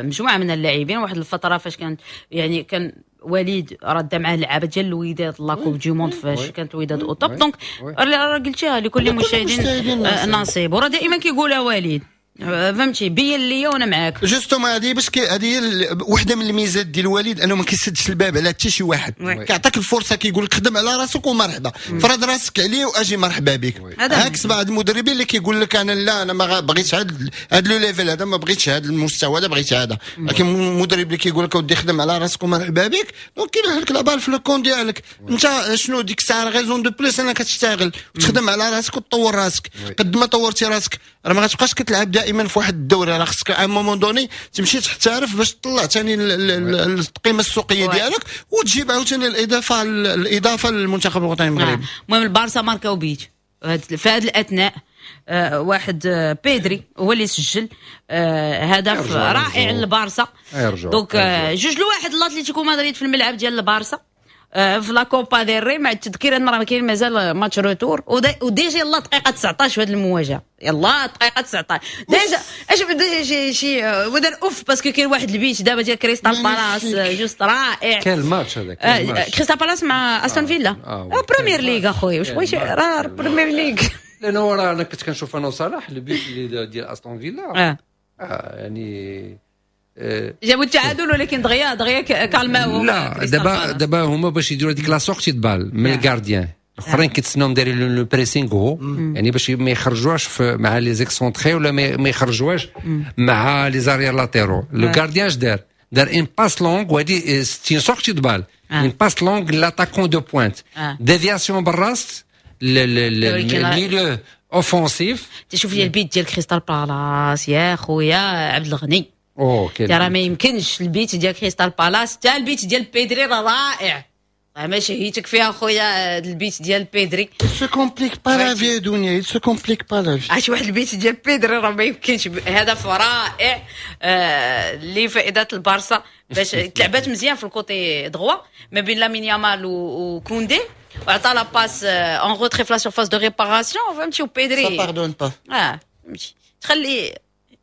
مجموعة من اللاعبين. واحد الفترة فاش كانت يعني كان وليد رد معاه اللعابه ديال الوداد la Coupe du Monde فاش كانت الوداد au top. donc راه قلتيها، لكل مجتهد نصيب، وراه دائما كيقولها وليد، فهمتي، بين لي وانا معاك. justement، هذه باش هذه هي وحده من الميزات ديال الوليد، انه ما كيسدش الباب على حتى شي واحد. كيعطيك الفرصه، كيقول لك خدم على راسك ومرحبا، فرض راسك عليه واجي مرحبا بك. عكس بعض المدربين اللي كيقول لك انا لا، انا ما بغيتش هذا le level هذا، ما بغيتش هذا المستوى هذا، بغيت هذا. لكن المدرب اللي كيقول لك اودي خدم على راسك ومرحبا بك، donc كيلوح لك la balle في le camp ديالك. انت شنو ديك الساعة raison de plus انك تشتغل وتخدم على راسك وتطور راسك. قد ما طورتي راسك راه ما غتبقاش كتلعب دائما في واحد الدوري، راه خصك à un moment donné تمشي تحترف باش تطلع ثاني القيمة السوقية ديالك وتجيب عاوتاني الاضافه للمنتخب الوطني المغربي. المهم البارسا ماركاو بيت في هذا الاثناء، واحد بيدري هو اللي سجل هدف رائع للبارسا. donc 2-1 الاتليتيكو مدريد في الملعب ديال البارسا في la Copa del Rey، مع التذكير ان راه كاين مازال match retour. و déjà يلا دقيقة 19 في هذه المواجهه، يلا دقيقة 19 déjà. اش شي شي ودار اوف، parce que كاين واحد البيت دابا ديال كريستال بالاس juste رائع. كان الماتش هذاك؟ كريستال بالاس مع استون فيلا، Premier League اخويا، واش بغيتي؟ راه Premier League. لانه راه انا كنت كنشوف انا وصلاح البيت اللي ديال استون فيلا. يعني جابوا التعادل، ولكن دغيا دغيا كالماو. لا، دابا هما باش يديروا هذيك la sortie de balle من ال gardien، الاخرين كيتسناو دايرين le pressing haut، يعني باش ما يخرجوهاش مع les excentrés ولا ما يخرجوهاش مع les arrières latéraux. le gardien اش دار؟ دار une passe longue، وهذه c'est une sortie de balle، une passe longue l'attaquant de pointe، déviation بالراس ال milieu offensif. تشوف لي البيت ديال كريستال بالاس يا خويا عبد الغني. اوه. راه ما يمكنش، البيت ديال كريستال بالاس، حتى البيت ديال بيدري راه رائع، ما شهيتك فيها خويا البيت ديال بيدري. se complique pas la vie دنيا، se complique pas la vie. عرفتي واحد البيت ديال بيدري راه ما يمكنش، هدف رائع لفائدة البارسا، باش تلعبات مزيان في ال côté droit ما بين لامين يامال وكوندي، وعطى la passe en retrait في la surface de réparation، فهمتي، وبيدري ça pardonne pas. اه فهمتي، تخلي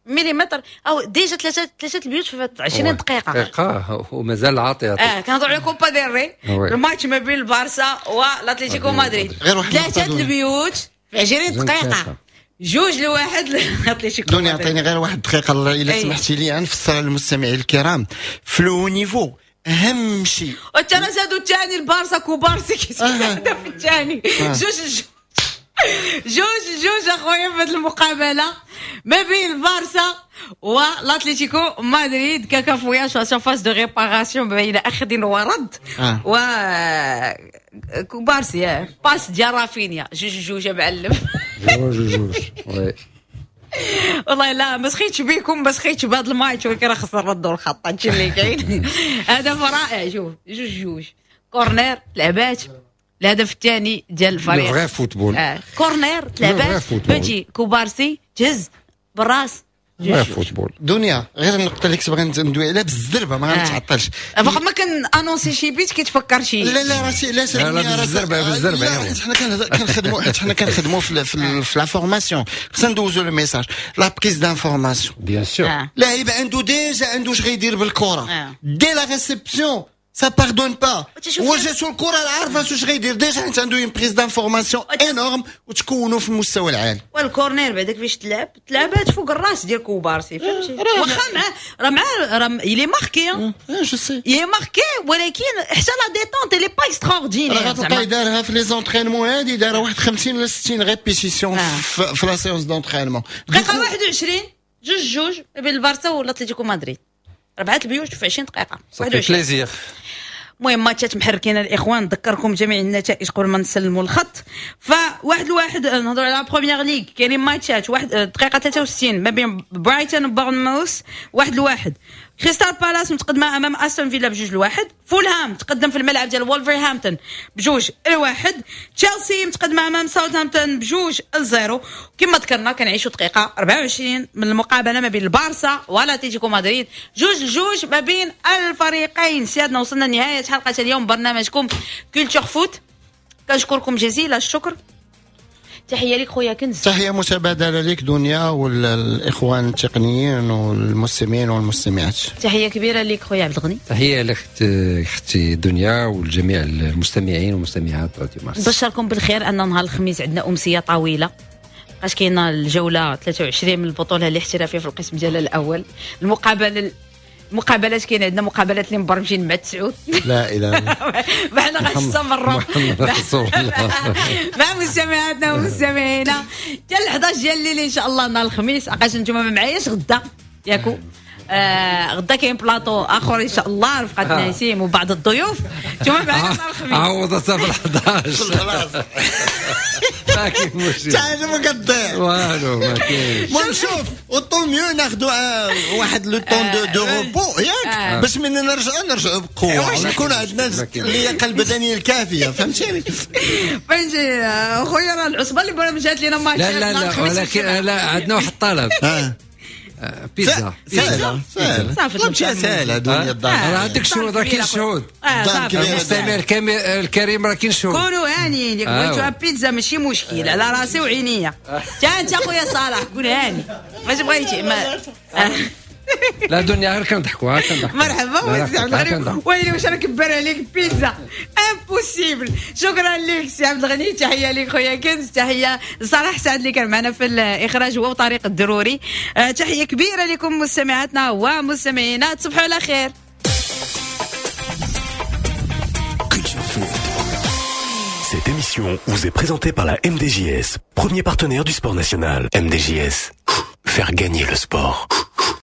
مليمتر او déjà ثلاثة البيوت في 20 دقيقة. دقيقة ومازال عاطي. كنهضروا على كوبا ديل ري، الماتش ما بين البارسا والاتليتيكو مدريد. ثلاثة البيوت في 20 دقيقة، 2-1 لاتليتيكو. دنيا عطيني غير واحد دقيقة الا سمحتي لي نفسر للمستمعين الكرام في le niveau اهم شيء. وانت راه زادوا الثاني البارسا كوبارسي كيسجل الهدف الثاني. 2-2 اخويا في هذه المقابلة ما بين البارسا والاتليتيكو مدريد. كاكافويا surface de réparation بين اخذ ورد و كوبارسي passe ديال رافينيا 2-2 معلم. 2-2 oui. والله لا ما سخيتش بيكم، ما سخيتش بهذا الماتش، ولكن راه خصنا نردوا الخط. هادشي اللي كاين. هدف رائع، شوف 2-2 corner تلعبات، الهدف الثاني ديال الفريق. vrai football. corner تلعبات، فهمتي، كوبارسي تهز بالراس. vrai football. دنيا غير النقطة اللي كنت باغي ندوي عليها بالزربه ما غنتعطلش. فوق ما كن annoncer شي بيت كيتفكر شي. لا لا راسي لا لا بالزربه بالزربه. حيت حنا كنخدموا، حيت حنا كنخدموا في la formation، خصنا ندوزو le message la prise d'information. bien sûr. لاعب عنده déjà عنده اش غيدير بالكرة dès la réception، ça pardonne pas. وجاتو الكره عارفه واش غيدير déjà، حيت عنده une prise d'information énorme وتكونوا في المستوى العالي. وال corner بعدك فاش تلعب تلعبات فوق الراس ديال كوبارسي، فهمتي، واخا معاه راه معاه راه il est marqué، je sais il est marqué، ولكن حتى la détente elle est pas extraordinaire. راه غتلقى دارها في les entraînements هادي، دارها واحد 50 ولا 60 répétitions في la séance d'entraînement. دقيقة 21 2-2 بين البارسا والاتليتيكو مدريد، 4 البيوت في 20 دقيقة. 21 plaisir. المهم ماتشات محركين الاخوان، نذكركم جميع النتائج قبل ما نسلموا الخط. ف1-1 نهضروا على بريمير ليغ، كاينين ماتشات 1 دقيقة 63 ما بين برايتون وبورنموث 1-1. كريستال بالاس متقدمة امام استون فيلا 2-1. فولهام تقدم في الملعب ديال وولفرهامبتون 2-1. تشيلسي متقدمة امام ساوثهامبتون 2-0. كما ذكرنا كنعيشوا دقيقة 24 من المقابلة ما بين البارسا والاتليتيكو مدريد، 2-2 ما بين الفريقين. سيادنا وصلنا لنهاية حلقة اليوم برنامجكم Culture Foot، كنشكركم جزيل الشكر. تحية لك خويا كنز. تحية متبادلة لك دنيا والاخوان التقنيين والمستمعين والمستمعات. تحية كبيرة لك خويا عبد الغني. تحية لك اختي دنيا والجميع المستمعين والمستمعات راديو مارس. نبشركم بالخير ان نهار الخميس عندنا امسية طويلة، بقاش كاينه الجولة 23 من البطولة الاحترافية في القسم ديالها الاول. المقابلات كاين عندنا مقابلات اللي مبرمجين مع 9. لا اله الا الله. معنا غنستمروا مع مستمعاتنا ومستمعينا حتى 11 ديال الليل ان شاء الله نهار الخميس. عقاش انتم ما معاياش غدا ياكو، غدا كاين بلاطو اخر ان شاء الله رفقه نسيم وبعض الضيوف. انتم معنا نهار الخميس. عوضتها في 11 ما كاين مشكل، حتى ما كتضيع والو، ما كاينش. المهم شوف autant mieux ناخذوا واحد le temps de repos ياك، باش من نرجعوا بقوة ونكون عندنا اللياقة البدنية الكافيه، فهمتيني؟ فهمتي خويا؟ راه العصبة اللي برمجات لنا ماتش. لا لا لا، ولكن لا عندنا واحد الطلب. بيتزا. سهلة سهلة صافي سهلة دنيا الدار. راه عندك شهود، راه كاين شهود. المستمع الكريم راه كاين شهود. كونوا هانيين، ياك بغيتوها بيتزا ماشي مشكل، على راسي وعينيا. حتى انت خويا صلاح كون هاني، واش بغيتي؟ لا دنيا غير كنضحكوا، كنضحكوا. مرحبا سي عبد الغني، ويلي واش انا كبر عليك بيتزا impossible. شكرا لك سي عبد الغني، تحية لك خويا كنز، تحية لصلاح سعد اللي كان معنا في الاخراج هو وطريق الضروري. تحية كبيرة لكم مستمعاتنا ومستمعينا، تصبحوا على خير. Cette émission vous est présentée par la MDJS, premier partenaire du sport national. MDJS, faire gagner le sport.